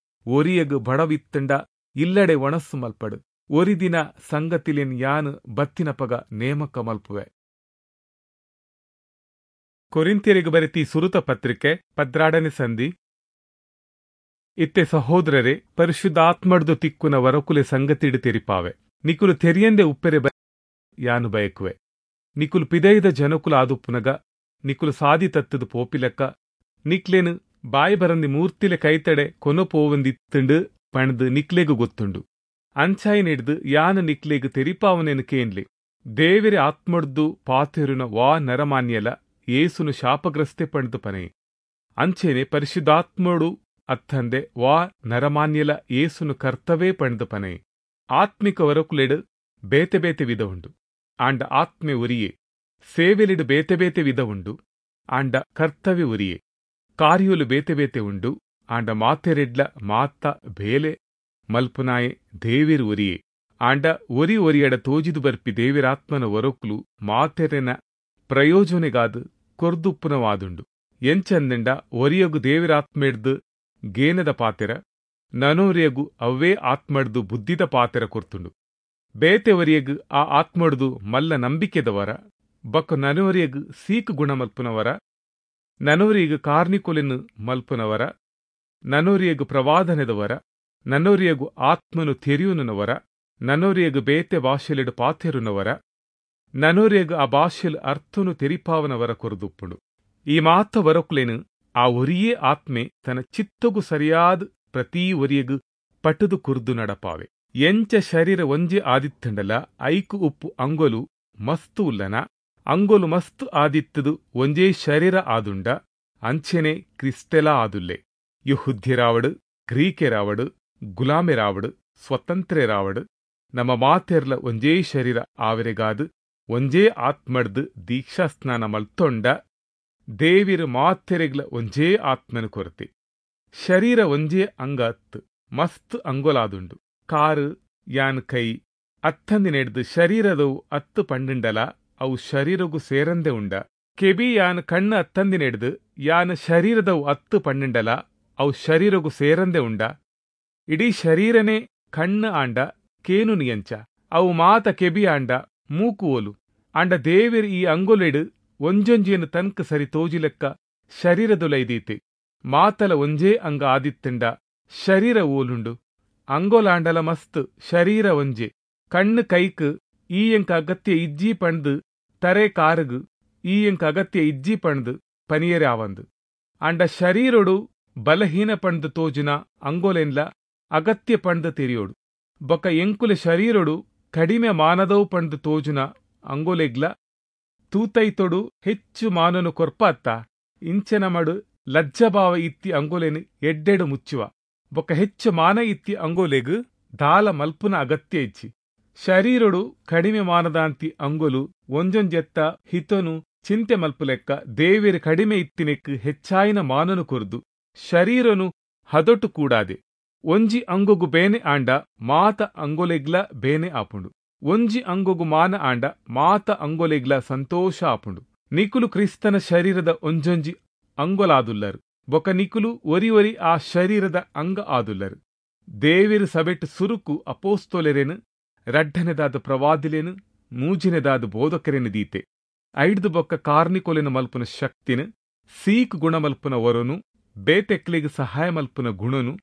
ಒರಿಯಗು ಬಡವಿತ್ತಂಡ ಇಲ್ಲಡೆ ಒಣಸ್ಸು ಮಲ್ಪಡು. ಒರಿದಿನ ಸಂಗತಿಲೆನ್ ಯಾನು ಬತ್ತಿನಪಗ ನೇಮಕ ಮಲ್ಪುವೆ. ಕೊರಿಂಥ್ಯರಿಗೆ ಬರೆತಿ ಸುರುತ ಪತ್ರಿಕೆ ಪದ್ರಾಡನೆ ಸಂಧಿ. ಇತ್ತೆ ಸಹೋದರರೇ, ಪರಿಶುದ್ಧಾತ್ಮಡ್ದು ತಿಕ್ಕುನ ವರಕುಲೆ ಸಂಗತಿಡು ತೆರಿಪಾವೆ. ನಿಕುಲು ತೆರಿಯಂದೆ ಉಪ್ಪೆರೆ ಯಾನು ಬಯಕುವೆ. ನಿಕುಲು ಪಿದೈದ ಜನಕುಲು ಆದುಪ್ಪುನಗ ನಿಕುಲು ಸಾದಿ ತತ್ತದು ಪೋಪಿಲೆಕ್ಕ ನಿಕ್ಲೇನು ಬಾಯಿ ಬರಂದಿ ಮೂರ್ತಿಲೆ ಕೈತಡೆ ಕೊನ ಪೋವಂದಿತ್ತುಂಡು ಪಂಡ್ದು ನಿಕ್ಲೆಗು ಗೊತ್ತುಂಡು. ಅಂಚಾಯಿನಿಡ್ದು ಯಾನು ನಿಕ್ಲೆಗು ತೆರಿಪಾವನೇನು ಕೇನ್ಲಿ. ದೇವಿರೆ ಆತ್ಮಡ್ದು ಪಾತೆರುನ ವಾ ನರಮಾನ್ಯಲ ಯೇಸುನು ಶಾಪಗ್ರಸ್ತೆ ಪಂಡ್ದು ಪನೆ. ಅಂಚೆನೆ ಪರಿಶುದ್ಧಾತ್ಮಡು ಅತ್ತಂದೆ ವಾ ನರಮಾನ್ಯಲ ಯೇಸುನು ಕರ್ತವೇ ಪಂಡ್ದು ಪನೆ. ಆತ್ಮಿಕ ವರಕುಲೆಡು ಬೇತೆ ಬೇತೆ ವಿಧ ಉಂಡು, ಆಂಡ ಆತ್ಮೆ ಉರಿಯೇ. ಸೇವೆಲಿಡು ಬೇತೆ ಬೇತೆ ವಿಧ ಉಂಡು, ಆಂಡ ಕರ್ತವ್ಯ ಉರಿಯೇ. ಕಾರ್ಯಲು ಬೇತೆ ಬೇತೆ ಉಂಡು, ಆಂಡ ಮಾತೆರೆಡ್ಲ ಮಾತ ಬೇಲೆ ಮಲ್ಪುನಾಯೆ ದೇವಿರು ಉರಿಯೇ. ಆಂಡ ಒರಿ ಒರಿಯಡ ತೋಜಿದು ಬರ್ಪಿ ದೇವಿರಾತ್ಮನ ವರಕುಲು ಮಾತೆರೆನ ಪ್ರಯೋಜನೆಗಾದು ಕೊರ್ದುಪ್ಪುನವಾದುಂಡು. ಎಂಚಂದಂಡ ಒರಿಯಗು ದೇವಿರಾತ್ಮೆಡ್ದು ಗೇನದ ಪಾತೆರ, ನನೋರಿಯಗು ಅವ್ವೇ ಆತ್ಮಡ್ದು ಬುದ್ಧಿದ ಪಾತೆರ ಕೊರ್ತುಂಡು. ಬೇತೆ ಒರಿಯಗು ಆ ಆತ್ಮಡ್ದು ಮಲ್ಲ ನಂಬಿಕೆದವರ, ಬೊಕ್ಕ ನನೋರಿಯಗು ಸೀಕು ಗುಣ ಮಲ್ಪುನವರ, ನನೋರಿಯಗು ಕಾರ್ನಿಕೊಲೆನು ಮಲ್ಪುನವರ, ನನೋರಿಯಗು ಪ್ರವಾದನೆದವರ, ನನೋರಿಯಗು ಆತ್ಮನು ತೆರಿಯುನವರ, ನನೋರಿಯಗು ಬೇತೆ ಭಾಷೆಲೆಡು ಪಾತೆರುನವರ, ನನೋರಿಯಗು ಆ ಭಾಷೆಲು ಅರ್ಥನು ತೆರಿಪಾವನವರ ಕೊರದುಪ್ಪುಂಡು. ಈ ಮಾತ ವರಕುಲೆನು ಆ ಒರಿಯೇ ಆತ್ಮೆ ತನ್ನ ಚಿತ್ತಗು ಸರಿಯಾದ ಪ್ರತಿ ಒರಿಯಗು ಪಟುದು ಕುರ್ದು ನಡಪಾವೆ. ಎಂಚ ಶರೀರ ಒಂಜೆ ಆದಿತ್ತಂಡಲ ಐಕು ಉಪ್ಪು ಅಂಗೊಲು ಮಸ್ತು ಉಲ್ಲನ, ಅಂಗೊಲು ಮಸ್ತು ಆದಿತ್ತದು ಒಂಜೇ ಶರೀರ ಆದುಂಡ ಅಂಚೆನೆ ಕ್ರಿಸ್ತೆಲ ಆದುಲ್ಲೆ. ಯಹುದ್ಯರಾವಡು, ಗ್ರೀಕೆರಾವಡು, ಗುಲಾಮೆರಾವಡು, ಸ್ವತಂತ್ರೆರಾವಡು, ನಮ್ಮ ಮಾತೆರ್ಲ ಒಂಜೇ ಶರೀರ ಆವರೆಗಾದು ಒಂಜೇ ಆತ್ಮಡ್ದು ದೀಕ್ಷಾಸ್ನಾನ ಮಲ್ತೊಂಡ ದೇವಿರು ಮಾತೆರೆಗ್ಲ ಒಂಜೇ ಆತ್ಮನು ಕೊರತೆ. ಶರೀರ ಒಂಜೇ ಅಂಗ ಅತ್ತು ಮಸ್ತ್ ಅಂಗೊಲಾದುಂಡು. ಕಾರು ಯಾನ್ ಕೈ ಅತ್ತಂದಿನೆಡ್ದು ಶರೀರದವು ಅತ್ತು ಪಂಡುಂಡಲ ಅವು ಶರೀರಗು ಸೇರಂದೆ ಉಂಡ. ಕೆಬಿ ಯಾನ್ ಕಣ್ಣು ಅತ್ತಂದಿನೆಡ್ದು ಯಾನ್ ಶರೀರದವು ಅತ್ತು ಪಂಡುಂಡಲ ಅವು ಶರೀರಗು ಸೇರಂದೆ ಉಂಡ. ಇಡೀ ಶರೀರನೇ ಕಣ್ಣು ಆಂಡ ಕೇನು ನಿಯಂಚ, ಅವು ಮಾತ ಕೆಬಿ ಆಂಡ ಮೂಕು ಓಲು. ಆಂಡ ದೇವಿರು ಈ ಅಂಗೊಲೆಡು ಒಂಜೊಂಜಿಯನ್ನು ತನ್ಕ ಸರಿ ತೋಜಿಲೆಕ್ಕ ಶರೀರದೊಲೈದೀತೆ. ಮಾತಲ ಒಂಜೇ ಅಂಗ ಆದಿತ್ತಂಡ ಶರೀರ ಓಲುಂಡು. ಅಂಗೋಲಾಂಡಲ ಮಸ್ತ್ ಶರೀರ ಒಂಜೆ. ಕಣ್ಣು ಕೈಕ್ ಈ ಎಂಕ ಅಗತ್ಯ ಇಜ್ಜಿ ಪಂಡ್ದು, ತರೆ ಕಾರುಗು ಈ ಎಂಕ ಅಗತ್ಯ ಇಜ್ಜಿ ಪಂಡ್ದು ಪನಿಯರೆ ಆವಂದು. ಆಂಡ ಶರೀರೊಡು ಬಲಹೀನ ಪಂಡ್ದು ತೋಜುನ ಅಂಗೋಲೆನ್ಲ ಅಗತ್ಯ ಪಂಡ್ದು ತೆರಿಯೋಡು. ಬೊಕ ಎಂಕುಲೆ ಶರೀರೊಡು ಕಡಿಮೆ ಮಾನದವು ಪಂಡ್ದು ತೋಜುನ ಅಂಗೋಲೆಗ್ಲ ತೂತೈತೊಡು ಹೆಚ್ಚು ಮಾನನು ಕೊರ್ಪ ಅತ್ತ. ಇಂಚನ ಮಡು ಲಜ್ಜಭಾವ ಇತ್ತಿ ಅಂಗೋಲೆನು ಎಡ್ಡೆಡು ಮುಚ್ಚುವ. ಬೊಕ್ಕ ಹೆಚ್ಚು ಮಾನ ಇತ್ತಿ ಅಂಗೋಲೆಗು ದಾಲ ಮಲ್ಪುನ ಅಗತ್ಯ ಇಚ್ಚಿ. ಶರೀರೊಡು ಕಡಿಮೆ ಮಾನದಾಂತಿ ಅಂಗೋಲು ಒಂಜೊಂಜೆತ್ತ ಹಿತನು ಚಿಂತೆ ಮಲ್ಪುಲೆಕ್ಕ ದೇವಿರು ಕಡಿಮೆ ಇತ್ತಿನೆಕ್ಕು ಹೆಚ್ಚಾಯಿನ ಮಾನನು ಕೊರ್ದು ಶರೀರನು ಹದೊಟು ಕೂಡಾದೆ. ಒಂಜಿ ಅಂಗೊಗು ಬೇನೆ ಆಂಡ ಮಾತ ಅಂಗೋಲೆಗ್ಲ ಬೇನೆ ಆಪುಂಡು. ಒಂಜಿ ಅಂಗೊಗು ಮಾನ ಆಂಡ ಮಾತ ಅಂಗೋಲೆಗ್ಲ ಸಂತೋಷ ಆಪುಂಡು. ನಿಕುಲು ಕ್ರಿಸ್ತನ ಶರೀರದ ಒಂಜೊಂಜಿ ಅಂಗೊಲಾದುಲ್ಲರು. ಬೊಕ ನಿಕುಲು ಒರಿ ಒರಿ ಆ ಶರೀರದ ಅಂಗ ಆದುಲ್ಲರು. ದೇವಿರು ಸಬೆಟ್ ಸುರುಕು ಅಪೋಸ್ತೋಲೆರೇನು, ರಡ್ಡನೆದಾದ ಪ್ರವಾದಿಲೇನು, ಮೂಜಿನೆದಾದ ಬೋಧಕರೇನು ದೀತೆ. ಐಡ್ದು ಬೊಕ್ಕ ಕಾರ್ನಿಕೊಲೆನು ಮಲ್ಪುನ ಶಕ್ತಿನ, ಸೀಕ್ ಗುಣ ಮಲ್ಪುನ ವರನು, ಬೇತೆಕ್ಲಿಗೆ ಸಹಾಯ ಮಲ್ಪುನ ಗುಣನು,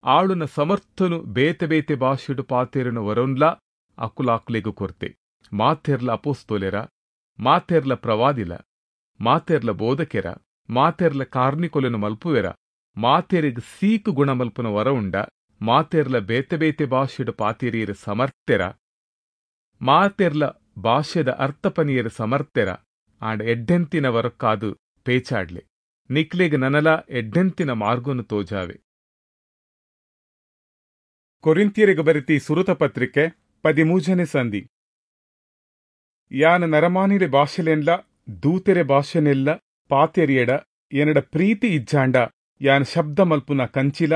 ಆಳುನ ಸಮರ್ಥನು ಬೇತೆ ಬೇತೆ ಭಾಷೆಡು ಪಾತೇರುನ ವರನ್ಲ ಅಕುಲಾಕುಲೆಗು ಕೊರ್ತೆ. ಮಾತೆರ್ಲ ಅಪೋಸ್ತೋಲೆರ, ಮಾತೆರ್ಲ ಪ್ರವಾದಿಲ, ಮಾತೆರ್ಲ ಬೋಧಕೆರ, ಮಾತೆರ್ಲ ಕಾರ್ನಿಕೊಲೆನು ಮಲ್ಪುವೆರ, ಮಾತೆರಿಗ್ ಸೀಕು ಗುಣ ಮಲ್ಪುನ ವರ ಉಂಡ, ಮಾತೆರ್ಲ ಬೇತೆ ಬೇತೆ ಭಾಷೆಡು ಪಾತೇರಿಯರ ಸಮರ್ಥೆರ, ಮಾತೆರ್ಲ ಭಾಷೆದ ಅರ್ಥಪನಿಯರ ಸಮರ್ಥೆರ. ಆಂಡ ಎಡ್ಡೆಂತಿನ ವರಕ್ಕಾದು ಪೇಚಾಡ್ಲೆ. ನಿಕ್ಲೆಗ್ ನನಲ ಎಡ್ಡೆಂತಿನ ಮಾರ್ಗೊನು ತೋಜಾವೆ. ಕೊರಿಂಥ್ಯರಿಗೆ ಬರೆತಿ ಸುರುತ ಪತ್ರಿಕೆ ಪದಿಮೂಜನೆ ಸಂಧಿ. ಯಾನ ನರಮಾನಿಲೆ ಭಾಷೆಲೆನ್ಲ ದೂತೆರೆ ಭಾಷೆನೆಲ್ಲ ಪಾತೆರಿಯಡ ಎನಡ ಪ್ರೀತಿ ಇಜ್ಜಾಂಡ ಯಾನ ಶಬ್ದ ಮಲ್ಪುನ ಕಂಚಿಲ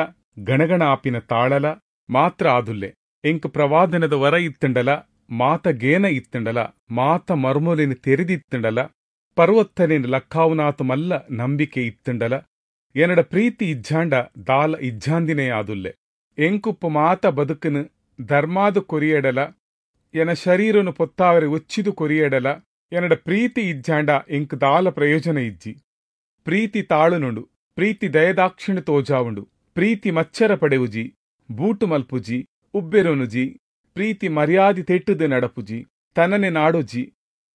ಗಣಗಣ ಆಪಿನ ತಾಳಲ ಮಾತ್ರ ಆದುಲ್ಲೆ. ಎಂಕ್ ಪ್ರವಾದನದ ವರ ಇತ್ತಂಡಲ, ಮಾತ ಗೇನ ಇತ್ತಂಡಲ, ಮಾತ ಮರ್ಮೊಲಿನ ತೆರೆದಿತ್ತಂಡಲ, ಪರ್ವತ್ತನೇನು ಲಕ್ಕಾವುನಾತ ಮಲ್ಲ ನಂಬಿಕೆ ಇತ್ತಂಡಲ, ಎನಡ ಪ್ರೀತಿ ಇಜ್ಜಾಂಡ ದಾಲ ಇಜ್ಜಾಂದಿನೇ ಆದುಲ್ಲೆ. ಎಂಕುಪ್ಪು ಮಾತ ಬದುಕನು ಧರ್ಮಾದು ಕೊರಿಯಡಲ, ಎನ ಶರೀರನು ಪೊತ್ತಾವರೆ ಒಚ್ಚಿದು ಕೊರಿಯಡಲ, ಎನಡ ಪ್ರೀತಿ ಇಜ್ಜಾಂಡ ಎಂಕ್ ದಾಲ ಪ್ರಯೋಜನ ಇಜ್ಜಿ. ಪ್ರೀತಿ ತಾಳುನುಂಡು, ಪ್ರೀತಿ ದಯದಾಕ್ಷಿಣ ತೋಜಾವುಂಡು, ಪ್ರೀತಿ ಮಚ್ಚರ ಪಡೆವುಜಿ, ಬೂಟು ಮಲ್ಪುಜಿ, ಉಬ್ಬೆರೊನುಜಿ, ಪ್ರೀತಿ ಮರ್ಯಾದಿ ತೆಟ್ಟುದು ನಡಪುಜಿ, ತನನೆ ನಾಡೋಜಿ,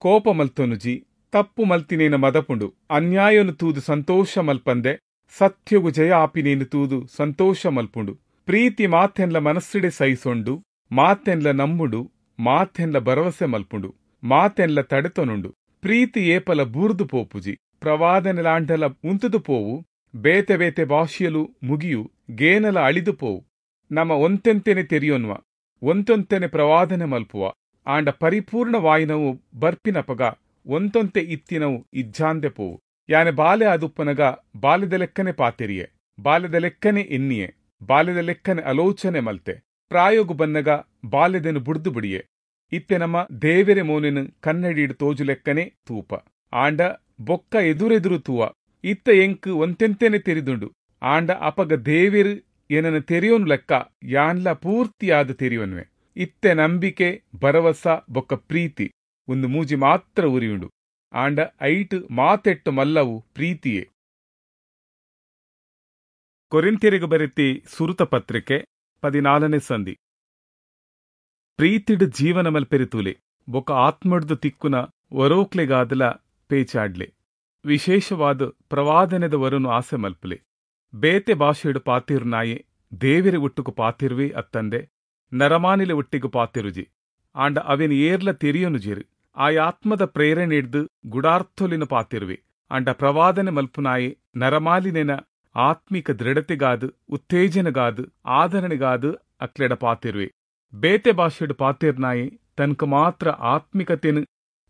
ಕೋಪ ಮಲ್ತೊನುಜಿ, ತಪ್ಪು ಮಲ್ತಿನೇನ ಮದಪುಂಡು, ಅನ್ಯಾಯನು ತೂದು ಸಂತೋಷ ಮಲ್ಪಂದೆ ಸತ್ಯಗು ಜಯ ಆಪಿನೇನು ತೂದು ಸಂತೋಷ ಮಲ್ಪುಂಡು. ಪ್ರೀತಿ ಮಾತೆನ್ಲ ಮನಸ್ಸಿಡೆ ಸಹಿಸೊಂಡು, ಮಾತೆನ್ಲ ನಂಬುಂಡು, ಮಾತೆನ್ಲ ಭರವಸೆ ಮಲ್ಪುಂಡು, ಮಾತೆನ್ಲ ತಡೆತೊನುಂಡು. ಪ್ರೀತಿ ಏಪಲ ಬೂರ್ದು ಪೋಪುಜಿ, ಪ್ರವಾದನೆಲಾಂಡಲ ಉಂತುದು ಪೋವು, ಬೇತೆ ಬೇತೆ ಭಾಷೆಯಲು ಮುಗಿಯು, ಗೇನಲ ಅಳಿದು ಪೋವು. ನಮ್ಮ ಒಂತೆಂತೆನೆ ತೆರಿಯೊನ್ವ, ಒಂತೊಂತೆನೆ ಪ್ರವಾದನೆ ಮಲ್ಪುವ, ಆಂಡ ಪರಿಪೂರ್ಣವಾಯಿನವು ಬರ್ಪಿನಪಗ ಒಂತೊಂತೆ ಇತ್ತಿನವು ಇಜ್ಜಾಂದೆ ಪೋವು. ಯಾನೆ ಬಾಲೆ ಆದುಪ್ಪನಗ ಬಾಲ್ಯದ ಲೆಕ್ಕನೆ ಪಾತೆರಿಯೆ, ಬಾಲ್ಯದ ಲೆಕ್ಕನೆ ಎನ್ನಿಯೆ, ಬಾಲ್ಯದ ಲೆಕ್ಕನೆ ಆಲೋಚನೆ ಮಲ್ತೆ, ಪ್ರಾಯೋಗು ಬನ್ನಗ ಬಾಲ್ಯದೆನು ಬುಡ್ದು ಬಿಡಿಯೆ. ಇತ್ತೆ ನಮ್ಮ ದೇವೆರೆ ಮೋನೆನು ಕನ್ನಡಿಡು ತೋಜು ಲೆಕ್ಕನೆ ತೂಪ, ಆಂಡ ಬೊಕ್ಕ ಎದುರೆದುರು ತೂವ. ಇತ್ತ ಎಂಕ್ ಒಂತೆಂತೆನೆ ತೆರಿದುಂಡು, ಆಂಡ ಅಪಗ ದೇವೆರು ಏನನ ತೆರಿಯೋನು ಲೆಕ್ಕ ಯಾನ್ಲ ಪೂರ್ತಿಯಾದ ತೆರಿಯೋನ್ವೆ. ಇತ್ತೆ ನಂಬಿಕೆ, ಭರವಸ ಬೊಕ್ಕ ಪ್ರೀತಿ ಒಂದು ಮೂಜಿ ಮಾತ್ರ ಉರಿಯುಂಡು, ಆಂಡ ಐಟ್ ಮಾತೆಟ್ಟು ಮಲ್ಲವು ಪ್ರೀತಿಯೇ. ಕೊರಿಂಥ್ಯರಿಗೆ ಬರೆತಿ ಸುರುತ ಪತ್ರಿಕೆ ಪದಿನಾಲನೇ ಸಂಧಿ. ಪ್ರೀತಿಡ್ ಜೀವನ ಮಲ್ಪೆರಿತೂಲೆ, ಬೊಕ್ಕ ಆತ್ಮಡ್ದು ತಿಕ್ಕುನ ವರೋಕ್ಲೆಗಾದಲ ಪೇಚಾಡ್ಲೆ, ವಿಶೇಷವಾದ ಪ್ರವಾದನೆದ ವರನು ಆಸೆ ಮಲ್ಪಲೆ. ಬೇತೆ ಭಾಷೆಡು ಪಾತಿರುನಾಯೆ ದೇವೆರೆ ಒಟ್ಟುಕು ಪಾತಿರುವೆ ಅತ್ತಂದೆ ನರಮಾನಿಲೆ ಒಟ್ಟಿಗೆ ಪಾತಿರುಜಿ, ಆಂಡ ಅವೆನ್ ಏರ್ಲ ತೆರಿಯೊನುಜೆರು. ಆಯಾತ್ಮದ ಪ್ರೇರಣೆ ಹಿಡ್ದು ಗುಡಾರ್ಥೊಲಿನ ಪಾತಿರುವೆ. ಆಂಡ ಪ್ರವಾದನೆ ಮಲ್ಪುನಾಯೆ ನರಮಾಲಿನೆನ ಆತ್ಮಿಕ ದೃಢತೆಗಾದು, ಉತ್ತೇಜನಗಾದು, ಆಧರಣೆಗಾದು ಅಕ್ಲೆಡ ಪಾತಿರುವೆ. ಬೇತೆ ಭಾಷೆಡು ಪಾತಿರ್ನಾಯೆ ತನಕ ಮಾತ್ರ ಆತ್ಮಿಕತೆನು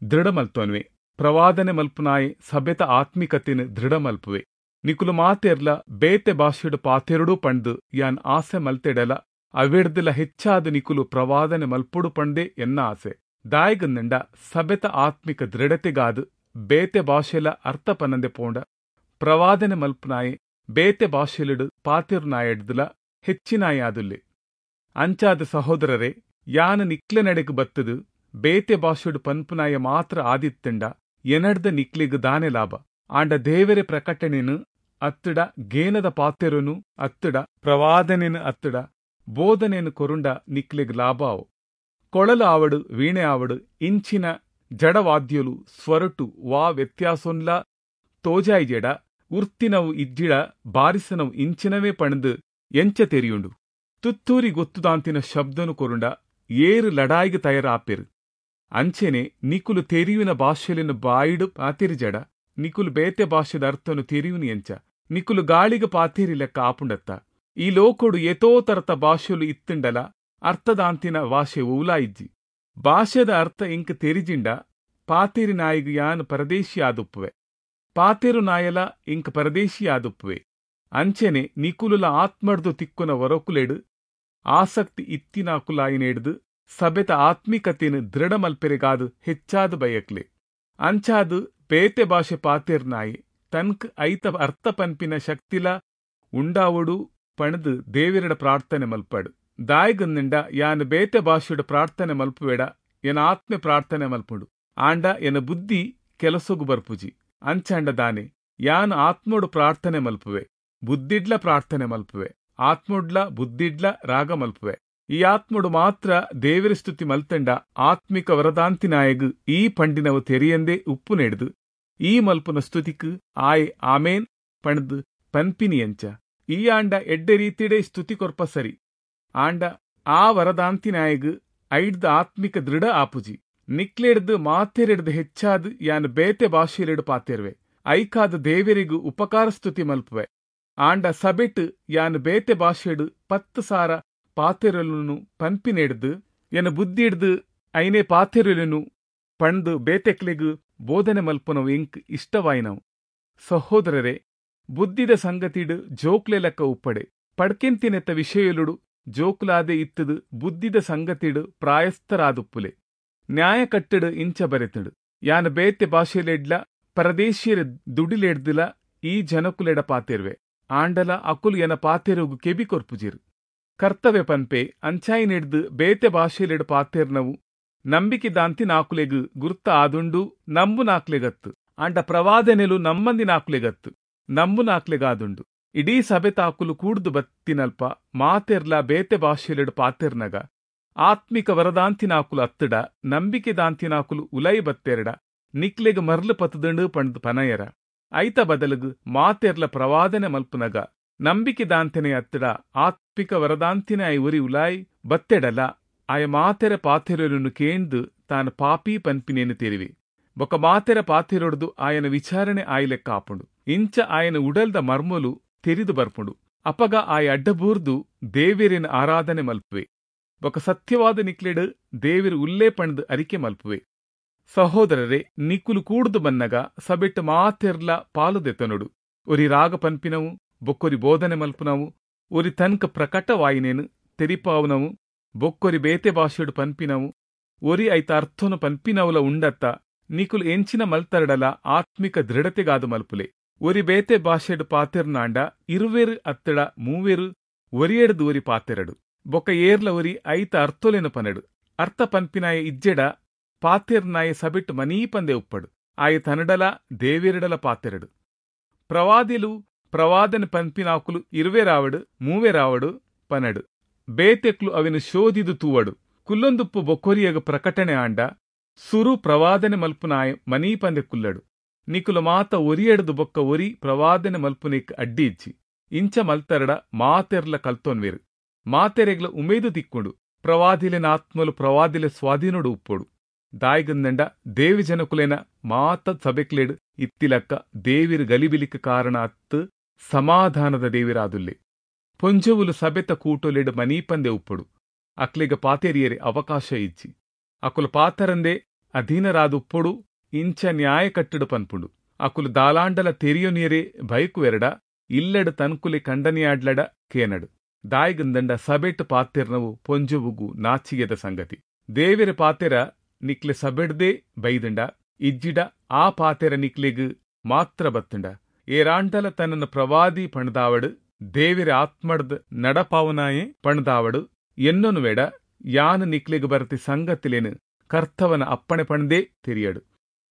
ದೃಢ ಮಲ್ತೊನ್ವೆ, ಪ್ರವಾದನೆ ಮಲ್ಪುನಾಯೆ ಸಭೆತ ಆತ್ಮಿಕತೆನು ದೃಢ ಮಲ್ಪುವೆ. ನಿಕುಲು ಮಾತೆರ್ಲ ಬೇತೆ ಭಾಷೆಡು ಪಾತೆರುಡು ಪಂಡು ಯಾನ್ ಆಸೆ ಮಲ್ತೆಡಲ ಅವೆಡ್ದಲ ಹೆಚ್ಚಾದ ನಿಕುಲು ಪ್ರವಾದನೆ ಮಲ್ಪುಡು ಪಂಡೆ ಎನ್ನ ಆಸೆ. ದಾಯಗಂದಂಡ ಸಭೆತ ಆತ್ಮಿಕ ದೃಢತೆಗಾದು ಬೇತೆ ಭಾಷೆಲ ಅರ್ಥ ಪನ್ನಂದೆ ಪೋಂಡ ಪ್ರವಾದನೆ ಮಲ್ಪುನಾಯೆ ಬೇತೆ ಭಾಷೆಲುಡು ಪಾತಿರುನಾಯಡ್ದಲ ಹೆಚ್ಚಿನಾಯಾದುಲ್ಲೆ. ಅಂಚಾದ ಸಹೋದರರೇ, ಯಾನ ನಿಕ್ಲೆ ನಡೆಗೆ ಬತ್ತದು ಬೇತೆ ಭಾಷೆಡು ಪನ್ಪುನಾಯ ಮಾತ್ರ ಆದಿತ್ತಂಡ ಎನಡ್ದ ನಿಕ್ಲೆಗ್ ದಾನೆ ಲಾಭ? ಆಂಡ ದೇವರೆ ಪ್ರಕಟಣೆನು ಅತ್ತಡ ಗೇನದ ಪಾತೆರನು ಅತ್ತಡ ಪ್ರವಾದನೆನು ಅತ್ತಡ ಬೋಧನೆನು ಕೊರುಂಡ ನಿಕ್ಲೆಗ್ ಲಾಭಾವು. ಕೊಳಲು ಆವಡು, ವೀಣೆ ಆವಡು, ಇಂಚಿನ ಜಡವಾದ್ಯಲು ಸ್ವರಟು ವಾ ವ್ಯತ್ಯಾಸೊನ್ಲ ತೋಜಾಯಿಜೆಡ ಉರ್ತಿನವು ಇಜ್ಜಿಡ ಬಾರಿಸನವು ಇಂಚಿನವೇ ಪಣದು ಎಂಚ ತೆರಿಯುಂಡು. ತುತ್ತೂರಿ ಗೊತ್ತುದಾಂತಿನ ಶಬ್ದನು ಕೊರುಂಡ ಏರು ಲಡಾಯಿಗೆ ತಯಾರಾಪೆರು. ಅಂಚೆನೆ ನಿಕುಲು ತೆರಿಯುನ ಭಾಷೆಲಿನ ಬಾಯಿಡು ಪಾತಿರಿಜಡ ನಿಕುಲು ಬೇತೆ ಭಾಷೆದ ಅರ್ಥನು ತೆರಿಯುನು ಎಂಚ? ನಿಕುಲು ಗಾಳಿಗೆ ಪಾತಿರಿ ಲೆಕ್ಕ ಆಪುಂಡತ್ತ. ಈ ಲೋಕೊಡು ಏತೋ ತರತ ಭಾಷೆಲು ಇತ್ತುಂಡಲ ಅರ್ಥದಾಂತಿನ ಭಾಷೆ ಓಲಾ ಇಜ್ಜಿ. ಭಾಷೆದ ಅರ್ಥ ಇಂಕ್ ತೆರಿಜಿಂಡ ಪಾತಿರಿ ನಾಯಿಗು ಯಾನ್ ಪರದೇಶಿ ಆದುಪ್ಪುವೆ, ಪಾತಿರು ನಾಯಲ ಇಂಕ್ ಪರದೇಶಿ ಆದುಪ್ಪುವೆ. ಅಂಚೆನೆ ನಿಕುಲುಲ ಆತ್ಮಡ್ದು ತಿಕ್ಕುನ ವರಕುಲೆಡು ಆಸಕ್ತಿ ಇತ್ತಿನಾಕುಲಾಯಿನೆಡ್ದು ಸಭೆತ ಆತ್ಮಿಕತೆನು ದೃಢ ಮಲ್ಪೆರೆಗಾದು ಹೆಚ್ಚಾದ ಬಯಕ್ಲೆ. ಅಂಚಾದು ಬೇತೆ ಭಾಷೆ ಪಾತಿರ್ನಾಯಿ ತನ್ಕ್ ಐತ ಅರ್ಥ ಪನ್ಪಿನ ಶಕ್ತಿಲ ಉಂಡಾವಡು ಪಣದು ದೇವಿರಡ ಪ್ರಾರ್ಥನೆ ಮಲ್ಪಡು. ದಾಯಿಗಂದಿಂಡ ಯಾನ್ ಬೇತೆ ಭಾಷೆಡು ಪ್ರಾರ್ಥನೆ ಮಲ್ಪುವೆಡ ಎನ ಆತ್ಮೆ ಪ್ರಾರ್ಥನೆ ಮಲ್ಪುಂಡು, ಆಂಡ ಎನ ಬುದ್ಧಿ ಕೆಲಸಗು ಬರ್ಪುಜಿ. ಅಂಚಾಂಡ ದಾನೆ ಯಾನ್ ಆತ್ಮೋಡು ಪ್ರಾರ್ಥನೆ ಮಲ್ಪುವೆ, ಬುದ್ಧಿಡ್ಲ ಪ್ರಾರ್ಥನೆ ಮಲ್ಪುವೆ, ಆತ್ಮೊಡ್ಲ ಬುದ್ಧಿಡ್ಲ ರಾಗ ಮಲ್ಪುವೆ. ಈ ಆತ್ಮೊಡು ಮಾತ್ರ ದೇವರ ಸ್ತುತಿ ಮಲ್ತಂಡ ಆತ್ಮಿಕ ವರದಾಂತಿನಾಯಗ್ ಈ ಪಂಡಿನವು ತೆರಿಯಂದೇ ಉಪ್ಪು ನೆಡ್ದು ಈ ಮಲ್ಪುನ ಸ್ತುತಿಕ್ ಆಯ್ ಆಮೇನ್ ಪಣದು ಪನ್ಪಿನಿ ಎಂಚ? ಈ ಆಂಡ ಎಡ್ಡೆ ರೀತಿಡೆ ಸ್ತುತಿ ಕೊರ್ಪ ಸರಿ, ಆಂಡ ಆ ವರದಾಂತಿನಾಯಗ್ ಐಡ್ದ ಆತ್ಮಿಕ ದೃಢ ಆಪುಜಿ. ನಿಕ್ಲೆಡ್ದು ಮಾತೆರೆಡ್ದು ಹೆಚ್ಚಾದ್ ಯಾನ್ ಬೇತೆ ಭಾಷೆಲೆಡು ಪಾತೆರ್ವೆ, ಐಕಾದ ದೇವರಿಗೂ ಉಪಕಾರ ಸ್ತುತಿ ಮಲ್ಪುವೆ. ಆಂಡ ಸಬೆಟ್ ಯಾನ್ ಬೇತೆ ಭಾಷೆಡು ಪತ್ತು ಸಾರ ಪಾತೆರೊಲುನು ಪನ್ಪಿನೆಡ್ದ್ ಎನ ಬುದ್ಧಿಡ್ದ್ ಐನೆ ಪಾತೆರೊಲೆನು ಪಂಡ್ದ್ ಬೇತೆಕ್ಲೆಗ್ ಬೋಧನೆ ಮಲ್ಪುನವು ಎಂಕ್ ಇಷ್ಟವಾಯಿನವು. ಸಹೋದರರೇ, ಬುದ್ಧಿದ ಸಂಗತಿಡ್ ಜೋಕ್ಲೆ ಲೆಕ್ಕ ಉಪ್ಪಡೆ. ಪಡ್ಕೆಂತಿನೆತ್ತ ವಿಷಯೊಲುಡು ಜೋಕುಲಾದೆ ಇತ್ತುದು ಬುದ್ಧಿದ ಸಂಗತಿಡ್ ಪ್ರಾಯಸ್ಥರಾದುಪ್ಪುಲೆ. ನ್ಯಾಯಕಟ್ಟೆಡ್ ಇಂಚ ಬರೆತುಂಡು, ಯಾನ್ ಬೇತೆ ಭಾಷೆಲೆಡ್ಲ ಪರದೇಶಿಯರ ದುಡಿಲೆಡ್ದಲ ಈ ಜನಕುಲೆಡ ಪಾತೆರ್ವೆ, ಆಂಡಲ ಅಕುಲು ಎನ ಪಾತೆರೊಗು ಕೆಬಿ ಕೊರ್ಪುಜೆರ್. ಕರ್ತವೆ ಪನ್ಪೆ, ಅಂಚಾಯಿನೆಡ್ದ್ ಬೇತೆ ಭಾಷೆಲೆಡ್ ಪಾತೆರ್ನವು ನಂಬಿಕೆ ದಾಂತಿನಾಕುಲೆಗ್ ಗುರ್ತ ಆದುಂಡು, ನಂಬುನಾಕ್ಲೆಗತ್ತ್. ಆಂಡ ಪ್ರವಾದನೆಲು ನಮ್ಮಂದಿನಾಕುಲೆಗತ್ತ್, ನಂಬುನಾಕ್ಲೆಗಾದುಂಡು. ಇಡೀ ಸಭೆತಾಕುಲು ಕೂಡ್ದು ಬತ್ತಿನಲ್ಪ ಮಾತೆರ್ಲಾ ಬೇತೆ ಭಾಷೆಲೆಡ್ ಪಾತೆರ್ನಗ ಆತ್ಮಿಕ ವರದಾಂತಿನಾಕುಲು ಅತ್ತಡ ನಂಬಿಕೆ ದಾಂತಿನಾಕುಲು ಉಲೈ ಬತ್ತೆರಡ ನಿಕ್ಲೆಗ್ ಮರ್ಲು ಪತ್ತುದುಂಡು ಪಂಡ್ದ್ ಪನಯರ. ಐತ ಬದಲುಗು ಮಾತೆರ್ಲ ಪ್ರವಾದನೆ ಮಲ್ಪುನಗ ನಂಬಿಕೆ ದಾಂತೆನೆ ಅತ್ತಡ ಆತ್ಮಿಕ ವರದಾಂತಿನ ಒರಿ ಉಲಾಯ್ ಬತ್ತೆಡಲ ಆಯ ಮಾತೆರ ಪಾತೆರೊಲೆನು ಕೇಂದ್ ತಾನು ಪಾಪಿ ಪನ್ಪಿನೇನು ತೆರಿವೆ. ಬೊಕ ಮಾತೆರ ಪಾತೆರೊಡ್ದು ಆಯನ ವಿಚಾರಣೆ ಆಯಿಲೆಕ್ಕ ಆಪುಂಡು. ಇಂಚ ಆಯನ ಉಡಲ್ದ ಮರ್ಮೊಲು ತೆರಿದು ಬರ್ಪುಂಡು. ಅಪಗ ಆಯ ಅಡ್ಡಬೂರ್ದು ದೇವೆರೆನ್ ಆರಾಧನೆ ಮಲ್ಪುವೆ. ಬೊಕ ಸತ್ಯವಾದ ನಿಕ್ಲೆಡ್ ದೇವೆರು ಉಲ್ಲೇ ಪಂಡ್ದ್ ಅರಿಕೆ ಮಲ್ಪುವೆ. ಸಹೋದರರೇ, ನಿಕುಲು ಕೂಡ್ದು ಬನ್ನಗ ಸಭೆಟ್ ಮಾತೆರ್ಲ ಪಾಲು ದೆತೊನೊಡು. ಒರಿ ರಾಗ ಪನ್ಪಿನವು, ಬೊಕ್ಕೊರಿ ಬೋಧನೆ ಮಲ್ಪುನವು, ಒರಿ ತನ್ಕ ಪ್ರಕಟವಾಯಿನೇನು ತೆರಿಪಾವುನವು, ಬೊಕ್ಕೊರಿ ಬೇತೆ ಭಾಷೆಡ್ ಪನ್ಪಿನವು, ಒರಿ ಐತ ಅರ್ಥನು ಪನ್ಪಿನವುಲ ಉಂಡತ್ತ. ನಿಕುಲು ಎಂಚಿನ ಮಲ್ತರಡಲ ಆತ್ಮಿಕ ದೃಢತೆಗಾದು ಮಲ್ಪುಲೆ. ಒರಿ ಬೇತೆ ಭಾಷೆಡ್ ಪಾತೆರ್ನಾಂಡ ಇರುವೆರು ಅತ್ತಡ ಮೂವೆರು ಒರಿಯೆಡ್ದು ಒರಿ ಪಾತೆರಡು, ಬೊಕ್ಕ ಏರ್ಲ ಒರಿ ಐತ ಅರ್ಥೊಲೆನು ಪನಡು. ಅರ್ಥ ಪನ್ಪಿನಾಯ ಇಜ್ಜೆಡ ಪಾತೆರ್ನಾಯ ಸಭೆಟ್ ಮನೀಪಂದೆ ಉಪ್ಪಡು, ಆಯ ತನಡಲ ದೇವೆರಡಲ ಪಾತೆರಡು. ಪ್ರವಾದಿಲು ಪ್ರವಾದನೆ ಪನ್ಪಿನಾಕುಲು ಇರುವೆರಾವಡು ಮೂವೆರಾವಡು ಪನಡು, ಬೇತೆಕ್ಲು ಅವೆನು ಶೋಧಿದು ತೂವಡು. ಕುಲ್ಲೊಂದುಪ್ಪು ಬೊಕ್ಕೊರಿಯಗ ಪ್ರಕಟಣೆ ಆಂಡ ಸುರು ಪ್ರವಾದನೆ ಮಲ್ಪುನಾಯ ಮನೀಪಂದೆ ಕುಲ್ಲಡು. ನಿಕುಲು ಮಾತ ಒರಿಯೆಡ್ದು ಬೊಕ್ಕ ಒರಿ ಪ್ರವಾದನೆ ಮಲ್ಪುನೇಕ್ ಅಡ್ಡಿ ಇಜ್ಜಿ. ಇಂಚ ಮಲ್ತರಡ ಮಾತೆರ್ಲ ಕಲ್ತೊನ್ವೆರು, ಮಾತೆರೆಗ್ಲ ಉಮೇದು ತಿಕ್ಕೊಂಡು. ಪ್ರವಾದಿಲೆನ ಆತ್ಮಲು ಪ್ರವಾದಿಲೆ ಸ್ವಾಧೀನೊಡು ಉಪ್ಪೊಡು. ದಾಯಿಗಂದಂಡ ದೇವಿ ಜನಕುಲೆನ ಮಾತ ಸಭೆಕ್ಲೆಡ್ ಇತ್ತಿಲಕ್ಕ ದೇವಿರು ಗಲಿಬಿಲಿಕ್ ಕಾರಣ ಅತ್ತು ಸಮಾಧಾನದ ದೇವಿರಾದುಲ್ಲೆ. ಪೊಂಜೊವುಲು ಸಭೆತ ಕೂಟೊಲೆಡ್ ಮನೀಪಂದೆ ಉಪ್ಪೊಡು. ಅಕ್ಲೆಗ್ ಪಾತೆರಿಯರೆ ಅವಕಾಶ ಇಜ್ಜಿ. ಅಕುಲು ಪಾತರಂದೆ ಅಧೀನರಾದುಪ್ಪೊಡು. ಇಂಚ ನ್ಯಾಯ ಕಟ್ಟಡು ಪನ್ಪುಂಡು. ಅಕುಲು ದಾಲಾಂಡಲ ತೆರಿಯೊನಿಯರೆ ಬಯಕುವೆರಡ ಇಲ್ಲಡ್ ತನ್ಕುಲೆ ಕಂಡನಿಯಾಡ್ಲಡ ಕೇನಡು. ದಾಯಿಗಂದಂಡ ಸಭೆಟ್ ಪಾತೆರ್ನವು ಪೊಂಜೊವುಗು ನಾಚಿಗೆದ ಸಂಗತಿ. ದೇವೆರ ಪಾತೆರ ನಿಕ್ಲೆ ಸಭೆಡ್ದೇ ಬೈದುಂಡ, ಇಜ್ಜಿಡ ಆ ಪಾತೆರ ನಿಕ್ಲೆಗ್ ಮಾತ್ರ ಬತ್ತುಂಡ. ಏರಾಂಡಲ ತನ್ನನ್ನು ಪ್ರವಾದಿ ಪಂಡ್ದಾವಡು, ದೇವೆರ ಆತ್ಮಡ್ದ್ ನಡಪಾವನಾಯೆ ಪಂಡ್ದಾವಡು ಎನ್ನೊನುವೆಡ ಯಾನ್ ನಿಕ್ಲೆಗ್ ಬರತಿ ಸಂಗತಿಲೇನು ಕರ್ತವನ ಅಪ್ಪಣೆ ಪಂಡ್ದೇ ತೆರಿಯಡು.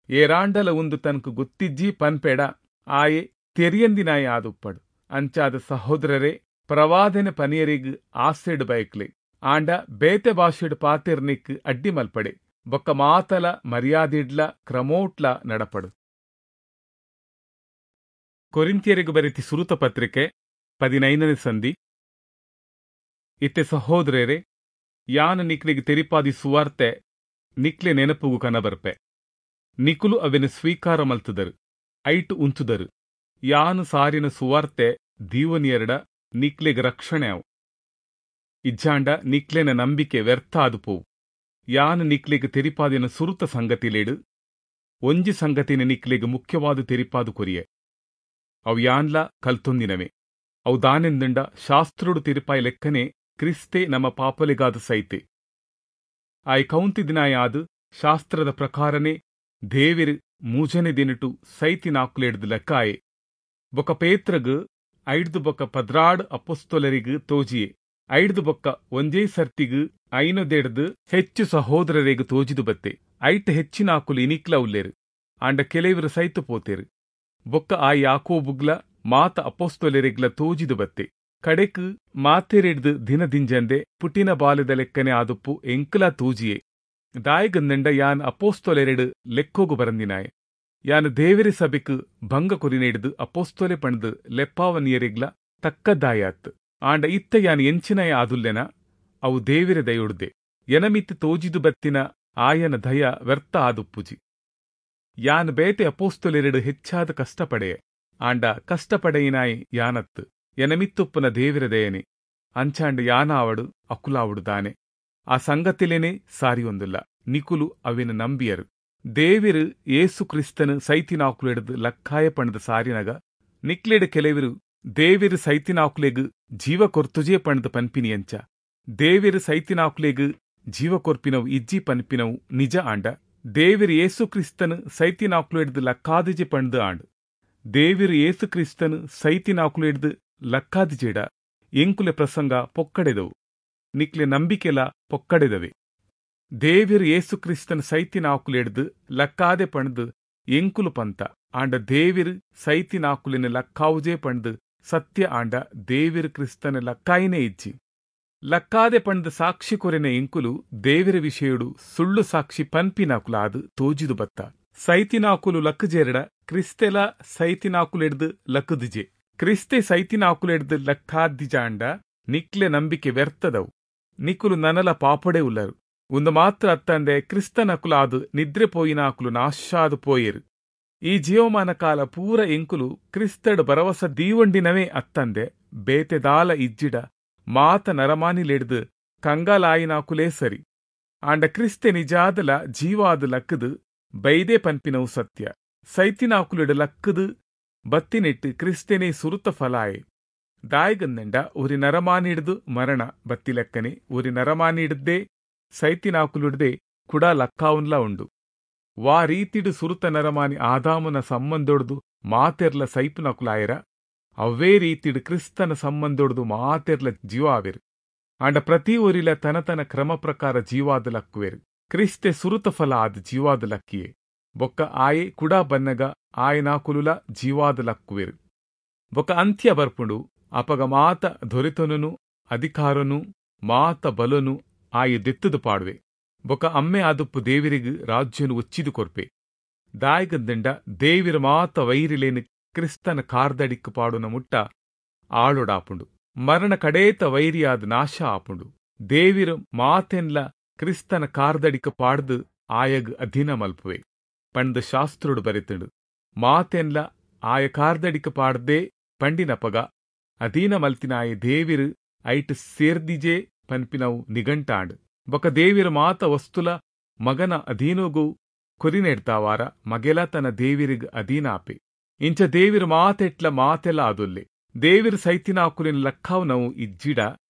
ಏರಾಂಡಲ ಉಂದು ತನಕು ಗೊತ್ತಿಜ್ಜಿ ಪನ್ಪೇಡ ಆಯೆ ತೆರಿಯಂದಿನಾಯ ಆದುಪ್ಪಡು. ಅಂಚಾದ ಸಹೋದರರೇ, ಪ್ರವಾದನೆ ಪನಿಯರಿಗ್ ಆಸೆಡ್ ಬಯಕ್ಲೆ, ಆಂಡ ಬೇತೆ ಭಾಷೆಡ್ ಪಾತೆರ್ನಿಕ್ ಅಡ್ಡಿ ಮಲ್ಪಡೆ. ಬೊಕ್ಕ ಮಾತಲ ಮರ್ಯಾದಿಡ್ಲ ಕ್ರಮೋಟ್ಲ ನಡಪಡು. ಕೊರಿಂಥಿಯರಿಗೆ ಬರೆತಿ ಸುರುತ ಪತ್ರಿಕೆ ಪದಿನೈದನೇ ಸಂಧಿ. ಇತ್ತೆ ಸಹೋದರರೇ, ಯಾನ್ ನಿಕ್ಲೆಗ್ ತೆರಿಪಾದಿ ಸುವಾರ್ತೆ ನಿಕ್ಲೆ ನೆನಪುಗು ಕನಬರ್ಪೆ. ನಿಕುಲು ಅವೆನು ಸ್ವೀಕಾರ ಮಲ್ತುದರು, ಐಟು ಉಂತುದರು. ಯಾನು ಸಾರಿನ ಸುವಾರ್ತೆ ದೀವನಿಯರಡ ನಿಕ್ಲೆಗ್ ರಕ್ಷಣೆ ಅವು. ಇಜ್ಜಾಂಡ ನಿಕ್ಲೆನ ನಂಬಿಕೆ ವ್ಯರ್ಥ ಆದು ಪೋವು. ಯಾನು ನಿಕ್ಲೆಗ್ ತೆರಿಪಾದಿನ ಸುರುತ ಸಂಗತಿಲೇಡು ಒಂಜಿ ಸಂಗತಿನ ನಿಕ್ಲೆಗ್ ಮುಖ್ಯವಾದ ತೆರಿಪಾದು ಕೊರಿಯೆ. ಅವು ಯಾನ್ಲ ಕಲ್ತೊಂದಿನವೇ. ಅವು ದಾನೆಂದಂಡ ಶಾಸ್ತ್ರೋಡು ತೆರಿಪಾಯಿ ಲೆಕ್ಕನೆ ಕ್ರಿಸ್ತೆ ನಮ್ಮ ಪಾಪಲೆಗಾದ ಸೈತೆ. ಆಯ್ ಕೌಂತಿದಿನಾಯಾದ ಶಾಸ್ತ್ರದ ಪ್ರಕಾರನೇ ದೇವಿರು ಮೂಜನೆ ದಿನಟು ಸೈತಿನಾಕುಲೆಡ್ದು ಲೆಕ್ಕಾಯೆ. ಬೊಕ ಪೇತ್ರಗ್ ಐಡ್ದು ಬೊಕ್ಕ ಪದ್ರಾಡ್ ಅಪೊಸ್ತಲರಿಗ್ ತೋಜಿಯೆ. ಐಡ್ದು ಬೊಕ್ಕ ಒಂಜೇ ಸರ್ತಿಗ್ ಐನೊದೆಡ್ದು ಹೆಚ್ಚು ಸಹೋದರರಿಗ್ ತೋಜಿದು ಬತ್ತೆ. ಐಟ್ ಹೆಚ್ಚಿನಾಕುಲು ಇನಿಕ್ಲ ಉಲ್ಲೇರು, ಆಂಡ ಕೆಲವರು ಸೈತು ಪೋತೇರು. ಬೊಕ್ಕ ಆ ಯಾಕೋಬುಗ್ಲ ಮಾತ ಅಪೊಸ್ತಲರಿಗ್ಲ ತೋಜಿದು ಬತ್ತೆ. ಕಡೆಕ್ ಮಾತೆರೆಡ್ದು ದಿನದಿಂಜಂದೆ ಪುಟಿನ ಬಾಲೆದ ಲೆಕ್ಕನೆ ಆದುಪ್ಪು ಎಂಕ್ಲ ತೋಜಿಯೆ. ದಾಯಿಗಂದಂಡ ಯಾನ್ ಅಪೊಸ್ತಲೆರೆಡ್ ಲೆಕ್ಕೋಗು ಬರಂದಿನಾಯೆ. ಯಾನ್ ದೇವೆರೆ ಸಭೆಕ್ ಭಂಗ ಕೊರಿನೆಡ್ದು ಅಪೊಸ್ತಲೆ ಪಂಡ್ದ್ ಲೆಪ್ಪಾವನಿಯರೆಗ್ಲ ತಕ್ಕದಾಯಾತ್. ಆಂಡ ಇತ್ತ ಯಾನ್ ಎಂಚಿನಾಯ ಆದುಲ್ಲೆನ ಅವು ದೇವೆರೆ ದಯೊಡ್ದೆ. ಎನಮಿತ್ ತೋಜಿದು ಬತ್ತಿನ ಆಯನ ದಯ ವ್ಯರ್ಥ ಆದುಪ್ಪುಜಿ. ಯಾನ್ ಬೇತೆ ಅಪೊಸ್ತಲೆರೆಡ್ ಹೆಚ್ಚಾದ ಕಷ್ಟಪಡೆಯೆ, ಆಂಡ ಕಷ್ಟಪಡೆಯಿನಾಯೆ ಯಾನತ್ತು, ಎನಮಿತ್ತುಪ್ಪುನ ದೇವೆರೆ ದಯನೆ. ಅಂಚಾಂಡ ಯಾನಾವಡು ಅಕುಲಾವಡು ದಾನೆ ಆ ಸಂಗತಿಲೇನೆ ಸಾರಿಯೊಂದುಲ್ಲ ನಿಕುಲು ಅವೆನು ನಂಬಿಯರು. ದೇವಿರು ಯೇಸು ಕ್ರಿಸ್ತನು ಸೈತಿನಾಕುಲೆಡ್ದು ಲಕ್ಕಾಯ ಪಂಡ್ದ್ ಸಾರಿನಗ ನಿಕ್ಲೆಡ್ ಕೆಲವಿರು ದೇವಿರು ಸೈತಿನಾಕುಲೆಗ್ ಜೀವ ಕೊರ್ತುಜೇ ಪಂಡ್ದ್ ಪನ್ಪಿನಿಯಂಚ. ದೇವಿರು ಸೈತಿನಾಕುಲೆಗ್ ಜೀವ ಕೊರ್ಪಿನವು ಇಜ್ಜಿ ಪನ್ಪಿನವು ನಿಜ ಆಂಡ ದೇವಿರು ಯೇಸು ಕ್ರಿಸ್ತನು ಸೈತಿನಾಕುಲೆಡ್ದು ಲಕ್ಕಾದಿಜೆ ಪಂಡ್ದ್ ಆಂಡ್. ದೇವಿರು ಯೇಸು ಕ್ರಿಸ್ತನು ಸೈತಿನಾಕುಲೆಡ್ದು ಲಕ್ಕಾದಿಜೆಡ ಎಂಕುಲೆ ಪ್ರಸಂಗ ಪೊಕ್ಕಡೆದವು, ನಿಕ್ಲೆ ನಂಬಿಕೆಲ ಪೊಕ್ಕಡೆದವೆ. ದೇವಿರು ಯೇಸು ಕ್ರಿಸ್ತನ ಸೈತಿನಾಕುಲೆಡ್ದು ಲಕ್ಕಾದೆ ಪಂಡ್ದ್ ಎಂಕುಲು ಪಂತ ಆಂಡ ದೇವಿರು ಸೈತಿನಾಕುಲೆನ ಲಕ್ಕಾವುಜೇ ಪಂಡ್ದ್ ಸತ್ಯ ಆಂಡ ದೇವಿರು ಕ್ರಿಸ್ತನ ಲಕ್ಕಾಯಿನೇ ಇಜ್ಜಿ. ಲಕ್ಕಾದೆ ಪಂಡ್ದ್ ಸಾಕ್ಷಿ ಕೊರೆನ ಎಂಕುಲು ದೇವಿರ ವಿಷಯಡು ಸುಳ್ಳು ಸಾಕ್ಷಿ ಪನ್ಪಿನಾಕುಲಾದ್ ತೋಜಿದು ಬತ್ತ. ಸೈತಿನಾಕುಲು ಲಕ್ಕಜೇರಡ ಕ್ರಿಸ್ತೆಲ ಸೈತಿನಾಕುಲೆಡ್ದು ಲಕ್ಕದಿಜೆ. ಕ್ರಿಸ್ತೆ ಸೈತಿನಾಕುಲೆಡ್ದು ಲಕ್ಕಾದಿಜಾಂಡ ನಿಕ್ಲೆ ನಂಬಿಕೆ ವ್ಯರ್ಥದವು, ನಿಕುಲು ನನಲ ಪಾಪಡೆ ಉಲ್ಲರು. ಒಂದು ಮಾತ್ರ ಅತ್ತಂದೆ ಕ್ರಿಸ್ತನಕುಲಾದು ನಿದ್ರೆ ಪೋಯಿನಾಕುಲು ನಾಶಾದು ಪೋಯೆರು. ಈ ಜೀವಮಾನ ಕಾಲ ಪೂರ ಎಂಕುಲು ಕ್ರಿಸ್ತಡ್ ಭರವಸ ದೀವಂಡಿನವೇ ಅತ್ತಂದೆ ಬೇತೆದಾಲ ಇಜ್ಜಿಡ ಮಾತ ನರಮಾನಿಲೆಡ್ದು ಕಂಗಾಲಾಯಿನಾಕುಲೇ ಸರಿ. ಆಂಡ ಕ್ರಿಸ್ತೆ ನಿಜಾದಲ ಜೀವಾದ ಲಕ್ಕದು ಬೈದೆ ಪನ್ಪಿನವು ಸತ್ಯ. ಸೈತಿನಾಕುಲೆಡ್ ಲಕ್ಕದು ಬತ್ತಿನೆಟ್ಟು ಕ್ರಿಸ್ತೆನೇ ಸುರುತ ಫಲಾಯೆ. ದಾಯಿಗಂದಂಡ ಒರಿ ನರಮಾನಿಡ್ದು ಮರಣ ಬತ್ತಿಲೆಕ್ಕನೆ ಒರಿ ನರಮಾನಿಡ್ದೇ ಸೈತಿನಾಕುಲುಡ್ದೆ ಕುಡ ಲಕ್ಕಾವುನ್ಲ ಉಂಡು. ವಾ ರೀತಿಡು ಸುರುತ ನರಮಾನಿ ಆದಾಮನ ಸಂಬಂಧೊಡ್ದು ಮಾತೆರ್ಲ ಸೈಪುನಕುಲಾಯರ ಅವೇ ರೀತಿಡು ಕ್ರಿಸ್ತನ ಸಂಬಂಧೊಡ್ದು ಮಾತೆರ್ಲ ಜೀವ ಆವೆರು. ಆಂಡ ಪ್ರತಿ ಒರಿಲ ತನ ತನ ಕ್ರಮ ಪ್ರಕಾರ ಜೀವಾದ ಲಕ್ಕುವೆರು. ಕ್ರಿಸ್ತೆ ಸುರುತ ಫಲ ಆದ ಜೀವಾದ ಲಕ್ಕಿಯೆ. ಬೊಕ್ಕ ಆಯೆ ಕುಡ ಬನ್ನಗ ಆಯನಾಕುಲುಲ ಜೀವಾದ ಲಕ್ಕುವೆರು. ಬೊಕ್ಕ ಅಂತ್ಯ ಬರ್ಪುಂಡು. ಅಪಗ ಮಾತ ದೊರೆತನನು ಅಧಿಕಾರನು ಮಾತ ಬಲನು ಆಯೆ ದೆತ್ತದು ಪಾಡುವೆ. ಬೊಕ್ಕ ಅಮ್ಮೆ ಆದುಪ್ಪು ದೇವಿರಿಗ್ ರಾಜ್ಯನು ಒಚ್ಚಿದು ಕೊರ್ಪೆ. ದಾಯಿಗಂದಂಡ ದೇವಿರ ಮಾತ ವೈರಿಲೇನು ಕ್ರಿಸ್ತನ ಕಾರ್ದಡಿಕ್ಕು ಪಾಡುನ ಮುಟ್ಟ ಆಳೊಡಾಪುಂಡು. ಮರಣ ಕಡೇತ ವೈರಿಯಾದ ನಾಶ ಆಪುಂಡು. ದೇವಿರ ಮಾತೆನ್ಲ ಕ್ರಿಸ್ತನ ಕಾರ್ದಡಿಕ್ಕು ಪಾಡ್ದು ಆಯಗ್ ಅಧೀನ ಮಲ್ಪುವೆ ಪಂಡ್ ಶಾಸ್ತ್ರೋಡು ಬರೆತುಂಡು. ಮಾತೆನ್ಲ ಆಯ ಕಾರ್ದಡಿಕ್ಕು ಪಾಡ್ದೇ ಪಂಡಿನಪಗ ಅಧೀನ ಮಲ್ತಿನಾಯ ದೇವಿರು ಐಟ್ ಸೇರ್ದಿಜೆ ಪನ್ಪಿನವು ನಿಘಂಟಾಂಡ್. ಬೊಕ ದೇವಿರ ಮಾತ ವಸ್ತುಲ ಮಗನ ಅಧೀನೋಗು ಕೊರಿನೆಡ್ತಾವಾರ ಮಗೆಲ ತನ್ನ ದೇವಿರಿಗ್ ಅಧೀನ ಆಪೆ. ಇಂಚ ದೇವಿರ ಮಾತೆಟ್ಲ ಮಾತೆಲ ಆದೊಲ್ಲೆ. ದೇವಿರ ಸೈತಿನಾಕುಲಿನ ಲಕ್ಕಾವು ನಾವು ಇಜ್ಜಿಡ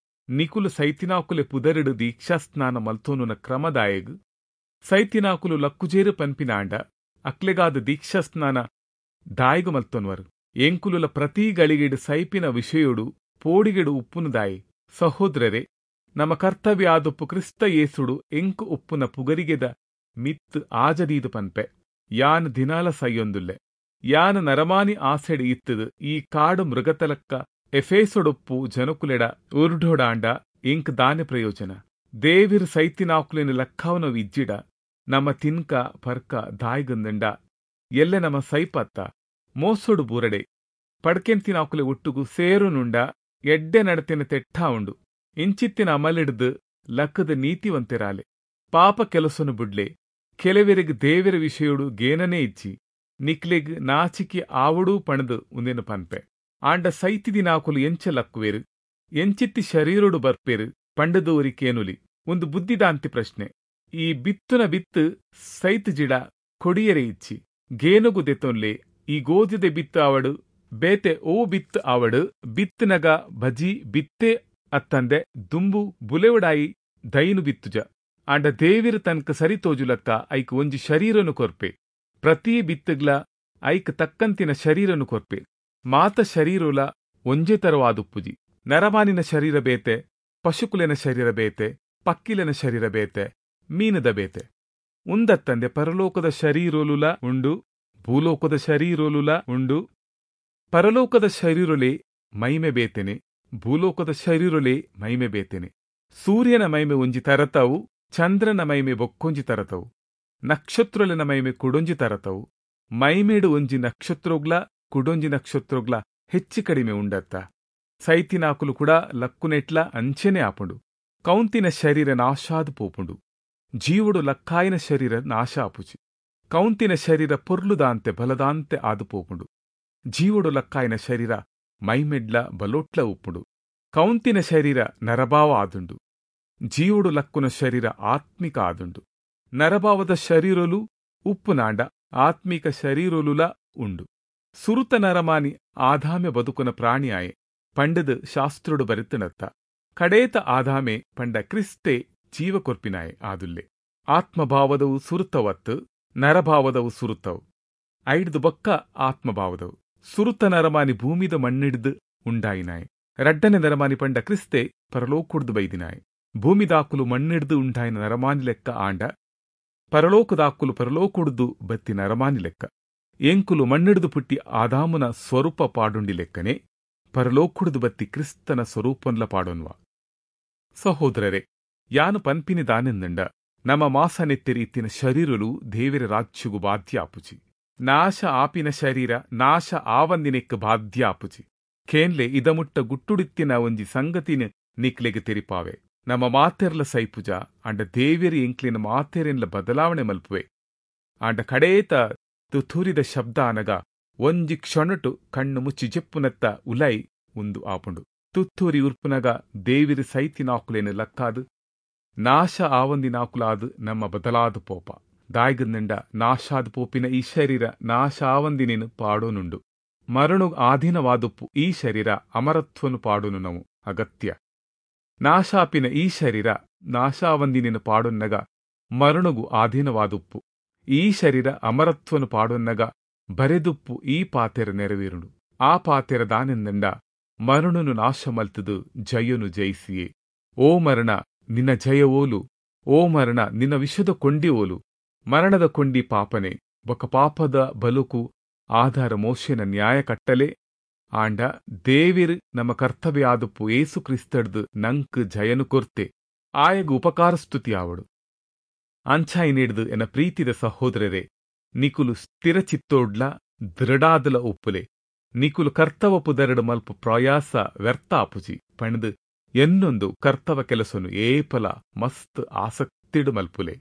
ನಿಕುಲು ಸೈತಿನಾಕುಲೆ ಪುದರಿಡು ದೀಕ್ಷಾಸ್ನಾನ ಮಲ್ತೋನುನ ಕ್ರಮದಾಯಗ್ ಸೈತಿನಾಕುಲು ಲಕ್ಕುಜೇರು ಪನ್ಪಿನಾಂಡ ಅಕ್ಲೆಗಾದ ದೀಕ್ಷಾಸ್ನಾನ ದಾಯಿಗು ಮಲ್ತೊನ್ವರು. ಎಂಕುಲುಲ ಪ್ರತಿ ಗಳಿಗೆಡು ಸೈಪಿನ ವಿಷಯೋಡು ಪೋಡಿಗೆಡು ಉಪ್ಪುನುದಾಯಿ. ಸಹೋದರರೇ, ನಮ್ಮ ಕರ್ತವ್ಯ ಆದೊಪ್ಪು ಕ್ರಿಸ್ತ ಯೇಸುಡು ಎಂಕು ಉಪ್ಪುನ ಪುಗರಿಗೆದ ಮಿತ್ತು ಆಜದೀದು ಪನ್ಪೆ. ಯಾನ್ ದಿನಾಲ ಸೈಯೊಂದುಲ್ಲೆ. ಯಾನ್ ನರಮಾನಿ ಆಸೆಡು ಇತ್ತದು ಈ ಕಾಡು ಮೃಗತಲಕ್ಕ ಎಫೇಸೊಡೊಪ್ಪು ಜನಕುಲೆಡ ಉರ್ಡೋಡಾಂಡ ಎಂಕ್ ದಾನೆ ಪ್ರಯೋಜನ. ದೇವಿರ್ ಸೈತಿನಾಕುಲೆನ ಲಕ್ಕಾವನವು ಇಜ್ಜಿಡ ನಮ್ಮ ತಿನ್ಕ ಪರ್ಕ ದಾಯಿಗಂದಂಡ ಎಲ್ಲೆ ನಮ್ಮ ಸೈಪತ್ತ ಮೋಸೊಡು ಬೂರಡೆ ಪಡ್ಕೆಂತಿನಾಕುಲೆ ಒಟ್ಟುಗು ಸೇರುನುಂಡ ಎಡ್ಡೆ ನಡತಿನ ತೆಟ್ಟ ಉಂಡು. ಇಂಚಿತ್ತಿನ ಅಮಲಿಡ್ದು ಲಕ್ಕದ ನೀತಿವಂತೆರಾಲೆ. ಪಾಪ ಕೆಲಸನು ಬುಡ್ಲೆ. ಕೆಲವೆರಿಗ್ ದೇವಿರ ವಿಷಯೋಡು ಗೇನನೇ ಇಜ್ಜಿ. ನಿಕ್ಲೆಗ್ ನಾಚಿಕೆ ಆವಡೂ ಪಣದು ಉಂದೆನು ಪನ್ಪೆ. ಆಂಡ ಸೈತಿದಿನಾಕುಲು ಎಂಚ ಲಕ್ಕುವೆರು, ಎಂಚಿತ್ತಿ ಶರೀರೊಡು ಬರ್ಪೇರು ಪಂಡದೋರಿ ಕೇನುಲಿ. ಒಂದು ಬುದ್ಧಿದಾಂತಿ ಪ್ರಶ್ನೆ. ಈ ಬಿತ್ತುನ ಬಿತ್ತು ಸೈತ್ ಜಿಡ ಕೊಡಿಯರೆ ಇಚ್ಚಿ ಗೇನುಗು ದೆತೊನ್ಲೆ. ಈ ಗೋಧಿದೆ ಬಿತ್ತು ಆವಡು ಬೇತೆ ಓ ಬಿತ್ತು ಆವಡು ಬಿತ್ತುನಗ ಬಜಿ ಬಿತ್ತೆ ಅತ್ತಂದೆ ದುಂಬು ಬುಲೆವಡಾಯಿ ದೈನು ಬಿತ್ತುಜ. ಆಂಡ ದೇವಿರು ತನಕ ಸರಿ ತೋಜುಲಕ್ಕ ಐಕ್ ಒಂಜಿ ಶರೀರನು ಕೊರ್ಪೆ. ಪ್ರತಿ ಬಿತ್ತುಗ್ಲ ಐಕ್ ತಕ್ಕಂತಿನ ಶರೀರನು ಕೊರ್ಪೆ. ಮಾತ ಶರೀರುಲ ಒಂಜೇ ತರವಾದುಪ್ಪುಜಿ. ನರಮಾನಿನ ಶರೀರ ಬೇತೆ, ಪಶುಕುಲೆನ ಶರೀರ ಬೇತೆ, ಪಕ್ಕಿಲೆನ ಶರೀರ ಬೇತೆ, ಮೀನದ ಬೇತೆ. ಉಂದತ್ತಂದೆ ಪರಲೋಕದ ಶರೀರೊಲುಲ ಉಂಡು, ಭೂಲೋಕದ ಶರೀರೊಲುಲ ಉಂಡು. ಪರಲೋಕದ ಶರೀರೊಲೆ ಮೈಮೆ ಬೇತೆನೆ, ಭೂಲೋಕದ ಶರೀರೊಲೆ ಮೈಮೆ ಬೇತೆನೆ. ಸೂರ್ಯನ ಮೈಮೆ ಒಂಜಿ ತರತವು, ಚಂದ್ರನ ಮೈಮೆ ಬೊಕ್ಕೊಂಜಿ ತರತವು, ನಕ್ಷತ್ರೊಲೆನ ಮೈಮೆ ಕುಡೊಂಜಿ ತರತವು. ಮೈಮೇಡು ಒಂಜಿ ನಕ್ಷತ್ರೋಗ್ಲ ಕುಡೊಂಜಿ ನಕ್ಷತ್ರೋಗ್ಲ ಹೆಚ್ಚು ಕಡಿಮೆ ಉಂಡತ್ತ. ಸೈತಿನಾಕುಲು ಕೂಡ ಲಕ್ಕುನೆಟ್ಲ ಅಂಚೆನೆ ಆಪುಂಡು. ಕೌಂತಿನ ಶರೀರ ನಾಶಾದ್ ಪೋಪುಂಡು, ಜೀವುಡು ಲಕ್ಕಾಯಿನ ಶರೀರ ನಾಶ ಆಪುಜಿ. ಕೌಂತಿನ ಶರೀರ ಪೊರ್ಲುದಾಂತೆ ಬಲದಾಂತೆ ಆದು ಪೋಪುಂಡು, ಜೀವುಡು ಲಕ್ಕಾಯಿನ ಶರೀರ ಮೈಮೆಡ್ಲ ಬಲೋಟ್ಲ ಉಪ್ಪುಂಡು. ಕೌಂತಿನ ಶರೀರ ನರಭಾವ ಆದುಂಡು, ಜೀವಡು ಲಕ್ಕುನ ಶರೀರ ಆತ್ಮಿಕ ಆದುಂಡು. ನರಭಾವದ ಶರೀರಲು ಉಪ್ಪುನಾಂಡ ಆತ್ಮಿಕ ಶರೀರೊಲುಲ ಉಂಡು. ಸುರುತ ನರಮಾನಿ ಆದಾಮೆ ಬದುಕುನ ಪ್ರಾಣಿಯಾಯೆ ಪಂಡದು ಶಾಸ್ತ್ರೋಡು ಬರೆತನತ್ತ. ಕಡೇತ ಆದಾಮೆ ಪಂಡ ಕ್ರಿಸ್ತೆ ಜೀವಕೊರ್ಪಿನಾಯೆ ಆದುಲ್ಲೆ. ಆತ್ಮಭಾವದವು ಸುರುತವತ್ತು, ನರಭಾವದವು ಸುರುತವು. ಐಡ್ದು ಬೊಕ್ಕ ಆತ್ಮಭಾವದವು. ಸುರುತ ನರಮಾನಿ ಭೂಮಿದ ಮಣ್ಣಿಡ್ದು ಉಂಡಾಯಿನಾಯೆ. ರಡ್ಡನೆ ನರಮಾನಿ ಪಂಡ ಕ್ರಿಸ್ತೆ ಪರಲೋಕುಡ್ದು ಬೈದಿನಾಯೆ. ಭೂಮಿದಾಕುಲು ಮಣ್ಣಿಡ್ದು ಉಂಡಾಯಿನ ನರಮಾನಿ ಲೆಕ್ಕ ಆಂಡ ಪರಲೋಕದಾಕುಲು ಪರಲೋಕುಡ್ದು ಬತ್ತಿ ನರಮಾನಿ ಲೆಕ್ಕ. ಎಂಕುಲು ಮಣ್ಣಿಡ್ದು ಪುಟ್ಟಿ ಆದಾಮುನ ಸ್ವರೂಪ ಪಾಡುಂಡಿ ಲೆಕ್ಕನೆ ಪರಲೋಕುಡ್ದು ಬತ್ತಿ ಕ್ರಿಸ್ತನ ಸ್ವರೂಪನ್ಲ ಪಾಡೊನ್ವ. ಸಹೋದರರೇ, ಯಾನು ಪನ್ಪಿನಿ ದಾನೆಂದಂಡ ನಮ್ಮ ಮಾಸನೆತ್ತೆರಿ ಇತ್ತಿನ ಶರೀರಲು ದೇವರ ರಾಜ್ಯಗು ಬಾಧ್ಯ ಆಪುಜಿ. ನಾಶ ಆಪಿನ ಶರೀರ ನಾಶ ಆವಂದಿನೆಕ್ ಬಾಧ್ಯ ಆಪುಜಿ. ಕೇನ್ಲೆ ಇದಮುಟ್ಟ ಗುಟ್ಟುಡಿತ್ತಿನ ಒಂಜಿ ಸಂಗತಿನ ನಿಕ್ಲೆಗ್ ತೆರಿಪಾವೆ. ನಮ್ಮ ಮಾತೆರ್ಲ ಸೈಪುಜ ಅಂಡ ದೇವೆರಿ ಎಂಕ್ಲಿನ ಮಾತೆರೆನ್ಲ ಬದಲಾವಣೆ ಮಲ್ಪುವೆ. ಆಂಡ ಕಡೇತ ತುಥೂರಿದ ಶಬ್ದ ಅನಗ ಒಂಜಿ ಕ್ಷಣಟು ಕಣ್ಣು ಮುಚ್ಚಿ ಜೆಪ್ಪುನತ್ತ ಉಲೈ ಉಂದು ಆಪುಂಡು. ತುತ್ತೂರಿ ಉರ್ಪುನಗ ದೇವಿರಿ ಸೈತಿನಾಕುಲೇನು ಲಕ್ಕಾದು ನಾಶ ಆವಂದಿನಾಕುಲಾದು ನಮ್ಮ ಬದಲಾದ ಪೋಪ. ದಾಯ್ಗಂದಂಡ ನಾಶಾದ ಪೋಪಿನ ಈ ಶರೀರ ನಾಶ ಆವಂದಿನೇನು ಪಾಡೋನುಂಡು. ಮರಣು ಆಧೀನವಾದುಪ್ಪು ಈ ಶರೀರ ಅಮರತ್ವನು ಪಾಡೋನು ನಾವು ಅಗತ್ಯ. ನಾಶಾಪಿನ ಈ ಶರೀರ ನಾಶಾವಂದಿನೇನು ಪಾಡೊನ್ನಗ ಮರಣಗು ಆಧೀನವಾದುಪ್ಪು ಈ ಶರೀರ ಅಮರತ್ವನು ಪಾಡೊನ್ನಗ ಬರೆದುಪ್ಪು ಈ ಪಾತೆರ ನೆರವೇರುಡು. ಆ ಪಾತೆರ ದಾನೆಂದಂಡ ಮರಣನು ನಾಶ ಮಲ್ತದು ಜಯನು ಜಯಿಸಿಯೇ. ಓ ಮರಣ, ನಿನ್ನ ಜಯವೋಲು, ಓ ಮರಣ, ನಿನ್ನ ವಿಷದ ಕೊಂಡಿ ಓಲು. ಮರಣದ ಕೊಂಡಿ ಪಾಪನೆ, ಬೊಕ ಪಾಪದ ಬಲುಕು ಆಧಾರ ಮೋಶೆನ ನ್ಯಾಯ ಕಟ್ಟಲೆ. ಆಂಡ ದೇವಿರ್ ನಮ್ಮ ಕರ್ತವ್ಯ ಆದುಪ್ಪು ಏಸು ಕ್ರಿಸ್ತಡ್ದು ನಂಕ್ ಜಯನು ಕೊರ್ತೆ, ಆಯಗು ಉಪಕಾರ ಸ್ತುತಿ ಆವಡು. ಅಂಚಾಯಿ ನೀಡ್ದು ಎನ್ನ ಪ್ರೀತಿದ ಸಹೋದರರೇ, ನಿಕುಲು ಸ್ಥಿರಚಿತ್ತೋಡ್ಲ ದೃಢಾದಲ ಒಪ್ಪುಲೆ. ನಿಕುಲು ಕರ್ತವ ಪುದರಡು ಮಲ್ಪ ಪ್ರಯಾಸ ವ್ಯರ್ಥ ಆಪುಜಿ ಪಣದು ಎನ್ನೊಂದು ಕರ್ತವ ಕೆಲಸನು ಏಪಲ ಮಸ್ತ್ ಆಸಕ್ತಿಡು ಮಲ್ಪುಲೆ.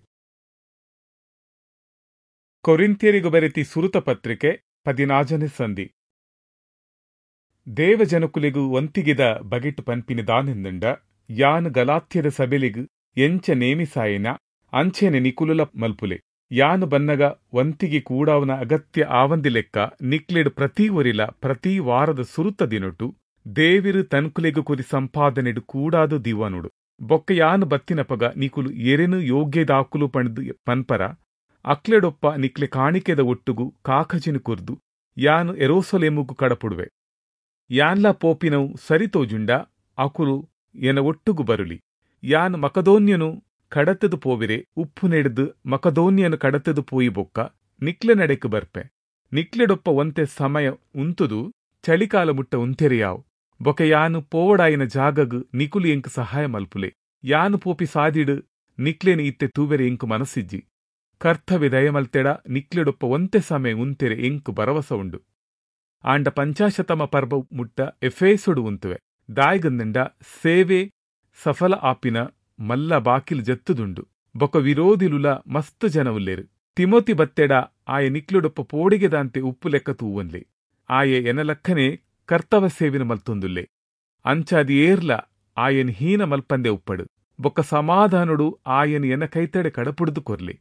ಕೊರಿಂಥ್ಯರಿಗು ಬರೆತಿ ಸುರುತ ಪತ್ರಿಕೆ ಪದಿನಾಜನೆ ಸಂಧಿ. ದೇವಜನಕುಲಿಗು ಒಂತಿಗಿದ ಬಗೆಟು ಪನ್ಪಿನ ದಾನೆಂದಂಡ ಯಾನ್ ಗಲಾತ್ಯದ ಸಬೆಲಿಗು ಎಂಚ ನೇಮಿಸಾಯನ ಅಂಚೆನೆ ನಿಕುಲುಲ ಮಲ್ಪುಲೆ. ಯಾನು ಬನ್ನಗ ವಂತಿಗೆ ಕೂಡಾವನ ಅಗತ್ಯ ಆವಂದಿ ಲೆಕ್ಕ ನಿಕ್ಲೆಡು ಪ್ರತಿ ಒರಿಲ ಪ್ರತಿ ವಾರದ ಸುರುತ ದಿನೊಟು ದೇವಿರು ತನ್ಕುಲೆಗು ಕುರಿ ಸಂಪಾದನೆಡು ಕೂಡಾದು ದಿವಾನುಡು. ಬೊಕ್ಕ ಯಾನು ಬತ್ತಿನಪಗ ನಿಕುಲು ಎರೆನು ಯೋಗ್ಯದಾಕುಲು ಪಣದು ಪನ್ಪರ ಅಕ್ಲೆಡೊಪ್ಪ ನಿಕ್ಲೆ ಕಾಣಿಕೆದ ಒಟ್ಟುಗು ಕಾಕಜಿನು ಕುರ್ದು ಯಾನು ಎರೋಸೊಲೆಮುಗು ಕಡಪುಡುವೆ. ಯಾನ್ಲ ಪೋಪಿನವು ಸರಿತೋಜುಂಡ ಅಕುಲು ಎನ ಒಟ್ಟುಗು ಬರುಲಿ. ಯಾನು ಮಕದೋನ್ಯನು ಕಡತದು ಪೋವಿರೆ ಉಪ್ಪು ನೆಡ್ದು ಮಕದೋನ್ಯನು ಕಡತದು ಪೋಯಿ ಬೊಕ್ಕ ನಿಕ್ಲೆ ನಡೆಕು ಬರ್ಪೆ. ನಿಕ್ಲೆಡೊಪ್ಪ ಒಂತೆ ಸಮಯ ಉಂತುದು ಚಳಿಕಾಲ ಮುಟ್ಟ ಉಂತೆರೆಯಾವು. ಬೊಕ ಯಾನು ಪೋವಡಾಯಿನ ಜಾಗಗು ನಿಕುಲು ಎಂಕ್ ಸಹಾಯ ಮಲ್ಪುಲೆ. ಯಾನು ಪೋಪಿ ಸಾದಿಡು ನಿಕ್ಲೆನು ಇತ್ತೆ ತೂವೆರೆ ಎಂಕು ಮನಸ್ಸಿಜ್ಜಿ. ಕರ್ತವ್ಯ ದಯಮಲ್ತೆಡ ನಿಕ್ಲೆಡೊಪ್ಪ ಒಂತೆ ಸಮಯ ಉಂತೆರೆ ಎಂಕು ಭರವಸ ಉಂಡು. ಆಂಡ ಪಂಚಾಶತಮ ಪರ್ಬ ಮುಟ್ಟ ಎಫೇಸುಡು ಉಂತುವೆ. ದಾಯ್ಗಂದಂಡ ಸೇವೆ ಸಫಲ ಆಪಿನ ಮಲ್ಲ ಬಾಕಿಲ್ ಜತ್ತುದುಂಡು. ಬೊಕ ವಿರೋಧಿಲುಲ ಮಸ್ತ್ ಜನ ಉಲ್ಲೇರು. ತಿಮೋತಿ ಬತ್ತೆಡ ಆಯೆ ನಿಕ್ಲುಡೊಪ್ಪ ಪೋಡಿಗೆದಾಂತೆ ಉಪ್ಪು ಲೆಕ್ಕ ತೂವನ್ಲೆ. ಆಯೆ ಎನಲಕ್ಕನೆ ಕರ್ತವ ಸೇವಿನ ಮಲ್ತೊಂದುಲ್ಲೆ. ಅಂಚಾದಿ ಏರ್ಲ ಆಯನ್ ಹೀನ ಮಲ್ಪಂದೆ ಉಪ್ಪಡು. ಬೊಕ್ಕ ಸಮಾಧಾನುಡು ಆಯನ್ ಎನ ಕೈತಡೆ ಕಡಪುಡ್ದು ಕೊರ್ಲೆ.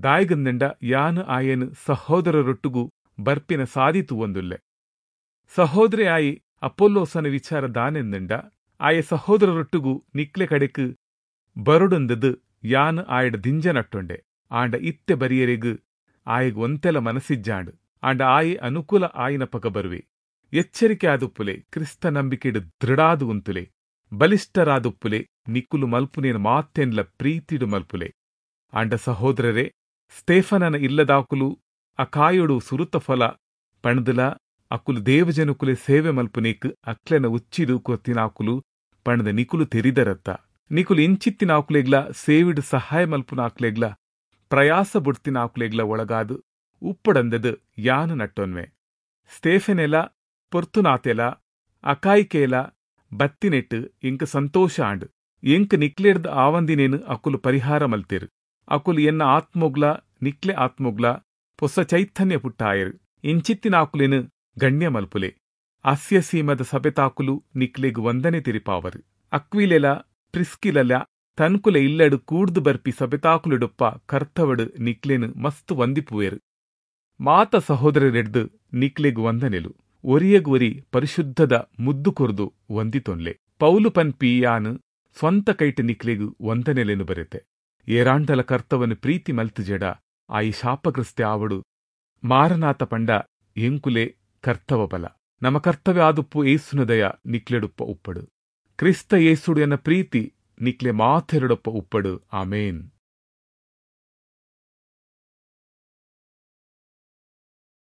ದಾಯ್ಗಂದಂಡ ಯಾನು ಆಯನ್ ಸಹೋದರರೊಟ್ಟುಗು ಬರ್ಪಿನ ಸಾದಿ ತೂವೊಂದುಲ್ಲೆ. ಸಹೋದರಿ ಆಯಿ ಅಪೊಲ್ಲೋಸನ ವಿಚಾರ ದಾನೆಂದಂಡ ಆಯೆ ಸಹೋದರರೊಟ್ಟುಗು ನಿಕ್ಲೆ ಕಡೆಕ್ ಬರುಡುಂದದು ಯಾನು ಆಯಡ ದಿಂಜ ನಟ್ಟೊಂಡೆ. ಆಂಡ ಇತ್ತೆ ಬರಿಯರೆಗು ಆಯಗ್ ಒಂತೆಲ ಮನಸ್ಸಿಜ್ಜಾಂಡು. ಆಂಡ ಆಯೆ ಅನುಕೂಲ ಆಯಿನ ಪಕ ಬರುವೆ. ಎಚ್ಚರಿಕೆ ಆದುಪ್ಪುಲೆ, ಕ್ರಿಸ್ತ ನಂಬಿಕೆಡು ದೃಢಾದು ಉಂತುಲೆ, ಬಲಿಷ್ಠರಾದುಪ್ಪುಲೆ, ನಿಕ್ಕುಲು ಮಲ್ಪುನೇನು ಮಾತೆನ್ಲ ಪ್ರೀತಿಡು ಮಲ್ಪುಲೆ. ಆಂಡ ಸಹೋದರರೇ, ಸ್ಟೇಫನನ ಇಲ್ಲದಾಕುಲು ಅಕಾಯುಡು ಸುರುತ ಫಲ ಪಣದಲ ಅಕುಲು ದೇವಜನುಕುಲೆ ಸೇವೆ ಮಲ್ಪುನೇಕ್ ಅಕ್ಲೆನ ಉಚ್ಚಿದು ಕೊತ್ತಿನಾಕುಲು ಪಣದ ನಿಕುಲು ತೆರಿದರತ್ತ. ನಿಕುಲು ಇಂಚಿತ್ತಿನಾಕುಲೆಗ್ಲ ಸೇವಿಡು ಸಹಾಯ ಮಲ್ಪುನಾಕ್ಲೆಗ್ಲ ಪ್ರಯಾಸ ಬುಡ್ತಿನಾಕುಲೆಗ್ಲ ಒಳಗಾದು ಉಪ್ಪಡಂದದು ಯಾನು ನಟ್ಟೊನ್ವೆ. ಸ್ಟೇಫೆನೆಲ ಪೊರ್ತುನಾತೆಲ ಅಕಾಯಿಕೇಲ ಬತ್ತಿನೆಟ್ಟು ಎಂಕ್ ಸಂತೋಷ ಆಂಡ್. ಎಂಕ್ ನಿಕ್ಲೆಡ್ದ್ ಆವಂದಿನೇನು ಅಕುಲು ಪರಿಹಾರ ಮಲ್ತೇರು. ಅಕುಲು ಎನ್ನ ಆತ್ಮೊಗ್ಲ ನಿಕ್ಲೆ ಆತ್ಮೊಗ್ಲ ಪೊಸ ಚೈತನ್ಯ ಪುಟ್ಟಾಯರು. ಇಂಚಿತ್ತಿನಾಕುಲೇನು ಗಣ್ಯ ಮಲ್ಪುಲೆ. ಆಸ್ಯ ಸೀಮೆದ ಸಭೆತಾಕುಲು ನಿಕ್ಲೆಗ್ ವಂದನೆ ತೆರಿಪಾವರ್. ಅಕ್ವಿಲೆಲಾ ಪ್ರಿಸ್ಕಿಲಲಾ ತನ್ಕುಲೆ ಇಲ್ಲಡ್ ಕೂಡ್ದು ಬರ್ಪಿ ಸಭೆತಾಕುಲೆಡೊಪ್ಪ ಕರ್ತವಡ್ ನಿಕ್ಲೆನ್ ಮಸ್ತ್ ವಂದಿಪುವೆರ್. ಮಾತ ಸಹೋದ್ರೆರೆಡ್ದ್ ನಿಕ್ಲೆಗ್ ವಂದನೆಲು. ಒರಿಯಗ್ ಒರಿ ಪರಿಶುದ್ಧದ ಮುದ್ದು ಕೊರ್ದು ವಂದಿತೊನ್ಲೆ. ಪೌಲು ಪನ್ಪಿ ಯಾನ್ ಸ್ವಂತ ಕೈಟ್ ನಿಕ್ಲೆಗ್ ವಂದನೆಲೆನ್ ಬರೆತೆ. ಏರಾಂಡಲ ಕರ್ತವನ್ ಪ್ರೀತಿ ಮಲ್ತ್ಜೆಡ ಆಯೆ ಶಾಪಗ್ರಸ್ತೆ ಆವಡ್. ಮಾರನಾಥ ಪಂಡ ಎಂಕುಲೆ ಕರ್ತವ ಬಲ. ನಮ ಕರ್ತವೆ ಆದುಪ್ಪು ಯೇಸುನ ದಯ ನಿಕ್ಲೆಡೊಪ್ಪ ಉಪ್ಪಡ್. ಕ್ರಿಸ್ತ ಯೇಸುಡು ಎನ ಪ್ರೀತಿ ನಿಕ್ಲೆ ಮಾತೆರೆಡೊಪ್ಪ ಉಪ್ಪಡ್. ಆಮೆನ್.